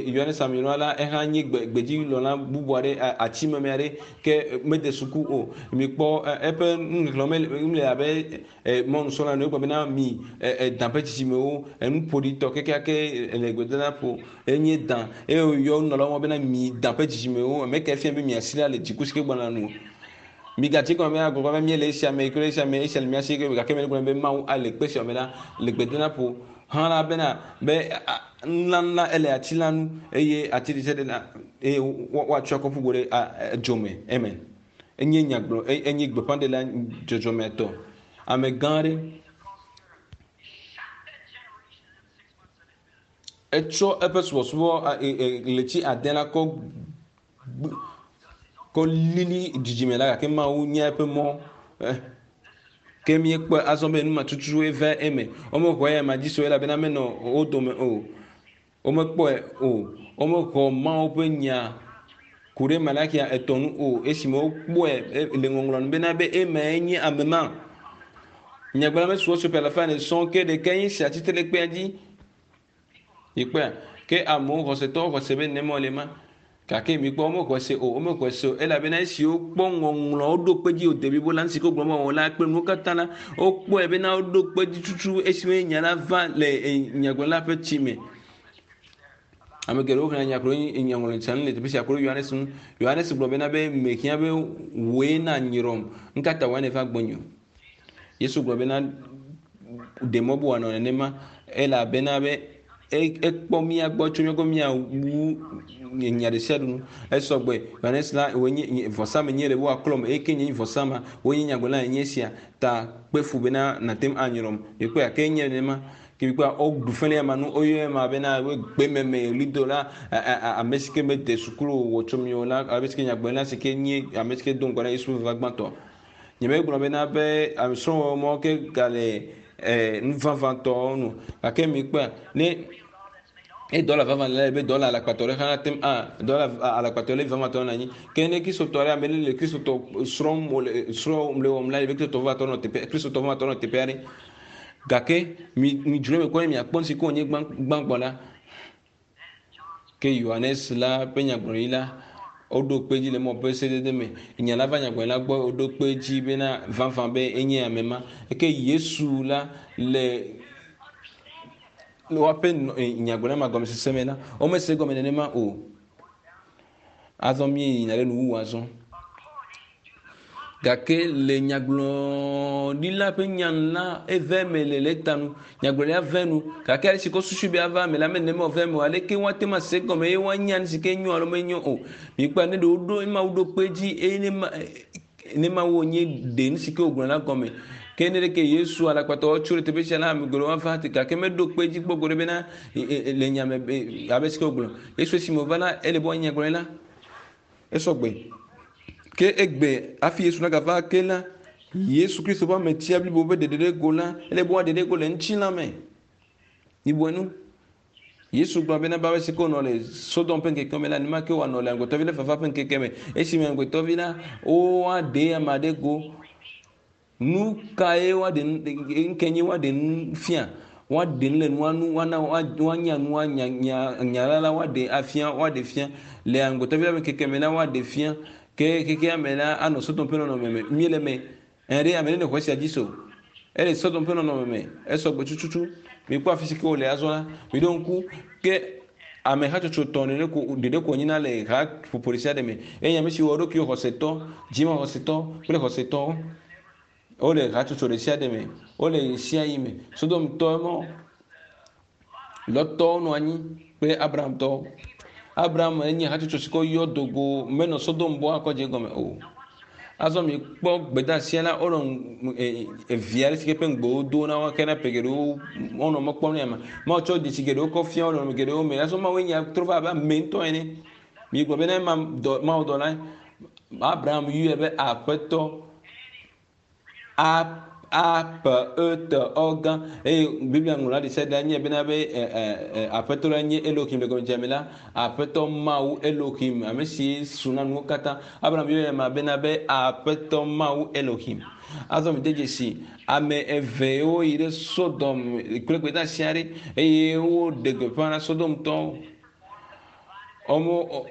Yohanes Aminua la ehã nye gbedzilɔla bubu aɖe atimeme aɖe ke mede suku o. Mikpɔ eƒe nuxexlẽ le abe mɔnusrɔ̃la ene. Wogblɔ bena mi dan ƒe dzidzimewo enuƒoɖitɔ kekeake le gbedadaƒo enye dan eye woyɔ nunɔlawo bena mi dan ƒe dzidzimewo ame ke fia be miasi la le dziku si ke gbɔna nu. Migatsi gɔme be agbagba be míele esia me kple esia me esia le mía si gake mele gblɔm be Mawu ale kpe sia me la le gbedadaƒo hã la bena be nunana ele ati la nu eye ati ɖe sia ɖe la eye woatsɔ akɔ ƒu go ɖe dzo me. Amen. Enye nyagblɔ enye gbeƒãɖela dzɔdzɔmetɔ ame gã aɖe. Etsɔ eƒe subɔsubɔ ɣleti ade la kɔ kɔ lili dzidzime la gake Mawu nye eƒe mɔ. Ke míekpɔe azɔ be nu ma tututue va eme. Womexɔ eya ma dzi se o elabena menɔ wo dome o. Womekpɔe o. Womexɔ Mawu ƒe nya ku ɖe Malakia etɔ̃ nu o esime wokpɔe le ŋɔŋlɔ nu bena be emae nye ame ma. Nyagblɔla mesuɔ ƒe alafa ene sɔŋ ke ɖekae nye sia tsitre ɖe kpea dzi. Mikpɔea? Ke amewo xɔsetɔwo xɔse be nenema wòle ma. Gake mikpɔ womexɔe se o, womexɔe se o elabena esi wokpɔ ŋɔŋlɔwo ɖo kpe dzi wòde blibo la, nu si ke wogblɔ be wɔwɔ la kple nuwo katã la, wokpɔe bena woɖo kpe dzi tutu esime nya la va le nyagblɔla ƒe tsi me. Ame geɖewo xlẽa nya kple nyaŋlɔɖi sia nu le teƒe sia ku ɖe Yohanes ŋu. Yohanes gblɔ bena be mehiã be wòe na nyrɔm, nu ka ta wòe nèva gbɔnye o? Yesu gblɔ bena ɖe mɔ be wòanɔ nenema elabena be ekpɔ mía gbɔ tso míagbɔ míawu nya ɖe sia ɖe nu. Esɔgbe Yohanes la wòe nye vɔsa menye le be woaklɔm eye ke nye vɔsa ma wòe nye nyagblɔla nye esia ta kpe fu bena nàte ŋu anyrɔm. Mikpɔe ke enye nenema. Ke mikpɔa woɖu fe ɖe ema nu woyɔ ema bena gbememe ɣlidola ame si ke mede sukulu wɔ tso mi o la ame si ke nyagblɔla si ke nye ame si ke do ŋgɔ na Yesu ƒe vava gbãtɔ. Nyemegblɔ bena be srɔ̃wɔwɔ mɔ ke gale nu vavãtɔ nu gake mikpɔa ne dɔla vavã le be dɔla alakpatɔ ɖe hã ate ŋu a dɔla alakpatɔ le vavãtɔ nɔ anyi ke ne kristotɔ ɖe ame le kristotɔ srɔ̃m wòle srɔ̃m le wɔm la be kristotɔ vavãtɔ nɔ teƒe kristotɔ vavãtɔ nɔ teƒe aɖe gake mi mi dzro eme kpɔ ne miakpɔ nu si ke wònye gbãgbɔ la ke Yohanes la ƒe nyagblɔɖi la woɖo kpe dzi le mɔ ƒe sedede me. Nya la va nyagblɔɖila gbɔ woɖo kpe dzi bena vavã be enye ame ma. Ke Yesu la le woaƒe nyagblɔɖia ma gɔmesese me la, womese egɔme nenema o. Azɔ míeyina ɖe nuwuwu azɔ. Gake le nyagblɔɖila ƒe nya nu la, eve eme le lɛta nu. Nyagblɔɖia ve nu gake ale si ko susu be ava eme la menema wòve eme o. Aleke woate ŋu ase egɔme eye woanya nu si ke nyo alo menyo o. Mikpɔe ne ɖe woɖo ema woɖo kpe edzi eye ne ma ne Mawu wònye ɖe nu si ke wògblɔ la gɔme. Ke ne ɖeke Yesu alakpatɔwo tso ɖe teƒe sia la, ame geɖewo ava gake meɖo kpe edzi kpɔ go ɖe bena le nya me abe si ke wògblɔ. Yesu esime wòva la, ele be woanye nyagblɔɖila. Esɔgbe. Ke egbe hafi Yesu nagava ake la, Yesu Kristo ƒe ametia blibo ƒe ɖeɖe ɖe go la, ele be woaɖe ɖe go le ŋutilã me. Mibue nu. Yesu gblɔ bena be si ke wònɔ le Sodom ƒe ŋkeke me la, nenema ke wòanɔ le amegbetɔvi la vava ƒe ŋkeke me. Esime amegbetɔvi la, woaɖe ame aɖe go. Nu kae woaɖe nu nu kae nye woaɖe nu fia? Woaɖe nu le nua nu woana woanya nua nya nya nya la la woaɖe afia woaɖe fia le amegbetɔvi la ƒe ŋkeke me la woaɖe fia ke xexea me la anɔ Sodom ƒe nɔnɔme me míele eme. Ẽ ɖe ame ɖe nexɔ esia dzi se o. Ele Sodom ƒe nɔnɔme me esɔgbe tututu. Mikpɔ afi si ke wòle azɔ la miɖo ŋku ke ame hatsotso tɔ̃ ɖeɖe ko ɖeɖe ko nyina le ha ƒoƒo ɖe sia ɖe me. Eye ame siwo wɔ ɖokuiwo xɔsetɔ, dzimaxɔsetɔ kple xɔsetɔwo. Wole hatsotso ɖe sia ɖe me. Wole ɣesiaɣi me. Sodomtɔ mɔ Lɔtɔwo nɔ anyi kple Abrahamtɔwo. Abraham enye hatsotso si ke woyɔ do go menɔ Sodom bɔ akɔ dze egɔme o. Azɔ mikpɔ gbedeasia la wonɔ evia ɖe si ke ƒe ŋugbe wodo na wo ke na ƒe geɖewo wonɔ mɔ kpɔm nɛ ama. Mawu tsɔ dzesi geɖewo kɔ fia wo le nɔnɔme geɖewo me. Azɔ Mawu nya trɔ va abe ame ŋutɔ ene. Migblɔ be ne ma dɔ Mawu dɔla Abraham yɔe be aƒetɔ. A A P E T O gã eye Biblia ŋlɔla ɖe sia ɖe nye bena be Aƒetɔ la nye Elohim le gɔmedzedzea me la, Aƒetɔ Mawu Elohim, ame si su na nuwo katã. Abraham yɔ ema bena be Aƒetɔ Mawu Elohim. Azɔ mide dzesi ame evewo yi ɖe Sodom kple gbedeasi aɖe eye woɖe gbeƒã na Sodomtɔwo. Wɔme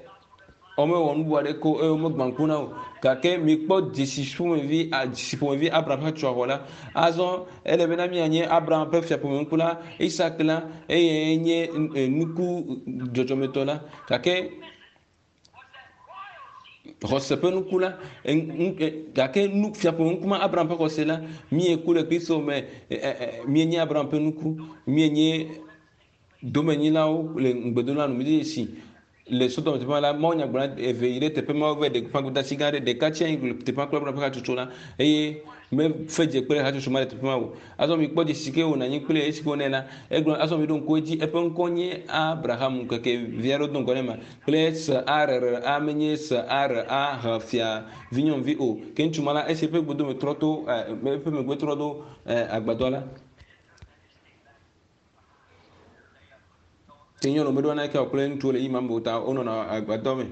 womewɔ nu bubu aɖeke o eye womegbã ŋku na wo. Gake mikpɔ dzesi ƒomevi dzesi ƒomevi Abraham ƒe tsɔxɔ la. Azɔ ele bena míanye Abraham ƒe fiaƒome ŋku la, Isak la, eye nye nuku dzɔdzɔmetɔ la. Gake xɔse ƒe nuku la, gake nu fiaƒome ŋku ma Abraham ƒe xɔse la, míeku le Kristo me, míenye Abraham ƒe nuku, míenye domenyilawo le ŋugbedola nu. Míde dzesi le Sodom teƒe ma la, Mawu nyagblɔla eve yi ɖe teƒe ma wova ɖe gbeƒã gbedeasi gã aɖe. Ɖeka tsi anyi le teƒe ma kple Abraham ƒe hatsotso la eye mefe dze kple hatsotso ma le teƒe ma o. Azɔ mikpɔ dzesi si ke wònɔ anyi kple esi ke wònɛ la, egblɔ azɔ miɖo ŋku edzi eƒe ŋkɔ nye Abraham ŋkeke vi aɖewo do ŋgɔ ne ma kple S A R R A menye S A R A H fia vinyɔnuvi o. Ke ŋutsu ma la esi eƒe gbodome trɔ to eƒe megbe trɔ ɖo agbadɔ la. Ke nyɔnu meɖo naneke wɔ kple ŋutsuwo le yi ma me o ta wonɔna agbadɔ me.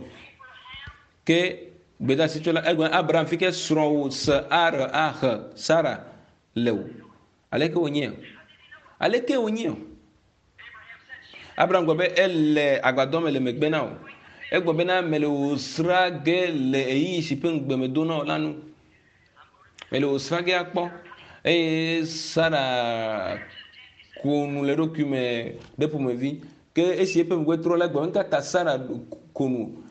Ke gbedeasi tso la egblɔ Abraham fi ke srɔ̃wò se ar ahe Sara le o. Aleke wònye? Aleke wònye? Abraham gblɔ be ele agbadɔ me le megbe na wò. Egblɔ bena mele wò sra ge le ɣeyiɣi si ƒe ŋugbe medo na wò la nu. Mele wò srã ge akpɔ. Eye Sara ko nu le eɖokui me ɖe ƒomevi. Ke esi eƒe megbe trɔ la, egblɔ be, Nukata Sara ko nu?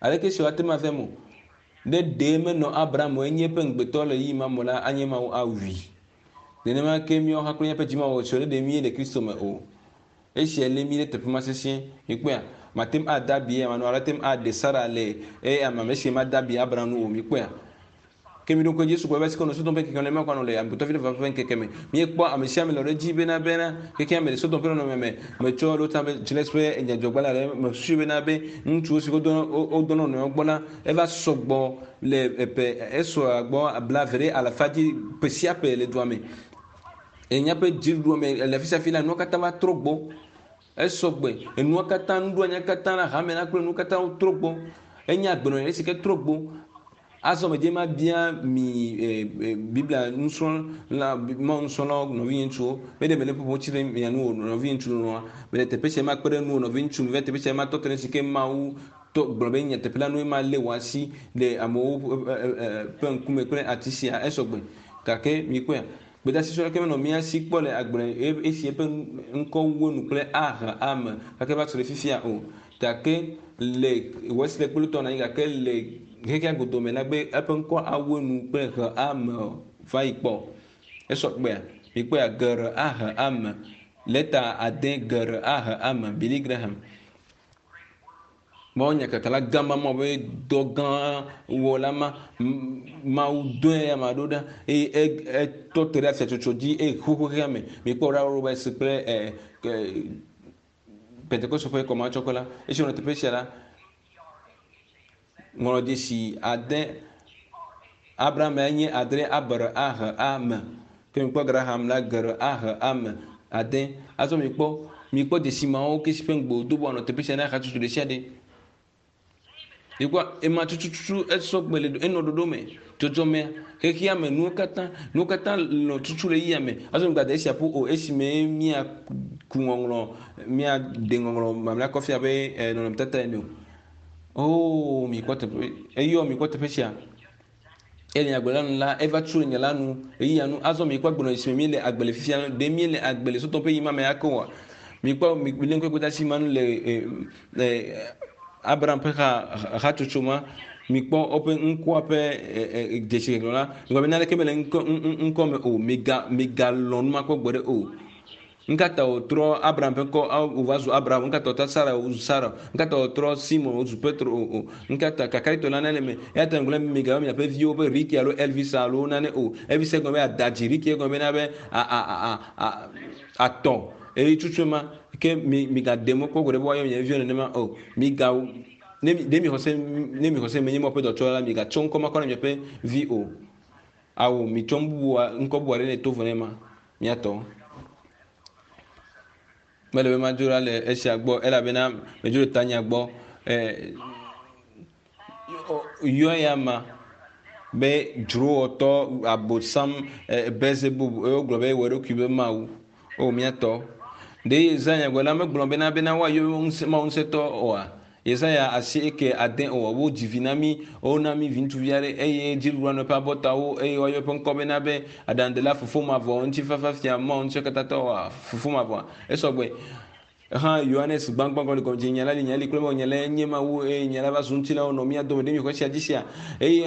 Aleke esi wòate ŋu ava eme o? Ne ɖe menɔ Abraham o, enye eƒe ŋugbetɔ le ɣeyiɣi ma me la, anye Mawu awui. Nenema ke míawo hã kple míaƒe dzimawɔwɔ ne ɖe míele Kristo me o. Esia lé mí ɖe teƒe ma sesĩe. Mikpɔea? Mate ŋu ade abi eya ma nu alo ate ŋu aɖe Sara le eya ma me esi made abi Abraham nu o. Mikpɔea? Ke miɖo ŋku edzi, Yesu gblɔ be, Esike wonɔ Sodom ƒe ŋkeke me la, nenema ko anɔ le Amegbetɔvi la ƒe vava ƒe ŋkeke me. Míekpɔ ame sia ame lɔ̃ ɖe edzi bena bena xexea me le Sodom ƒe nɔnɔme me. Metsɔ ɖo ta be Gillette ƒe nyadzɔgbalẽ aɖe mesusui bena be ŋutsuwo si wodɔ na wo nɔewo gbɔ la eva sɔgbɔ le ƒe esɔa gbɔ blave ɖe alafa dzi ƒe sia ƒe le dua me. Le míaƒe dziɖuɖua me le afi sia afi la, nua katã va trɔ gbɔ. Esɔ gbe. Enua katã, nuɖoanyia katã la, hame la kple nuwo katã wotrɔ gbɔ. Enye agbenɔnɔ si ke trɔ gbɔ. Azɔ medze mabia mi Biblia nusrɔ̃la, Mawu nusrɔ̃lawo, nɔvinye ŋutsuwo, be ɖe mele ƒoƒom tsi ɖe mia nu o, nɔvinye ŋutsu lɔlɔ̃a. Mele teƒe sia makpe ɖe nuwò, nɔvi ŋutsu, meva teƒe sia matɔ te ɖe si ke Mawu tɔ gblɔ be nyateƒe la nue malé wò asi le amewo ƒe ŋkume kple ati sia. Esɔ gbe. Gake mikpɔea? Gbedeasi sue aɖeke menɔ mía si kpɔ le agble esi eƒe ŋkɔ wu enu kple aha me gake va se ɖe fifia o. Gake le Wesley kple Luther nɔ anyi gake le xexea godoo me la be eƒe ŋkɔ awu enu kple he me va yi kpɔ. Esɔ kpea? Mikpɔea? Geɖe aha me. Lɛta ade geɖe aha me. Billy Graham. Mawu nyakakala gã ma, Mawu ƒe dɔ gã wɔla ma, Mawu dɔe ame aɖewo ɖa eye etɔ te ɖe afiatsotso dzi eye xoxo xexea me. Mikpɔ ɖa Roberts kple e, e, Pentekoste ƒe kɔmatsɔkɔ la. Esi wònɔ teƒe sia la, ŋlɔ dzesi ade Abraham ya nye adre abr a h a me. Ke mikpɔ Graham la gr a h a me ade. Azɔ mikpɔ mikpɔ dzesi mawo ke si ƒe ŋugbe wòdo be wòanɔ teƒe sia na hatsotso ɖe sia ɖe. Mikpɔ ema tututu esɔ gbe le enɔ ɖoɖo me. Dzɔdzɔmea, xexea me, nuwo katã, nuwo katã nɔ tutu le yia me. Azɔ migbade esia ƒu o esime míaku ŋɔŋlɔ, míaɖe ŋɔŋlɔ mamlɛa kɔ fia be nɔnɔmetata ene o. Oo, mikpɔ teƒe, eyɔ mikpɔ teƒe sia. Ele nyagblɔ la nu la, eva tso le nya la nu, ɣeyiɣia nu. Azɔ mikpɔ agbenɔɣi si me míele agbe le fifia. Ɖe míele agbe le sotɔ ƒe ɣeyiɣi ma me ake oa? Mikpɔ milé ŋku gbedeasi ma nu le e, Abraham ƒe ha hatsotso ma. Mikpɔ woƒe ŋkɔa ƒe dzesi xexlẽ la. Mikpɔ be naneke mele ŋkɔ ŋkɔ me o. Miga migalɔ̃ nu ma kpɔ gbeɖe o. Nukata wòtrɔ Abraham ƒe ŋkɔ wòva zu Abraham? Nukata wòtrɔ Sara wòzu Sara? Nukata wòtrɔ Simon wòzu Petro? O, o. Nukata kakaɖitɔ nane le eme? Eya ta ŋgblɔ be migayɔ miaƒe viwo be Ricky alo Elvis alo nane o. Elvis egɔme be adadzi, Ricky egɔme bena be a a a a atɔ. Eye tutu ema ke mi migaɖe mɔ kpɔ gbeɖe be woayɔ mia viwo nenema o. Miga ne mi ɖe mi xɔse ne mi xɔse menye Mawu ƒe dɔtsɔla la, migatsɔ ŋkɔ ma kɔ na miaƒe vi o. Awo mitsɔ nu bubua ŋkɔ bubu aɖe ne to vo ne ma miatɔ. Mele be madzo ɖa le esia gbɔ elabena medzo le tanya gbɔ. Yɔ ya ma be dzrowɔtɔ abosam Beelzebub eye wogblɔ be ewɔ eɖokui be Mawu. O míatɔ. Ɖe Yesaya gblɔ la megblɔ bena bena woayɔ Mawu ŋusẽtɔ oa? Yesaya asieke ade o wodzi vi na mí, wona mí viŋutsuvi aɖe eye dziɖuɖua nɔ eƒe abɔtawo eye woayɔ eƒe ŋkɔ bena be Aɖaŋudela, Fofo Mavɔ, Ŋutifafa Fia, Mawu Ŋusẽkatãtɔ, Fofo Mavɔa. Esɔgbe. Hã Yohanes gbãgbã gɔme gɔme nya la li nya li kple nya la nye Mawu eye nya la va zu ŋutilã wònɔ mía dome ɖe míexɔ esia dzi sia eye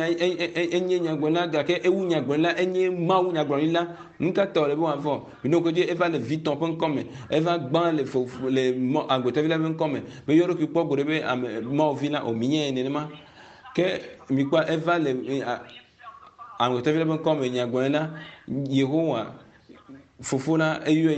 enye nyagblɔɖila gake ewu nyagblɔɖila enye Mawu nyagblɔɖila nu ka ta wòle be wòavɔ minɔ ŋku edzi eva le vitɔ ƒe ŋkɔ me eva gbã le fofo le mɔ agbetɔvi la ƒe ŋkɔ me meyɔ eɖokui kpɔ go ɖe be ame Mawu vi la o minyae nenema ke mikpɔ eva le agbetɔvi la ƒe ŋkɔ me nyagblɔɖila Yehowa Fofo la eyɔe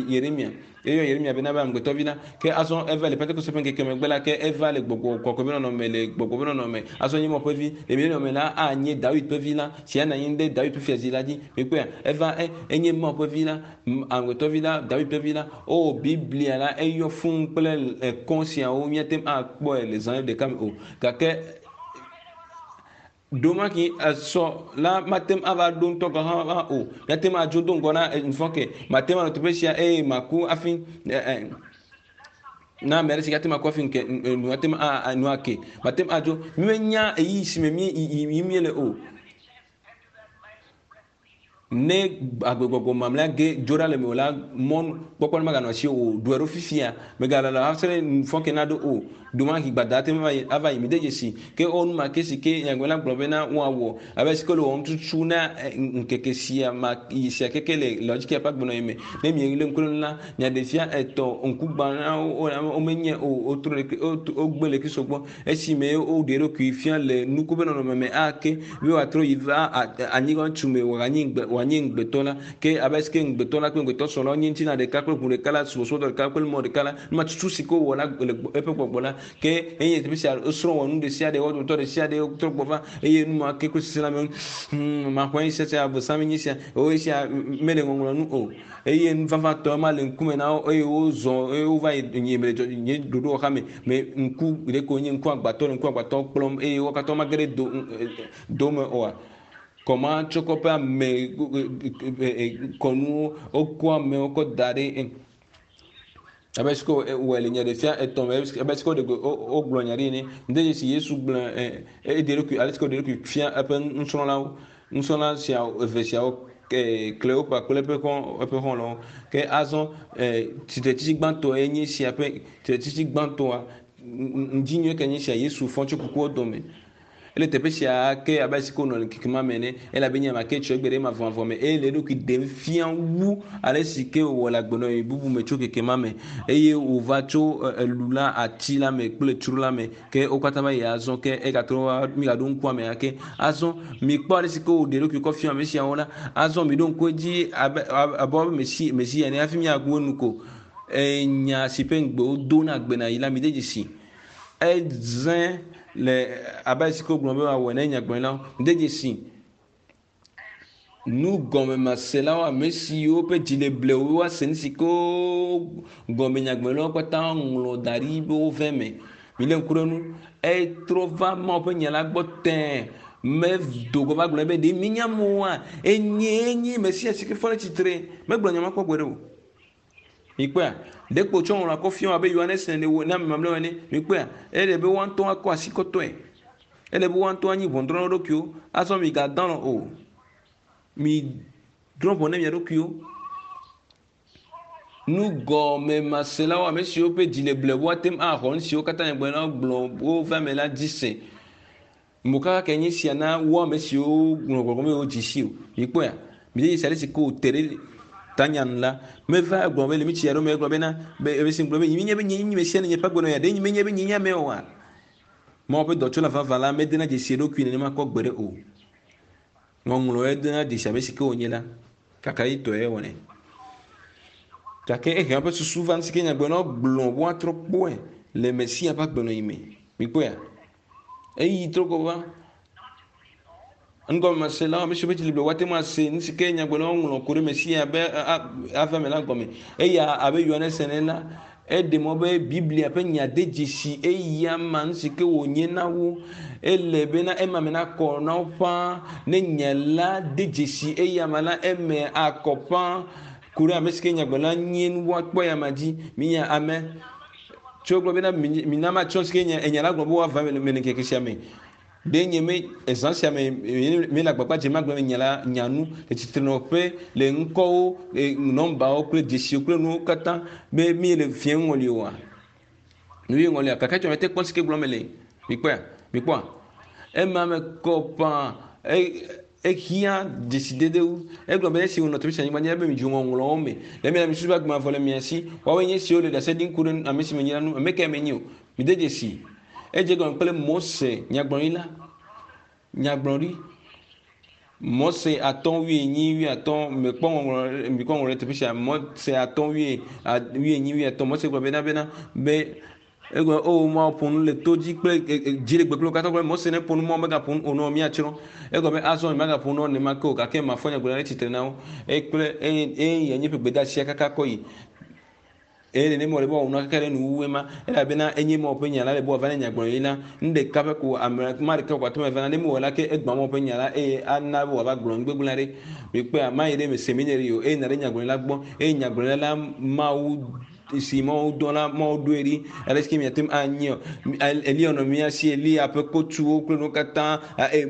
Yeremia, eyɔ Yeremia bena be amegbetɔvi la. Ke azɔ eva le Pentekoste ƒe ŋkeke megbe la, ke eva le gbɔgbɔ kɔkɔe ƒe nɔnɔme le gbɔgbɔ ƒe nɔnɔme. Azɔ nye Mawu ƒe vi. Le milenium me la, anye Dawid ƒe vi la, si anɔ anyi ɖe Dawid ƒe fiazi la dzi. Mikpɔea? Eva, e, enye Mawu ƒe vi la, amegbetɔvi la, Dawid ƒe vi la. O, Biblia la, eyɔ fũu kple ekɔ siawo, míate ŋu akpɔe le zã ɖeka me o. Gake Ɖomaki esɔ la mate ŋu ava ɖo ŋutɔ gɔ̃ hã o. Míate ŋu adzo do ŋgɔ na ŋufɔke. Mate ŋu anɔ teƒe sia eye maku hafi na ame aɖe si ate ŋu aku hafi ŋke nu ate ŋu nu ake. Mate ŋu adzo. Mímenya ɣeyiɣi si me mí yim míele o. Ne agbegbɔgbɔ mamlɛa ge dzo ɖa le mewò la, mɔnukpɔkpɔ maganɔ asiwò o. Ɖɔe ɖo fifia. Mègalala va se ɖe nufɔke naɖo o. Ɖewohĩ gbada ate ŋu ava yi. Mide dzesi ke wowɔ nu ma ke si ke nyagblɔɖila gblɔ bena woawɔ. Abe si ke wole wɔm tutu na ŋkeke sia ma sia keke le Laodikea ƒe agbenɔɣi me. Ne mielé ŋku ɖe eŋu la, nyaɖefia etɔ̃ ŋkugbãlawo womenye o. Wotrɔ le wogbe le Kristo gbɔ. Esime woɖe eɖokui fia le nuku ƒe nɔnɔme me ake be wòatrɔ yi va anyigba tu me wòanye ŋugbe wòanye ŋugbetɔ la, ke abe alesi ke ŋugbetɔ la kple ŋugbetɔ srɔ̃ la wonye ŋutilã ɖeka kple ʋu ɖeka la, subɔsubɔdɔ ɖeka kple mɔ ɖeka la, nu ma tutu si ke wowɔ la le eƒe gbɔgbɔ la, ke enye teƒe sia wosrɔ̃ wɔ nu ɖesiaɖe, wo dometɔ ɖesiaɖe wotrɔ gbɔ va eye nu ma ke kple sese la me, hmm, maxɔe sia sia abosam nye sia, o esia mele ŋɔŋlɔ nu o. Eye nu vavãtɔ ma le ŋkume na wo eye wozɔ eye wova yi nye me le nye ɖoɖowɔxa me me ŋku ɖe ko nye ŋku agbatɔ le ŋku agbatɔ kplɔm eye wo katã womage ɖe do do me oa. Kɔma tsɔ kɔ ƒe ame kɔnuwo wokɔ amewo kɔ da ɖe abe si ke wòwɔe le nyaɖefia etɔ̃ me abe si ke wogblɔ nya ɖi ene. Ŋde dzesi Yesu gblɔ eɖe eɖokui ale si ke wòɖe eɖokui fia eƒe nusrɔ̃lawo. Nusrɔ̃la siawo eve siawo Kleopa kple eƒe xɔ eƒe xɔlɔ̃wo. Ke azɔ tsitretsitsi gbãtɔe nye esia ƒe tsitretsitsi gbãtɔa ŋdi nyuie ke nye esia Yesu fɔ tso kukuwo dome. Ele teƒe sia ke abe ale si ke wònɔ le ŋkeke ma me ene elabe nye ame ke tsɔ egbe ɖe mavɔmavɔ me eye le eɖokui ɖem fia wu ale si ke wòwɔ le agbenɔɣi bubu me tso keke ma me eye wòva tso elu la, ati la me kple tsro la me. Ke wo katã va yi azɔ ke egatrɔ va migaɖo ŋku ame ake. Azɔ mikpɔ ale si ke wòɖe eɖokui kɔ fia ame siawo la. Azɔ miɖo ŋku edzi abe abe wobe Mesi Mesia ene hafi miagu enu ko. Enya si ƒe ŋugbe wodo na agbenɔɣi la mide dzesi. Eze le abe ale si ke wogblɔ be woawɔe ne nyagblɔɖilawo. Mide dzesi nugɔmemaselawo, ame siwo ƒe dzi le blewu woase nu si ke gɔme nyagblɔɖilawo katã ŋlɔ da ɖi be wove eme. Milé ŋku ɖe eŋu. Etrɔ va Mawu ƒe nya la gbɔ tẽe. Medo go va gblɔ be ɖe minya amewoa? Enyee nye Mesia si ke fɔ ɖe tsitre. Megblɔ nya ma kpɔ gbeɖe o. Mikpɔea? Ɖekpo wòtsɔ ŋlɔa kɔ fia wo abe Yohanes ene wɔ na ame mamlɛawo ene. Mikpɔea? Ele be woa ŋutɔ woakɔ asi kɔtɔe. Ele be woa ŋutɔ woanyi ʋɔnudrɔ̃la wo ɖokuiwo. Azɔ migadɔ alɔ̃ o. Midrɔ̃ ʋɔ ne mia ɖokuiwo. Nugɔmemaselawo, ame siwo ƒe dzi le blewu ate ŋu axɔ nu siwo katã nyagblɔɖilawo gblɔ wova eme la dzi se. Mokaka kae nye esia na wo ame siwo ŋlɔ gbɔgbɔ me wodzi si o. Mikpɔea? Mide dzesi ale si ke wòte ɖe tanya nu la. Meva egblɔ be le mitsi aɖewo me egblɔ bena be ebe si gblɔ be menye be nye nye mesia ne nye ƒe agbenɔɣia ɖe menye be nye nye ame oa. Mawu ƒe dɔtsola vavã la medena dzesi eɖokui nenema kpɔ gbeɖe o. Ŋɔŋlɔe dena dzesi ame si ke wònye la. Kakaɖitɔe wɔnɛ. Gake ehe eƒe susu va nu si ke nyagblɔɖilawo gblɔ be woatrɔ kpɔe le Mesia ƒe agbenɔɣi me. Mikpɔea? Eyi trɔ gbɔ va. Nugɔmeselawo, ame siwo ƒe dzi li be woate ŋu ase nu si ke nyagblɔɖilawo ŋlɔ ku ɖe Mesia be ava eme la gɔme. Eya abe Yohanes ene la, eɖe mɔ be Biblia ƒe nya de dzesi eya ma nu si ke wònye na wo. Ele bena ema me nakɔ na wo ƒãa. Ne nya la de dzesi eya ma la, eme akɔ ƒãa ku ɖe ame si ke nyagblɔɖila nye nu woakpɔ eya ma dzi. Minya ame tso gblɔ bena mina matsɔ si ke enya la gblɔ be woava eme le ŋkeke sia me. Ɖe nye me ezã sia me míele agbagba dzem agblɔ nya la nya nu le tsitrenɔƒe le ŋkɔwo, le nɔmbawo kple dzesiwo kple nuwo katã be míele fiẽ ŋɔli oa? Nu ye ŋɔlia gake tsɔ mete kpɔ si ke gblɔm mele. Mikpɔea? Mikpɔa? Ema me kɔ ƒã ehiã dzesidede wu. Egblɔ be esi wònɔ teƒe sia anyigba dzi ebe midzo ŋɔŋlɔwo me. Le mia mi susu be agbe mavɔ le mia si. Woawoe nye esiwo le ɖase ɖim ku ɖe ame si menye la ŋu. Ame kae menye o? Mide dzesi. Edze egɔme kple Mose nyagblɔɖila, nyagblɔɖi. Mose atɔ̃ wuienyi wuiatɔ̃ mekpɔ ŋɔŋlɔ mikpɔ ŋɔŋlɔ ɖe teƒe sia. Mose atɔ̃ wui wuienyi wuiatɔ̃. Mose gblɔ bena bena be egblɔ o Mawu ƒo nu le to dzi kple dziɖegbe kple wo katã gblɔ Mose ne ƒo nu Mawu megaƒo nu o nɔ míatsrɔ̃. Egblɔ be azɔ nyemagaƒo nu nenema ke o gake mafɔ nyagblɔɖila ɖe tsitre na wo. Eye kple eye eye nye ƒe gbedeasia kaka kɔ yi. Eye nenem wòle be woawɔ nua kaka ɖe nuwuwue ma, elabena enye Mawu ƒe nya la le be wòava ne nyagblɔɖi la. Nu ɖeka ƒe ko ame ma ɖeka ko ate ŋu ava na. Ne mewɔe la, ke egbã Mawu ƒe nya la eye ana be wòava gblɔ nu gbegblẽ aɖe. Mikpɔea? Mayi ɖe seminary o, eye nàɖe nyagblɔɖila gbɔ. Eye nyagblɔɖila la, Mawu si Mawu dɔ la, Mawu ɖoe ɖi. Ale si ke miate ŋu anyɛ o. Eliya nɔ mía si, Eliya ƒe kotuwo kple nuwo katã,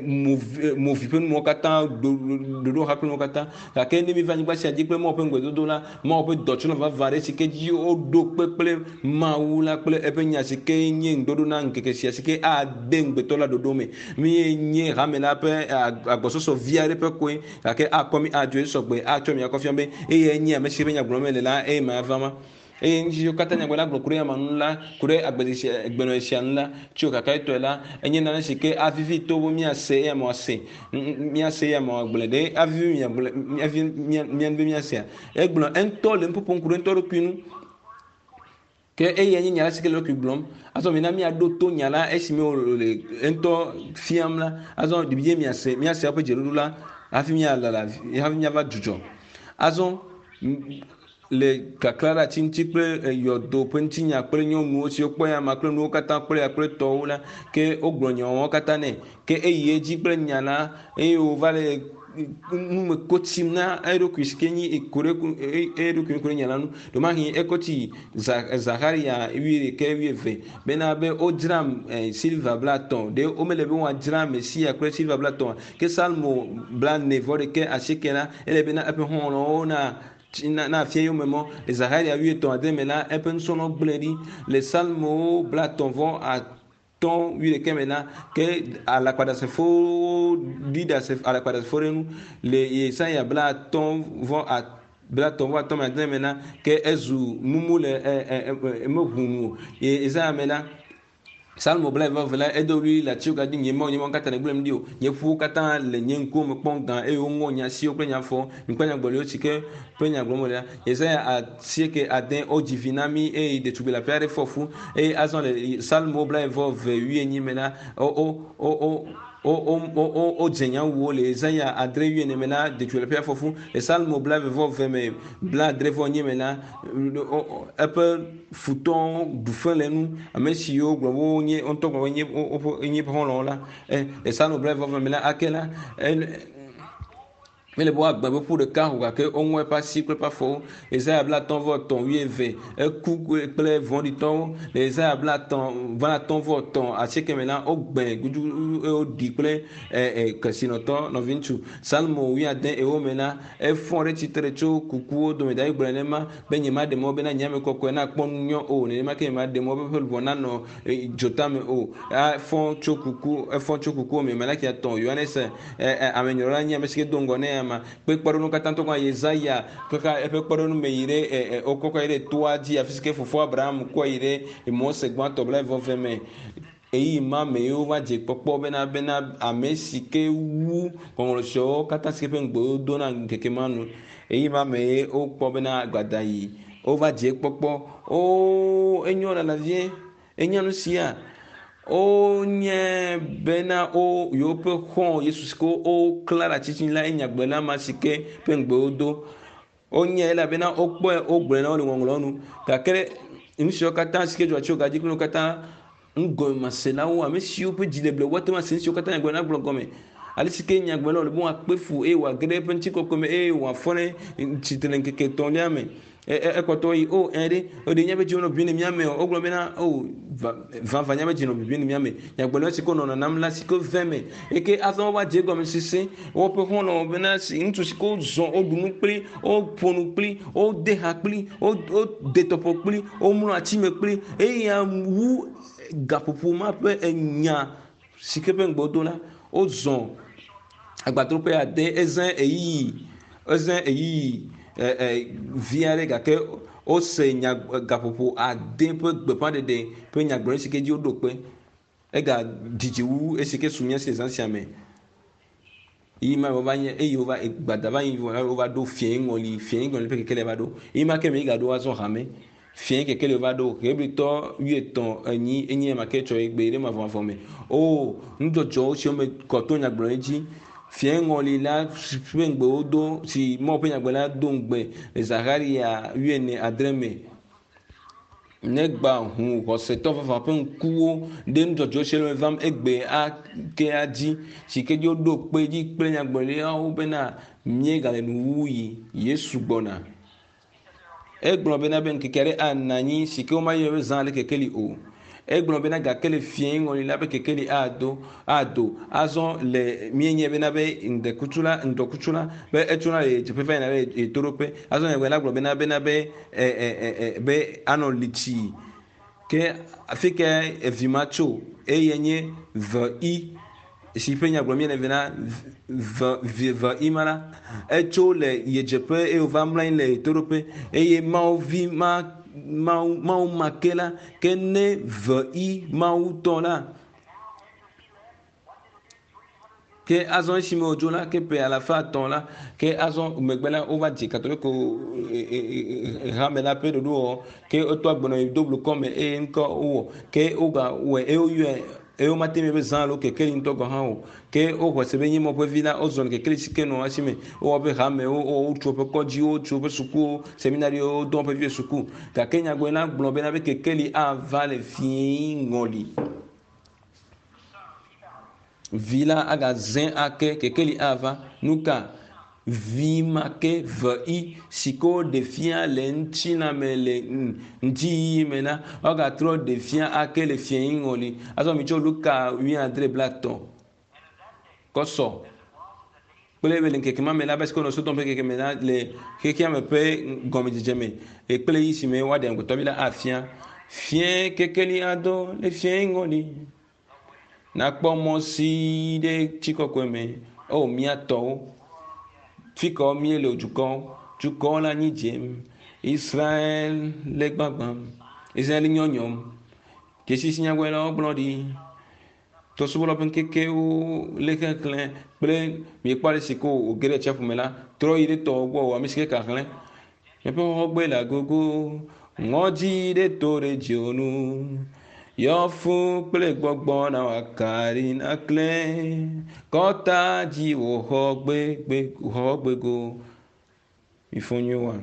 movi ƒe nuwo katã, ɖoɖoha kple nuwo katã. Gake ne míeva anyigba sia dzi kple Mawu ƒe ŋugbedodo la, Mawu ƒe dɔtsɔnɔ vavã aɖe si ke dzi woɖo kpe kple Mawu la kple eƒe nya si ke nye ŋuɖoɖo na ŋkeke sia si ke ade ŋugbetɔ la ɖoɖo me. Míe nye hame la ƒe agbɔsɔsɔ vi aɖe ƒe koe, gake akɔ mí adzoe sɔgbe atsɔ mí akɔ fia be eyae nye ame si ƒe nya gblɔm mele la, eye mava ma. Eye nu siwo katã nyagblɔɖila gblɔ ku ɖe ama ŋu la, ku ɖe agbenɔɣi sia ŋu la, tso kakayetɔe la, enye nane si ke avivi to be míase eye amewo ase, míase eye amewo agblɔe. Ɖe avivi miagblɔe, avivi mía, mía be míasea? Egblɔ eŋutɔ le nuƒoƒom ku ɖe ŋutɔ ɖokui ŋu. Ke eyae nye nya la si ke le eɖokui gblɔm. Azɔ mina míaɖo to nya la esime wòle eŋutɔ fiam la. Azɔ ɖe miase, míase eƒe dzeɖoɖo la hafi míalala, hafi míava dzudzɔ. Azɔ le kaklã ɖe ati ŋuti kple yɔdo ƒe ŋutinya kple nyɔnuwo siwo kpɔ ya ma kple nuwo katã kple ya kple tɔwo la, ke wogblɔ nyawo katã nɛ. Ke eyi edzi kple nya la eye wòva le nume ko tsim na eɖokui si ke nyi ku ɖe eɖokui ku ɖe nya la ŋu. Ɖewomahi ekɔ tsi Zaxariya wuiɖekɛ wuieve bena be wodzra silva blaetɔ̃. Ɖe womele be woadzra Mesia kple silva blaetɔ̃a? Ke Salmo blaene vɔ ɖekɛ asieke la, ele bena eƒe xɔlɔ̃wo na na na fia yome mɔ. Le Zaxariya wuietɔ̃ ade me la, eƒe nusrɔ̃lawo gblẽe ɖi. Le Salmowo blaetɔ̃ vɔ atɔ̃ wuiɖekɛ me la, ke alakpaɖasefowo ɖi ɖase alakpaɖasefo ɖe ŋu. Le Yesaya blaatɔ̃ vɔ blaetɔ̃ vɔ atɔ̃ me adre me la, ke ezu mumu le e e e meʋu nu o. Yesaya me la, Psalmo blaeve vɔ la, edo ɣli le atiwo dzi, Nye Mawu, nye Mawu, katã nègblẽm ɖi o. Nye ƒuwo katã le nye ŋkuwo me kpɔm gã, eye woŋɔ nye asiwo kple nye afɔwo. Mikpɔ nyagblɔɖiwo si ke ƒe nya gblɔm wole la. Yesaya asieke ade, wodzi vi na mí, eye ɖetugbi leaƒe aɖe fɔ fu. Eye azɔ le Psalmo blaeve vɔ eve wuienyi me la, wo, wo, wo, wo, wo, wo, wo, wo, wodze nya wu wo le Yesaya adre wuiene me la, ɖetugbi leaƒea fɔ fu. Le Psalmo blaeve vɔ eve me, blaadre vɔ enyi me la, eƒe futɔwo ɖu fe le enu. Ame siwo gblɔ be wonye wo ŋutɔ gblɔ be nye woƒe nye xɔlɔ̃wo la, e le Psalmo blaeve vɔ eve me la, ake la, e mele be woagbe be ƒu ɖeka o gake woŋɔ eƒe asi kple eƒe afɔwo. Yesaya blaetɔ̃ vɔ etɔ̃ wuieve, eku kple vɔ̃ɖitɔwo. Le Yesaya blaetɔ̃ blaatɔ̃ vɔ etɔ̃ asieke me la, wogbe gudugudu eye woɖi kple e e kesinɔtɔ nɔviŋutsu. Psalmo wuiade ewo me la, efɔ ɖe tsitre tso kukuwo dome. David gblɔ nenema be nyemaɖe mɔ bena nye ame kɔkɔe nakpɔ nu nyɔ o, nenema ke nyemaɖe mɔ be eƒe luʋɔ nanɔ dzotame o. Efɔ tso kuku, efɔ tso kukuwo me. Malaki etɔ̃, Yohanes amenyrɔla nye ame si ke do ŋgɔ nɛ ama. Kpe kpɔɖeŋu katã ŋutɔ gɔ̃ Yesaya kaka eƒe kpɔɖeŋu me yi ɖe wokɔkɔ yi ɖe toa dzi afi si ke fofoa Abraham kɔe yi ɖe Mose gbãtɔ blaeve vɔ me. Ɣeyiɣi ma me ye wova dze kpɔkpɔ bena bena ame si ke wu ŋɔŋlɔ siawo katã si ke ƒe ŋugbe wodo na ŋkeke ma nu. Ɣeyiɣi ma me ye wokpɔ bena gbada yi. Wova dze kpɔkpɔ. Oo, enyo lala vie. Enya nu sia. Wonye bena wo yewoƒe xɔ̃ Yesu si ke woklã ɖe ati dzi la enyagblɔla ma si ke ƒe ŋugbe wodo. Wonye elabena wokpɔe wogblɔe na wo le ŋɔŋlɔwo nu. Gake nu siwo katã si ke dzɔ tso gadzi kple nuwo katã ŋgɔmaselawo, ame siwo ƒe dzi le ble woate ŋu ase nu siwo katã nyagblɔla gblɔ gɔme. Ale si ke nyagblɔla wòle be wòakpe fu eye wòage ɖe eƒe ŋutikɔkɔe me eye wòafɔ ɖe tsitre le ŋkeke etɔ̃lia me. Ekpɔtɔ yi o ɛ ɖe o ɖe míaƒe dziwo nɔ bibim le mía me o. Wogblɔ bena o vavã míaƒe dzi nɔ bibim le mía me. Nyagblɔɖila si ke wonɔ nanam la si ke ve me eye azɔ wova dze egɔme sese woƒe xɔlɔ̃wo bena si ŋutsu si ke wozɔ woɖu nu kpli, woƒo nu kpli, wode ha kpli, wode tɔƒo kpli, womlɔ ati me kpli eya wu gaƒoƒo ma ƒe enya si ke ƒe ŋugbe wodo la wozɔ agbadroƒe ade ezã ɣeyiɣi ezã ɣeyiɣi vi aɖe gake wose nya gaƒoƒo ade ƒe gbeƒãɖeɖe ƒe nyagblɔɖi si ke dzi woɖo kpe. Ega didi wu esi ke su mía si le zã sia me. Yi ma wova nye eye wova gbada va yi wova ɖo fiẽ ŋɔli fiẽ ŋɔli ƒe kekeli va ɖo. Yi ma ke me yi gaɖo azɔ hame. Fiẽ kekeli va ɖo Hebritɔ wuietɔ̃ enyi enye ma ke tsɔ egbe ɖe mavɔmavɔ me. O nudzɔdzɔwo siwo me kɔ to nyagblɔɖi dzi. Fiẽ ŋɔli la ƒe ŋugbe wodo si Mawu ƒe nyagblɔɖila la do ŋugbe le Zaxaria wuiene adre me. Negba ʋu xɔsetɔ vavã ƒe ŋkuwo ɖe nudzɔdzɔ si le vam egbe akea dzi si ke dzi woɖo kpe dzi kple nyagblɔɖilawo bena míegale nuwuɣi. Yesu gbɔna. Egblɔ bena be ŋkeke aɖe anɔ anyi si ke womayɔ be zã le kekeli o. Egblɔ bena gake le fiẽ ŋɔli la be kekeli ado ado azɔ le míenye bena be ŋdɔkutsu la ŋdɔkutsu la be etsona le ɣedzeƒe va yina ɖe ɣetoɖoƒe. Azɔ nyagblɔɖila gblɔ bena bena be ɛ ɛ ɛ be anɔ litsi ke afi ke evi ma tso eye nye ve i si ƒe nyagblɔ míele bena ve vi ve i ma la etso le ɣedzeƒe eye wòva mlɔ anyi le ɣetoɖoƒe eye Mawu vi ma Mawu Mawu ma ke la ke ne ve i Mawu tɔ la ke azɔ esime wòdzo la ke ƒe alafa etɔ̃ la ke azɔ megbe la wova dze katoliko hame la ƒe ɖoɖowɔwɔ ke wotɔ agbenɔ yi do blukɔ me eye ŋkɔ wowɔ ke wogawɔe eye woyɔe eye womate ŋu be zã alo kekeli ŋutɔ gɔ̃ hã o ke woxɔ se be nye Mawu ƒe vi la wozɔ le kekeli si ke nɔ esi me wowɔ woƒe hamewo wotso woƒe kɔdziwo wotso woƒe sukuwo seminariwo wodɔ woƒe viwo suku gake nyagblɔɖila gblɔ bena be kekeli ava le fiẽ ŋɔli. Vi la agaze ake kekeli ava nuka vi ma ke ve i si ke woɖe fia le ŋutilãme le ŋdziyiyi me la woagatrɔ ɖe fia ake le fiẽ ŋɔli. Azɔ mitsɔ Luka wuiadre blaetɔ̃ kɔsɔ kple be le ŋkeke ma me la be si ke wonɔ Sodom ƒe ŋkeke me la le xexea me ƒe gɔmedzedze me kple yi si me woaɖe amegbetɔvi la afia. Fiẽ kekeli ado le fiẽ ŋɔli. Nakpɔ mɔ si ɖe tsi kɔkɔe me. O mía tɔwo, fi ka míele o dukɔwo, dukɔwo le anyi dzem. Israel le gbagbam, Israel le nyɔnyɔm. Dzesi si nyagblɔɖilawo gblɔ ɖi. Trɔ̃subɔlawo ƒe ŋkekewo le xexlẽ kple miekpɔ ale si ko wòge ɖe tsiaƒu me la, trɔ yi ɖe tɔwo gbɔ o ame si ke ka xlẽ. Miaƒe xɔxɔgbe le agogo, ŋɔdzi ɖe to ɖe dziwò nu. Yɔ fũ kple gbɔgbɔ na wòakaɖi naklẽ. Kɔta dzi wò xɔgbego. Mifɔ nyuie wa.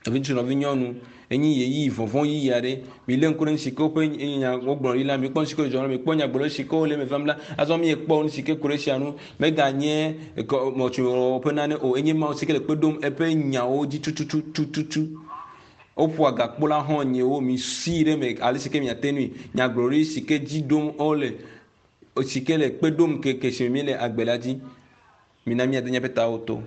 Nɔviŋutsu nɔvinyɔnu enyi ɣeyiɣi vɔvɔ̃ ɣeyiɣi aɖe. Milé ŋku ɖe nu si ke woƒe nya wogblɔ ɖi la, mikpɔ nu si ke dzɔ la, mikpɔ nyagblɔɖi si ke wole eme vam la. Azɔ miekpɔ nu si ke ku ɖe esia ŋu. Meganye mɔtsuwɔwɔ ƒe nane o. Enye Mawu si ke le kpe ɖom eƒe nyawo dzi tututututu. Woƒoa gakpo la hã nyewo mi si ɖe me ale si ke miate ŋui. Nyagblɔɖi si ke dzi ɖom wole si ke le kpe ɖom keke si me míele agbe la dzi. Mina míade míaƒe tawo to.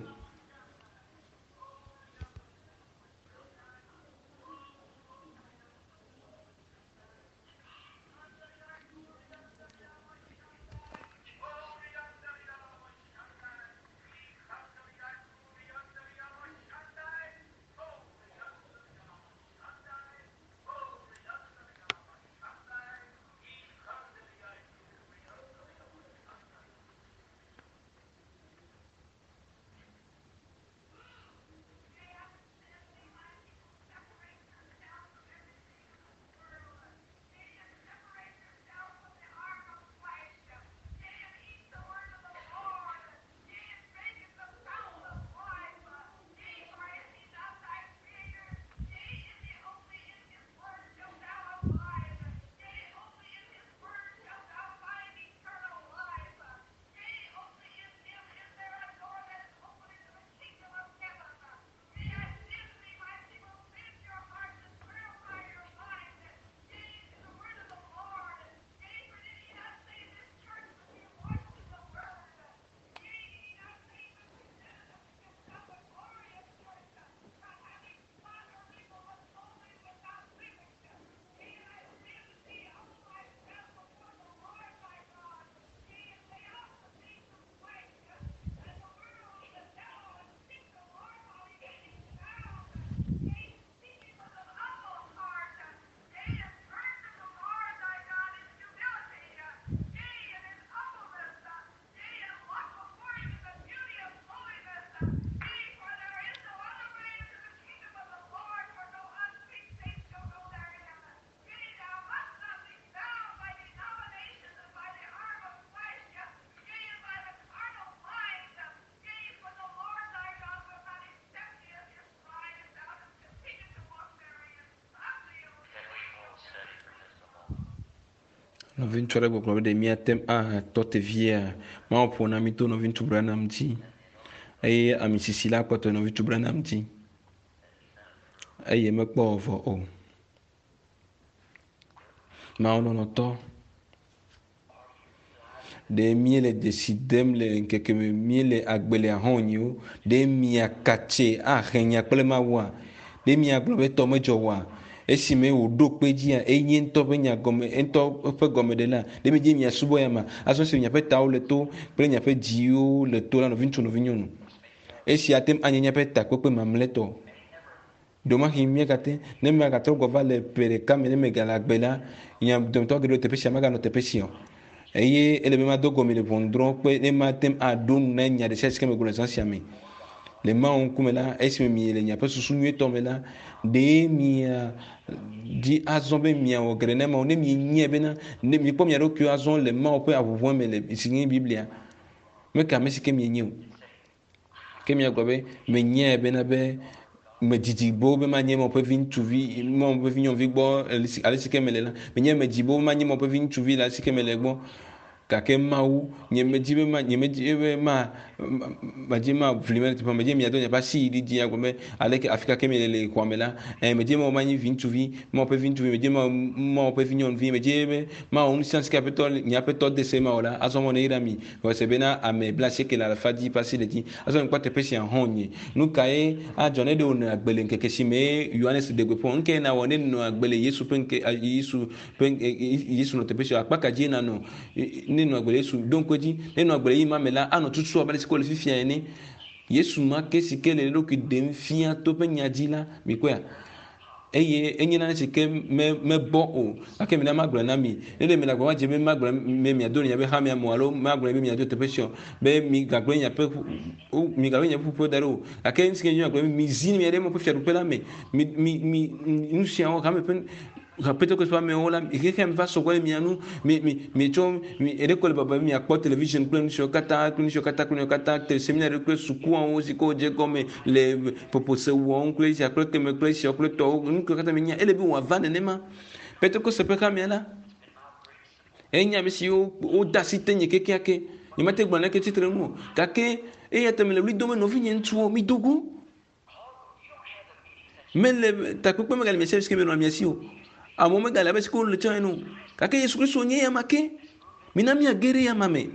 Nɔviŋutsu aɖe gbɔgblɔ be ɖe míate ŋu atɔ te viea? Mawu ƒo na mí to nɔviŋutsu Branham dzi eye ami sisi la kpɔtɔ nɔviŋutsu Branham dzi eye mekpɔ vɔ o. Mawu lɔlɔ̃tɔ, ɖe míele dzesi dem le ŋkeke me míele agbe le ahɔnyiwo? Ɖe miakatse ahe nya kple Mawua? Ɖe miagblɔ be tɔ medzɔ oa? Esime wòɖo kpe dzia, enye ŋutɔ ƒe nya gɔme ŋutɔ ƒe gɔmeɖela. Ɖe miedze miasubɔ ya ma? Azɔ esi miaƒe tawo le to kple miaƒe dziwo le to la, nɔviŋutsu, nɔvinyɔnu, esia ate ŋu anye míaƒe takpekpe mamlɛtɔ. Ɖewomahi míagate ne megatrɔ gbɔ va le ƒe ɖeka me ne megale agbe la, nya dometɔ geɖewo le teƒe sia meganɔ teƒe sia o. Eye ele be mado go mi le ʋɔnudrɔ̃ƒe ne mate ŋu aɖo nu na nya ɖe sia si ke megblɔ le zã sia me. Le Mawu ŋkume la, esime miele miaƒe susu nyuitɔ me la, ɖe mia dzi azɔ be miawɔ geɖe na Mawu ne mienyae bena ne miekpɔ mia ɖokuiwo azɔ le Mawu ƒe aʋuʋua me le si nye Biblia. Meke ame si ke mienye o. Ke miagblɔ be menyae bena be medidi boo be manye Mawu ƒe viŋutsuvi, Mawu ƒe vinyɔnuvi gbɔ ale si ke mele la. Menye medzi boo be manye Mawu ƒe viŋutsuvi le ale si ke mele gbɔ. Gake Mawu, nyemedi be ma, nyemedi be ma, medzi ma ʋli me le teƒe, medzi miado miaƒe asi yi ɖi dzi agblɔ be aleke afi ka ke miele le xɔa me la, ɛ medzi be manye viŋutsuvi, Mawu ƒe viŋutsuvi, medzi be Mawu ƒe vinyɔnuvi, medzi be mawɔ nu sia nu si ke Aƒetɔ, nye Aƒetɔ de se mawɔ la, azɔ mɔ neyra mi. Xɔse bena ame blaasieke le alafa dzi ƒe asi le dzi. Azɔ mikpɔ teƒe sia hɔ̃ nye. Nu kae adzɔ ne ɖe wònɔ agbe le ŋkeke si me Yohanes ɖe gbeƒã? Nu kae nawɔ ne nɔ agbe le Yesu ƒe ŋke, Yesu ƒe, Yesu nɔ teƒe sia? Akpa ka dzie nanɔ ne nɔ agbe le Yesu? Ɖo ŋku edzi, ne nɔ agbe le ɣeyiɣi ma me la, anɔ tutu abe ale si ko wòle fifia ene. Yesu ma ke si ke le eɖokui ɖem fia to eƒe nya dzi la, mikpɔea? Eye enye nane si ke me, mebɔ o. Gake mina magblɔe na mi. Ne ɖe miele agbagba dzem be magblɔ be miado le miaƒe hamea me o alo magblɔe be miado teƒe sia o, be migagblẽ miaƒe ƒu, migagblẽ miaƒe ƒuƒoƒo da ɖi o. Gake nu si ke nye magblɔ be mizi mia ɖe Mawu ƒe fiaɖuƒe la me. Mi, mi, mi, nu siawo hame ƒe Pentekoste ƒe amewo la, xexea me va sɔ gbɔ ɖe mia nu. Mi, mi, mietsɔ, mi, eɖe ko le baba be miakpɔ television kple nu siawo katã, kple nu siawo katã, kple nu siawo katã, te seminari kple sukuawo si ke wodze egɔme le ƒoƒose wɔm kple esia kple keme kple esiawo kple tɔwo, nu siwo katã mienya, ele be wòava nenema. Pentekoste ƒe hamea la, enye ame siwo wode asi tenye kekeake. Nyemate gblɔ naneke tsitre ŋu o. Gake eya ta mele ɣli dom be nɔvinye ŋutsuwo, mido go. Mele takpekpe megale mia si ke menɔa mia si o. Amewo megale abe si ke wole tsã ene o. Gake Yesu Kristo nye ya ma ke. Mina míage ɖe ya ma me.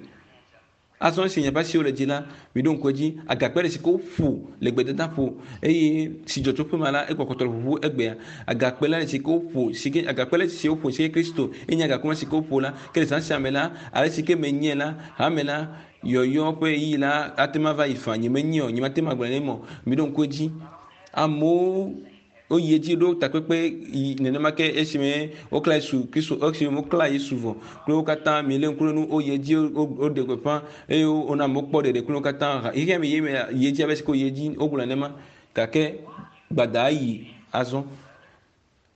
Azɔ esi miaƒe asiwo le dzi la, miɖo ŋku edzi. Agakpe ɖe si ke woƒo le gbedadaƒo eye si dzɔ tso ƒe ma la, egbɔkpɔtɔ le ʋuʋu egbea. Agakpe la si ke woƒo si ke agakpe la si woƒo si ke Kristo enye agakpe ma si ke woƒo la. Ke le zã sia me la, ale si ke menye la, hame la, yɔyɔ ƒe ɣeyiɣi la ate ŋu ava yi faa. Nyemenye o, nyemate ŋu agblɔe ne mɔ. Miɖo ŋku edzi. Amewo woyi edzi ɖo takpekpe yi nenema ke esime wokla Yesu Kristo, esime wokla Yesu vɔ kple wo katã milé ŋku ɖe nu woyi edzi woɖe gbeƒã eye wona amewo kpɔ ɖeɖe kple wo katã. Xexea me yi me yi edzi abe si ke woyi edzi wogblɔ nenema gake gbada yi azɔ.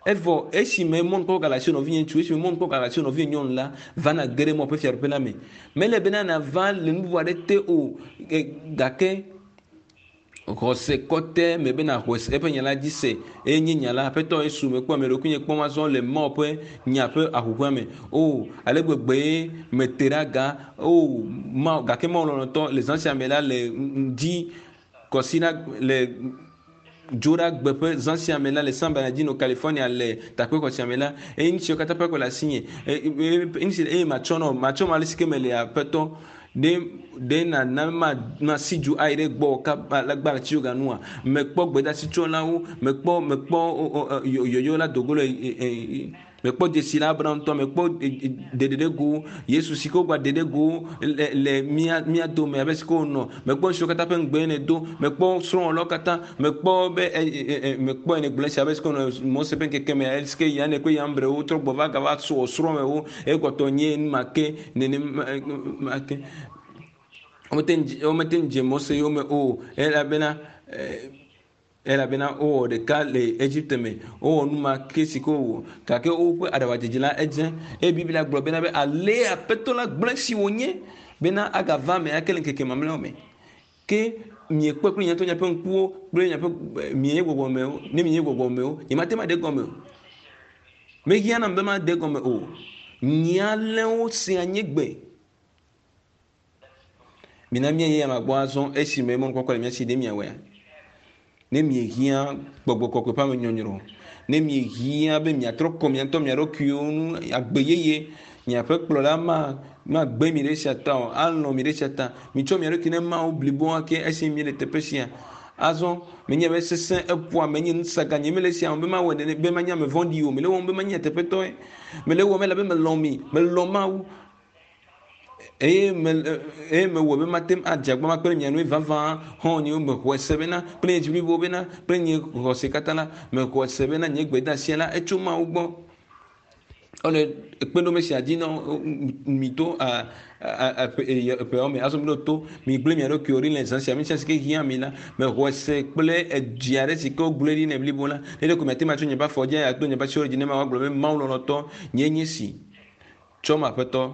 Evɔ esime mɔnukpɔkpɔ gale asiwò nɔvinye ŋutsu, esime mɔnukpɔkpɔ gale asiwò nɔvinye nyɔnu la, va nàge ɖe Mawu ƒe fiaɖuƒe la me. Mele bena nàva le nu bubu aɖe te o, gake xɔse kɔtɛ me be nàxɔ eƒe nya la dzi se eye nye nya la, Aƒetɔ Yesu, mekpɔ ame ɖokuinye kpɔm azɔ le Mawu ƒe nya ƒe ahuhɔ̃ea me. O, ale gbegbee mete ɖe aga. O, Mawu, gake Mawu lɔlɔ̃tɔ, le zã sia me la, le ŋdi kɔsiɖa le Dzoɖagbe ƒe zã sia me la le San Bernardino, California le takpexɔ sia me la, eye nu siwo katã ƒe akpe le asinye, eye matsɔ nɔ, matsɔ ma ale si ke mele Aƒetɔ, ɖe, ɖe nàna ma, masi du ayi ɖe gbɔwò kaba le agbalẽ tsi yoga nua? Mekpɔ gbedeasitsɔlawo, mekpɔ, mekpɔ yɔyɔ la dogo le Mekpɔ dzesi la Abraham ŋutɔ, mekpɔ ɖeɖe ɖe go Yesu si ke wogba ɖe ɖe go le le mía mía dome abe si ke wònɔ. Mekpɔ nu siwo katã ƒe ŋugbe nèdo. Mekpɔ srɔ̃wɔlawo katã. Mekpɔ be e e e mekpɔ nègblɔ esia abe si ke wònɔ Mose ƒe ŋkeke me ale si ke Yane kple Yambre wotrɔ gbɔ va gava wɔ srɔ̃mewo. Ekpɔtɔ nye nu ma ke nenema ma ke. Womete ŋu womete ŋu dze Mose yome o elabena e Elabena wowɔ ɖeka le Egipte me, wowɔ nu ma ke si ke wowɔ, gake woƒe aɖaʋadzedze la edze. Eye Biblia gblɔ bena be ale Aƒetɔ la gblẽ si wònye bena agava eme ake le ŋkeke mamlɛawo me. Ke miekpɔe kple miaƒe miaƒe ŋkuwo kple miaƒe mienye gbɔgbɔmewo, ne mienye gbɔgbɔmewo, nyemate ŋu aɖe egɔme o. Mehiã nam be made egɔme o. Nye alẽwo sea nye gbe. Mina míayi ama gbɔ azɔ esime mɔnukpɔkpɔ le mía si ɖe miawɔea? Ne miehiã gbɔgbɔ kɔkɔe ƒe amenyɔnyrɔ, ne miehiã be miatrɔ kɔ mia ŋutɔ mia ɖokuiwo ŋu agbe yeye, miaƒe kplɔla ma magbe mi ɖe esia ta o, alɔ̃ mi ɖe esia ta. Mitsɔ mia ɖokui ne Mawu bliboa ke esi miele teƒe sia. Azɔ menye be sesẽ eƒoa menye nusaga nye mele esia wɔm be mawɔe nene be manye ame vɔ̃ɖi o. Mele ewɔm be manye nyateƒetɔe. Mele ewɔm elabe melɔ̃ mi, melɔ̃ Mawu. Eye me eye mewɔ be mate ŋu adze agbagba kple mia nɔewo vavã xɔ̃nyewo. Mexɔe se bena kple nye dzi blibo bena kple nye xɔse katã la, mexɔe se bena nye gbedeasia la etso Mawu gbɔ. Ele kpeɖome sia dzi na mi to eƒeawo me. Azɔ mi ɖo to, mi gblẽ mia ɖokuiwo ɖi le zã sia me sia si ke hiã mi la, mexɔe se kple edzi aɖe si ke wogblɔe ɖi ne blibo la. Ne ɖeko miate ŋu atso nye ƒe afɔ dzi ato nye ƒe asiwo dzi ne Mawu agblɔ be Mawu lɔlɔ̃tɔ, nyee nye si. Tsɔm Aƒetɔ.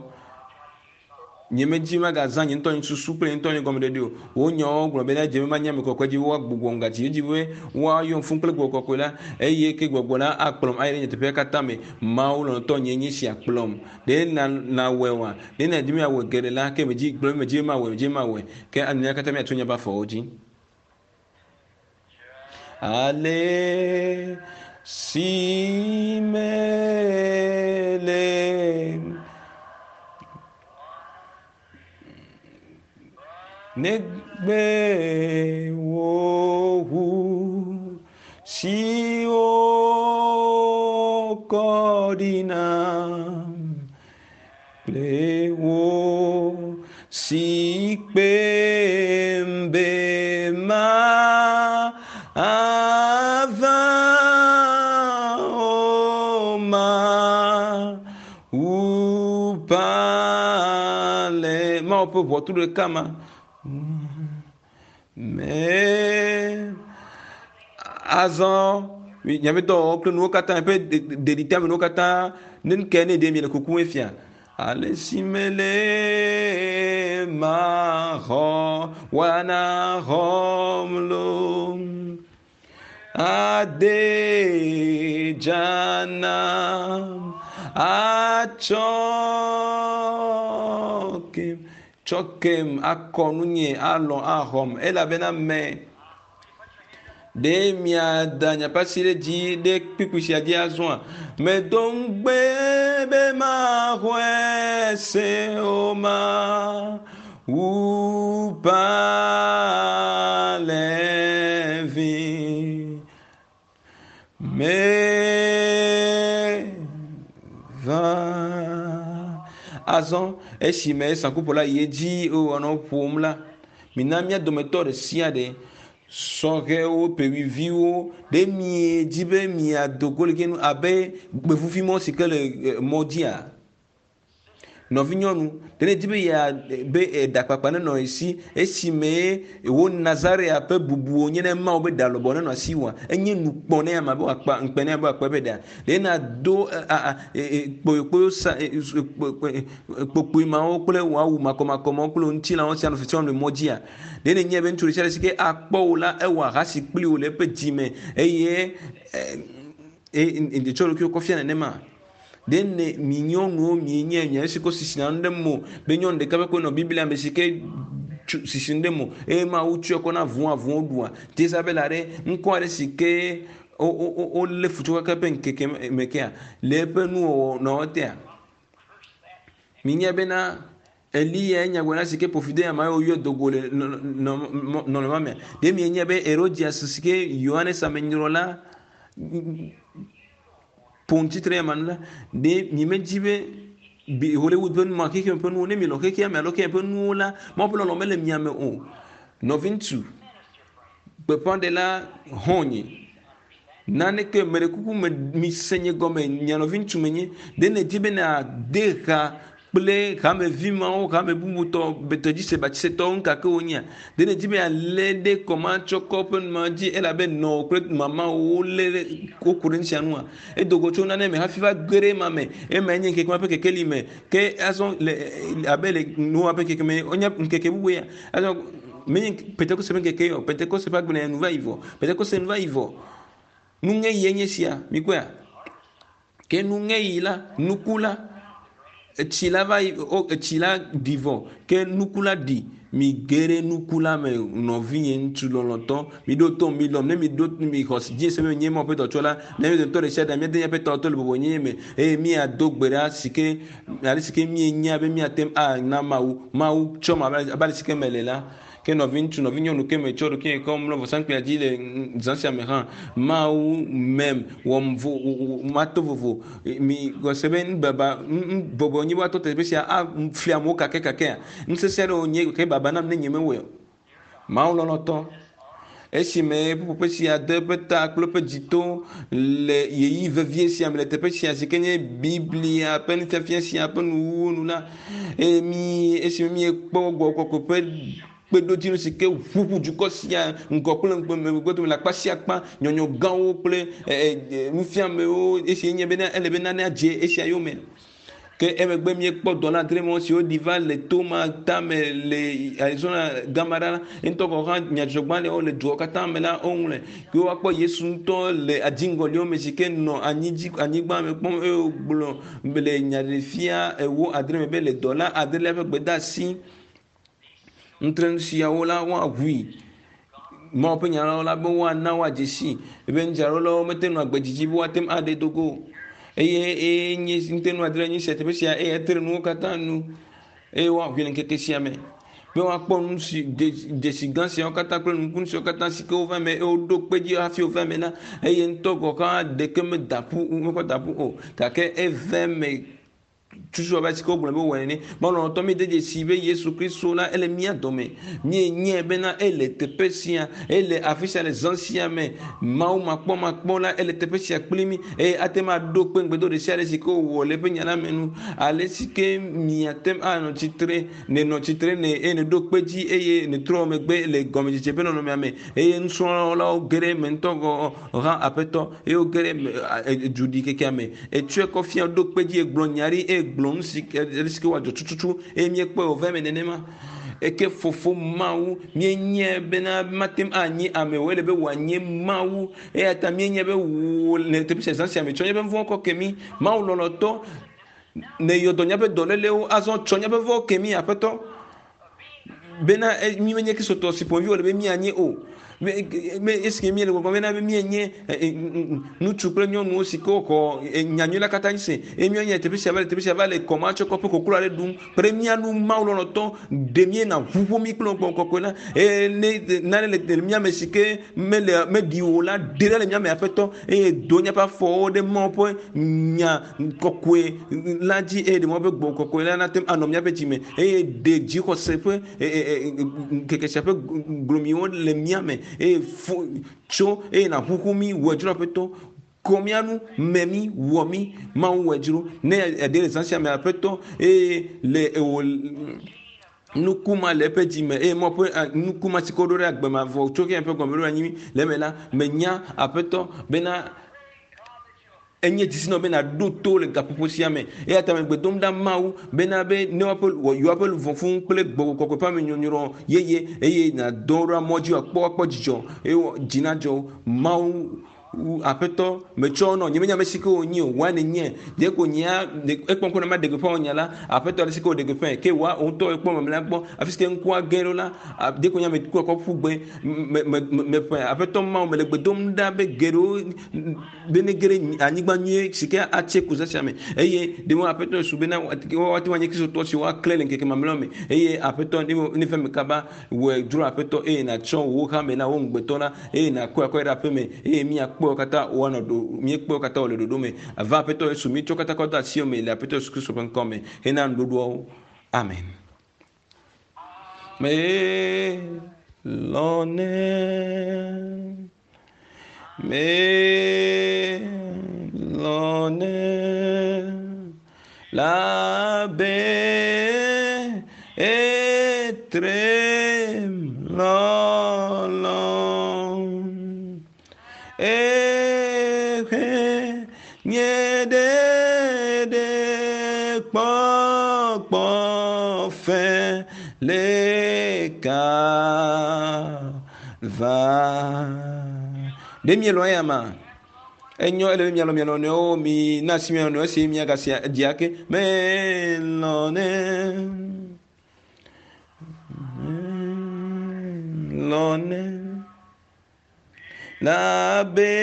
Nyemedi magazã nye ŋutɔ nye susu kple nye ŋutɔ nye gɔmeɖeɖe o. Wò nyawo gblɔ be ne edze be manye ame kɔkɔe dzi be woagbugbɔm gatsi edzi be woayɔm fũ kple gbɔgbɔ kɔkɔe la, eye ke gbɔgbɔ la akplɔm ayi ɖe nyateƒea katã me. Mawu lɔlɔ̃tɔ nyee nye sia kplɔm. Ɖe na nawɔe oa? Ɖe nàdi be yeawɔe geɖe la, ke medzi gblɔ be medzi be mawɔe, medzi be mawɔe. Ke mía katã míato míaƒe afɔwo dzi. Ale si mele negbe wò ʋu si wokɔ ɖi nam kple wò si kpem be mava o Mawu ƒe ale Mawu ƒe ʋɔtru ɖeka ma me azɔ miaƒe dɔwɔwɔ kple nuwo katã ƒe ɖeɖiteame nuwo katã ne nu ke ne ɖe miele kukum fia ale si mele maxɔ wana xɔm lo ade dzana atsɔ kem tsɔ kem akɔ nunye alɔ axɔm elabena me Ɖe miada miaƒe asi ɖe dzi ɖe kpukpui sia dzi azɔa? Medo ŋugbe be maxɔe se o ma wu palẽvi. Meva. Azɔ esime saŋkuƒola yi edzi wònɔ ƒom la, mina mía dometɔ ɖe sia ɖe, sɔhɛwo, ƒewuiviwo, ɖe miedi be miado go le nu abe gbevuvimɔ si ke le mɔ dzia? Nɔvinyɔnu, ɖe nèdi be yea be eɖakpakpa nenɔ ye si esime wò Nazarea ƒe bubu wònye ne Mawu be ɖa lɔbɔ nenɔ asiwòa? Enye nu kpɔ ne ame be wòakpa ŋukpe ne be wòakpa eƒe ɖa. Ɖe nàdo kpoyokpoyo sa kpokpoe mawo kple wò awu makɔmakɔ mawo kple wò ŋutilãwo sia nɔ fifiam le mɔ dzia? Ɖe nènyae be ŋutsu ɖesiaɖe si ke akpɔ wò la, ewɔ ahasi kpli wò le eƒe dzi me eye etsɔ ɖokuiwò kɔ fia nenema? Ɖe ne mi nyɔnuwo mienye mia si ko sisina nu ɖe mo be nyɔnu ɖeka ƒe koe nɔ Biblia me si ke sisi nu ɖe mo eye Mawu tsɔe kɔ na avũ avũwo ɖua. Jezabel aɖe ŋkɔ aɖe si ke wolé fu tso kaka ƒe ŋkeke me kea le eƒe nuwɔwɔ nɔ tea. Minya bena Eliya ye nyagblɔɖila si ke ƒo fi de ame yiwo yɔ do go le nɔnɔme ma mea? Ɖe mienya be Herodias si ke Yohanes amenyrɔla ƒo nu tsitre ema nu la, ɖe miemedi be bi Hollywood ƒe nu ma xexeme ƒe nuwo ne mielɔ̃ xexea me alo xexea ƒe nuwo la, Mawu ƒe lɔlɔ̃ mele mia me o. Nɔviŋutsu gbeƒãɖela xɔ̃nye, naneke meɖe kuku me mise nye gɔme, mia nɔviŋutsu menye. Ɖe nèdi be nàde ha kple hamevi mawo, hame bubutɔ, betɔdzise, batsisetɔwo, nuka ke wonyea? Ɖe nèdi be yealé ɖe kɔmatsɔkɔ ƒe nu ma dzi elabe nɔwò kple mamawò wolé ɖe woku ɖe nu sia nua? Edo go tso nane me hafi va ge ɖe ema me. Emae nye ŋkeke ma ƒe kekeli me. Ke azɔ le abe le Noa ƒe ŋkeke me, wonye ŋkeke bubu ya. Azɔ menye Pentekoste ƒe ŋkeke ye o. Pentekoste ƒe agbenɔnɔ nu va yi vɔ. Pentekoste nu va yi vɔ. Nuŋeɣie nye esia. Mikpɔea? Ke nuŋeɣi la, nuku la. Etsi la va yi wo etsi la ɖi vɔ ke nuku la ɖi. Mi ge ɖe nuku la me nɔvinye ŋutsu lɔlɔtɔ. Mi ɖo to mi lɔm ne mi ɖo mi xɔ dzi se be nye Mawu ƒe dɔtsɔla. Ne mi dometɔ ɖe sia ɖe míade míaƒe tɔwo to le bɔbɔnyenye me eye míado gbe ɖa si ke ale si ke míenya be míate ŋu ana Mawu. Mawu tsɔm abe ale si ke mele la. Ke nɔviŋutsu, nɔvinyɔnu ke metsɔ ɖokuinye kɔ mlɔ vɔsamkpuia dzi le zã sia me hã, Mawu mem wɔm vo mato vovo. Mi gɔse be nubaba bɔbɔ nyi woatɔ teƒe sia afli amewo kakɛkakɛa. Nusese aɖewo nye ke baba nam ne nye mewɔe o. Mawu lɔlɔtɔ, esime ƒuƒoƒe sia de eƒe ta kple eƒe dzito le ɣeyiɣi vevie sia me le teƒe sia si ke nye Biblia ƒe nufiafia sia ƒe nuwuwu nu la, eye mi esime miekpɔ gbɔgbɔ kɔkɔe ƒe kpeɖodzinu si ke ʋuʋu dukɔ sia ŋgɔ kple megbe dome le akpa sia akpa, nyɔnyɔ gãwo kple nufiamewo esi nye bena ele be nane adze esia yome. Ke emegbe míekpɔ dɔla adre siwo ɖi va le to ma tame le Arizona gama ɖa la, ŋutɔ gɔ̃ hã nyadzɔdzɔgbalẽwo le duawo katã me la woŋlɔe. Ke woakpɔ Yesu ŋutɔ le adziŋgɔliwo me si ke nɔ anyi dzi anyigba me kpɔm eye wògblɔ le nyaɖeɖefia ewo adre me be le dɔla adrelia ƒe gbedeasi ŋutrenu siawo la woaʋui. Mawu ƒe nya la be woana woadze si be nudzraɖolawo mete ŋu nɔ agbe didi be woate ŋu aɖe do go o. Eye eye nye ŋutenu adre nye sia teƒe sia eye etre nuwo katã nu eye woaʋui le ŋkeke sia me be woakpɔ nu si dzesi gã siawo katã kple nukunu siawo katã si ke wova eme eye woɖo kpe dzi hafi wova eme la eye ŋutɔ gɔ̃ hã ɖeke meda ƒu mekɔ da ƒu o gake eva eme tutu abe si ke wogblɔ be wowɔe nene. Malɔlɔtɔ mi de dzesi be Yesu Kristo la ele mía dome. Míenyae bena ele teƒe sia, ele afi sia le zã sia me. Mawu makpɔmakpɔ la ele teƒe sia kpli mí eye ate ŋu aɖo kpe ŋugbedo ɖe sia ɖe si ke wòwɔ le eƒe nya la me nu. Ale si ke miate ŋu anɔ tsitre, nènɔ tsitre ne eye nèɖo kpe dzi eye nètrɔ megbe le gɔmedzedze ƒe nɔnɔmea me eye nusrɔ̃lawo ge ɖe eme ŋutɔ gɔ̃ hã aƒetɔ eye woge ɖe eme duɖikekea me. Etsɔe kɔ fia ɖo kpe dzi egblɔ nya ɖi eye gblɔ nu si ale si ke wòadzɔ tututu eye míekpɔe wòva eme nenema. Eke fofo Mawu míenyae bena mate ŋu anyi ame o ele be wòanye Mawu eya ta míenyae be wò le teƒe sia zã sia me tsɔ míaƒe vɔ̃ kɔ ke mí. Mawu lɔlɔ̃tɔ neyɔ dɔ míaƒe dɔlélewo azɔ tsɔ míaƒe vɔ̃ ke mí aƒetɔ bena mí menye kristotɔ si ƒomevi wòle be míanye o. Me esi míele gbɔgblɔm bena be míenye ŋutsu kple nyɔnuwo si ke woxɔ nyanyui la katã dzi se eye míenye teƒe sia va le teƒe sia va le kɔma tsɔ kɔƒe koklo aɖe ɖum kpe ɖe mía nu Mawu lɔlɔ̃tɔ ɖe míena ʋuƒo mí kple gbɔgbɔ kɔkɔe la eye ne nane le mía me si ke mele meɖi o la ɖe ɖa le mía me aƒetɔ eye do míaƒe afɔwo ɖe Mawu ƒe nya kɔkɔe la dzi eye ɖe Mawu ƒe gbɔgbɔ kɔkɔe la nate ŋu anɔ míaƒe dzi me eye ɖe dzixɔse ƒe ŋkeke sia ƒe glomiwo le mía me eye fo tso eye nàʋuʋu mí wɔ dzro aƒetɔ kɔ mía nu mɛ mí wɔ mí Mawu wɔ dzro ne eɖe le zã sia me aƒetɔ eye le ewò nuku ma le eƒe dzi me eye Mawu ƒe nuku ma si ke woɖo ɖe agbe mavɔ tso xexea ƒe gɔmeɖoɖo anyi le eme la menya aƒetɔ bena enye dzisinɔ be nàɖo to le gaƒoƒo sia me eya ta megbe dom ɖa Mawu bena be ne woaƒe yewoaƒe luʋɔ fũu kple gbɔgbɔ kɔkɔe ƒe amenyɔnyrɔ yeye eye nàdɔ ɖo mɔ dzi wòakpɔ woakpɔ dzidzɔ eye dzi nadzɔ wo. Mawu aƒetɔ metsɔ nɔ nye menya ame si ke wònye o wòa nenye ɖe ko nyea ekpɔ ŋku na ma ɖe gbeƒã wò nya la aƒetɔ ale si ke wòɖe gbeƒãe ke wòa wò ŋutɔ ekpɔ mamlɛa gbɔ afi si ke ŋkua ge ɖo la ɖe ko nye ame kua kɔ ƒu gbe me me meƒe aƒetɔ Mawu mele gbe dom ɖa be geɖewo be ne ge ɖe anyigba nyuie si ke atse ku zã sia me eye ɖe mo aƒetɔ Yesu bena woate ŋu anye kristotɔ siwo woaklẽ le ŋkeke mamlɛawo me eye aƒetɔ ne va eme kaba wòe dzro aƒetɔ eye nàtsɔ wò hame la wò ŋugbetɔ la eye nàkɔe akɔe ɖe aƒe me eye míakpɔe katã woanɔ ɖo míekpɔe katã wòle ɖoɖo me ava aƒetɔ Yesu míetsɔ katã kɔ de asiwò me le aƒetɔ Yesu Kristo ƒe ŋkɔ me hena nuɖoɖoawo amen. Melɔnɛ melɔnɛ labe etrem lɔlɔ ehe nye ɖeɖe kpɔkpɔ fe le kava. Ɖe mielɔ̃ eya ma? Enyo ele be mialɔ̃ mia nɔnɔewo mi na asi mia nɔnɔewo esi miagasi dzia ke melɔ̃nɛ. Lɔ̃nɛ. Labe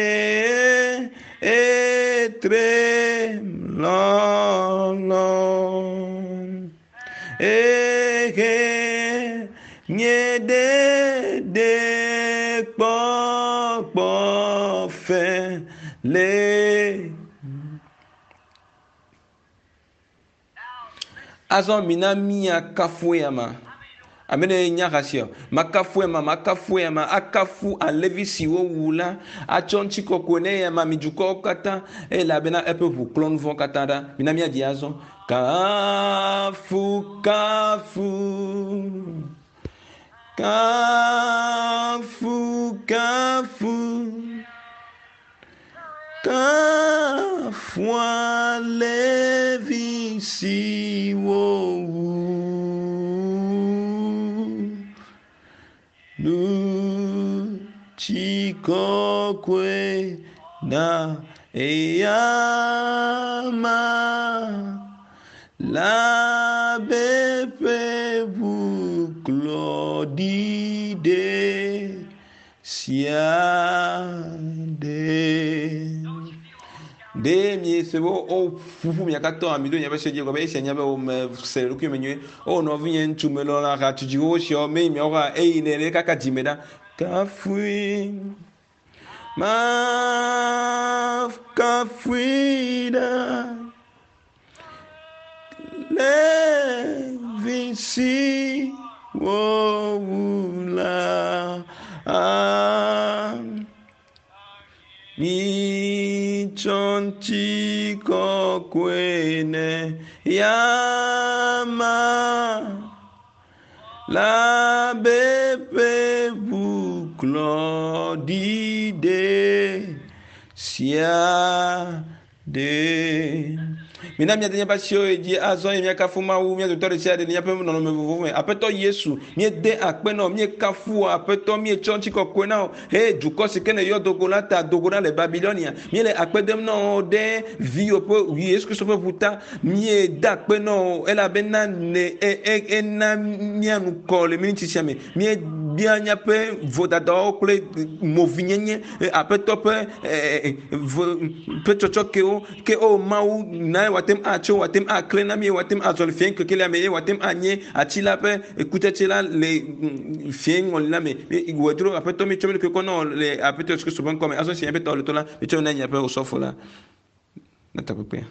etre lɔlɔ. Ehe nye ɖeɖe kpɔkpɔ fe le. Azɔ mina míakafu eyama. Ame ɖe nya ha sia. Makafu eyama, makafu eyama, akafu alẽvi si wowu la, atsɔ ŋutikɔkɔe ne eyama mi dukɔwo katã elabena eƒe ʋu klɔ nu vɔ̃ katã ɖa. Mina míadzi azɔ. Kafu, kafu. Kafu, kafu. Kafu alẽvi si wowu. Ŋutikɔkɔe na eyama labe ƒe ʋu klɔ ɖi ɖe sia ɖe. Ɖe miese be woƒuƒu mia katã mi ɖo miaƒe se dzi gɔme esia nya be wome se le ɖokui me nyuie. O nɔvinye ŋutsu melɔ̃na hatsudziwo siawo me yi miawo hã eyi ne ɖe kaka dzime ɖa. Kafui ma kafui ɖa. Levi si wowu la. Mitsɔ ŋutikɔkɔe ne yama labe ƒe ʋu klɔ ɖi ɖe sia ɖe. Mina míade míaƒe asiwo yi dzi azɔ eye míakafu Mawu mía dometɔ ɖe sia ɖe le míaƒe nɔnɔme vovovo me. Aƒetɔ Yesu, míede akpe na wò, míekafu wò, Aƒetɔ, míetsɔ ŋutikɔkɔe na wò. He dukɔ si ke nèyɔ do go la ta, do go ɖa le Babilonia. Míele akpe dem na wò ɖe viwò ƒe Yesu Kristo ƒe ʋu ta. Míede akpe na wò elabena ne e, e, ena mía nu kɔ le miniti sia me. Míebia míaƒe vodadawo kple movinyenye, Aƒetɔ ƒe ƒe tsɔtsɔkewo. Ke o Mawu, na wòate ŋu atso, wòate ŋu aklẽ na mí, wòate ŋu azɔ le fiẽ kekelia me, eye wòate ŋu anye ati la ƒe kutsetse la le fiẽ ŋɔli la me. Wòe dzro, Aƒetɔ, míetsɔ mía ɖokui kɔ na wò le Aƒetɔ Yesu Kristo ƒe ŋkɔ me. Azɔ esi míaƒe tɔ le to la, míetsɔ na miaƒe osɔfo la na takpekpea.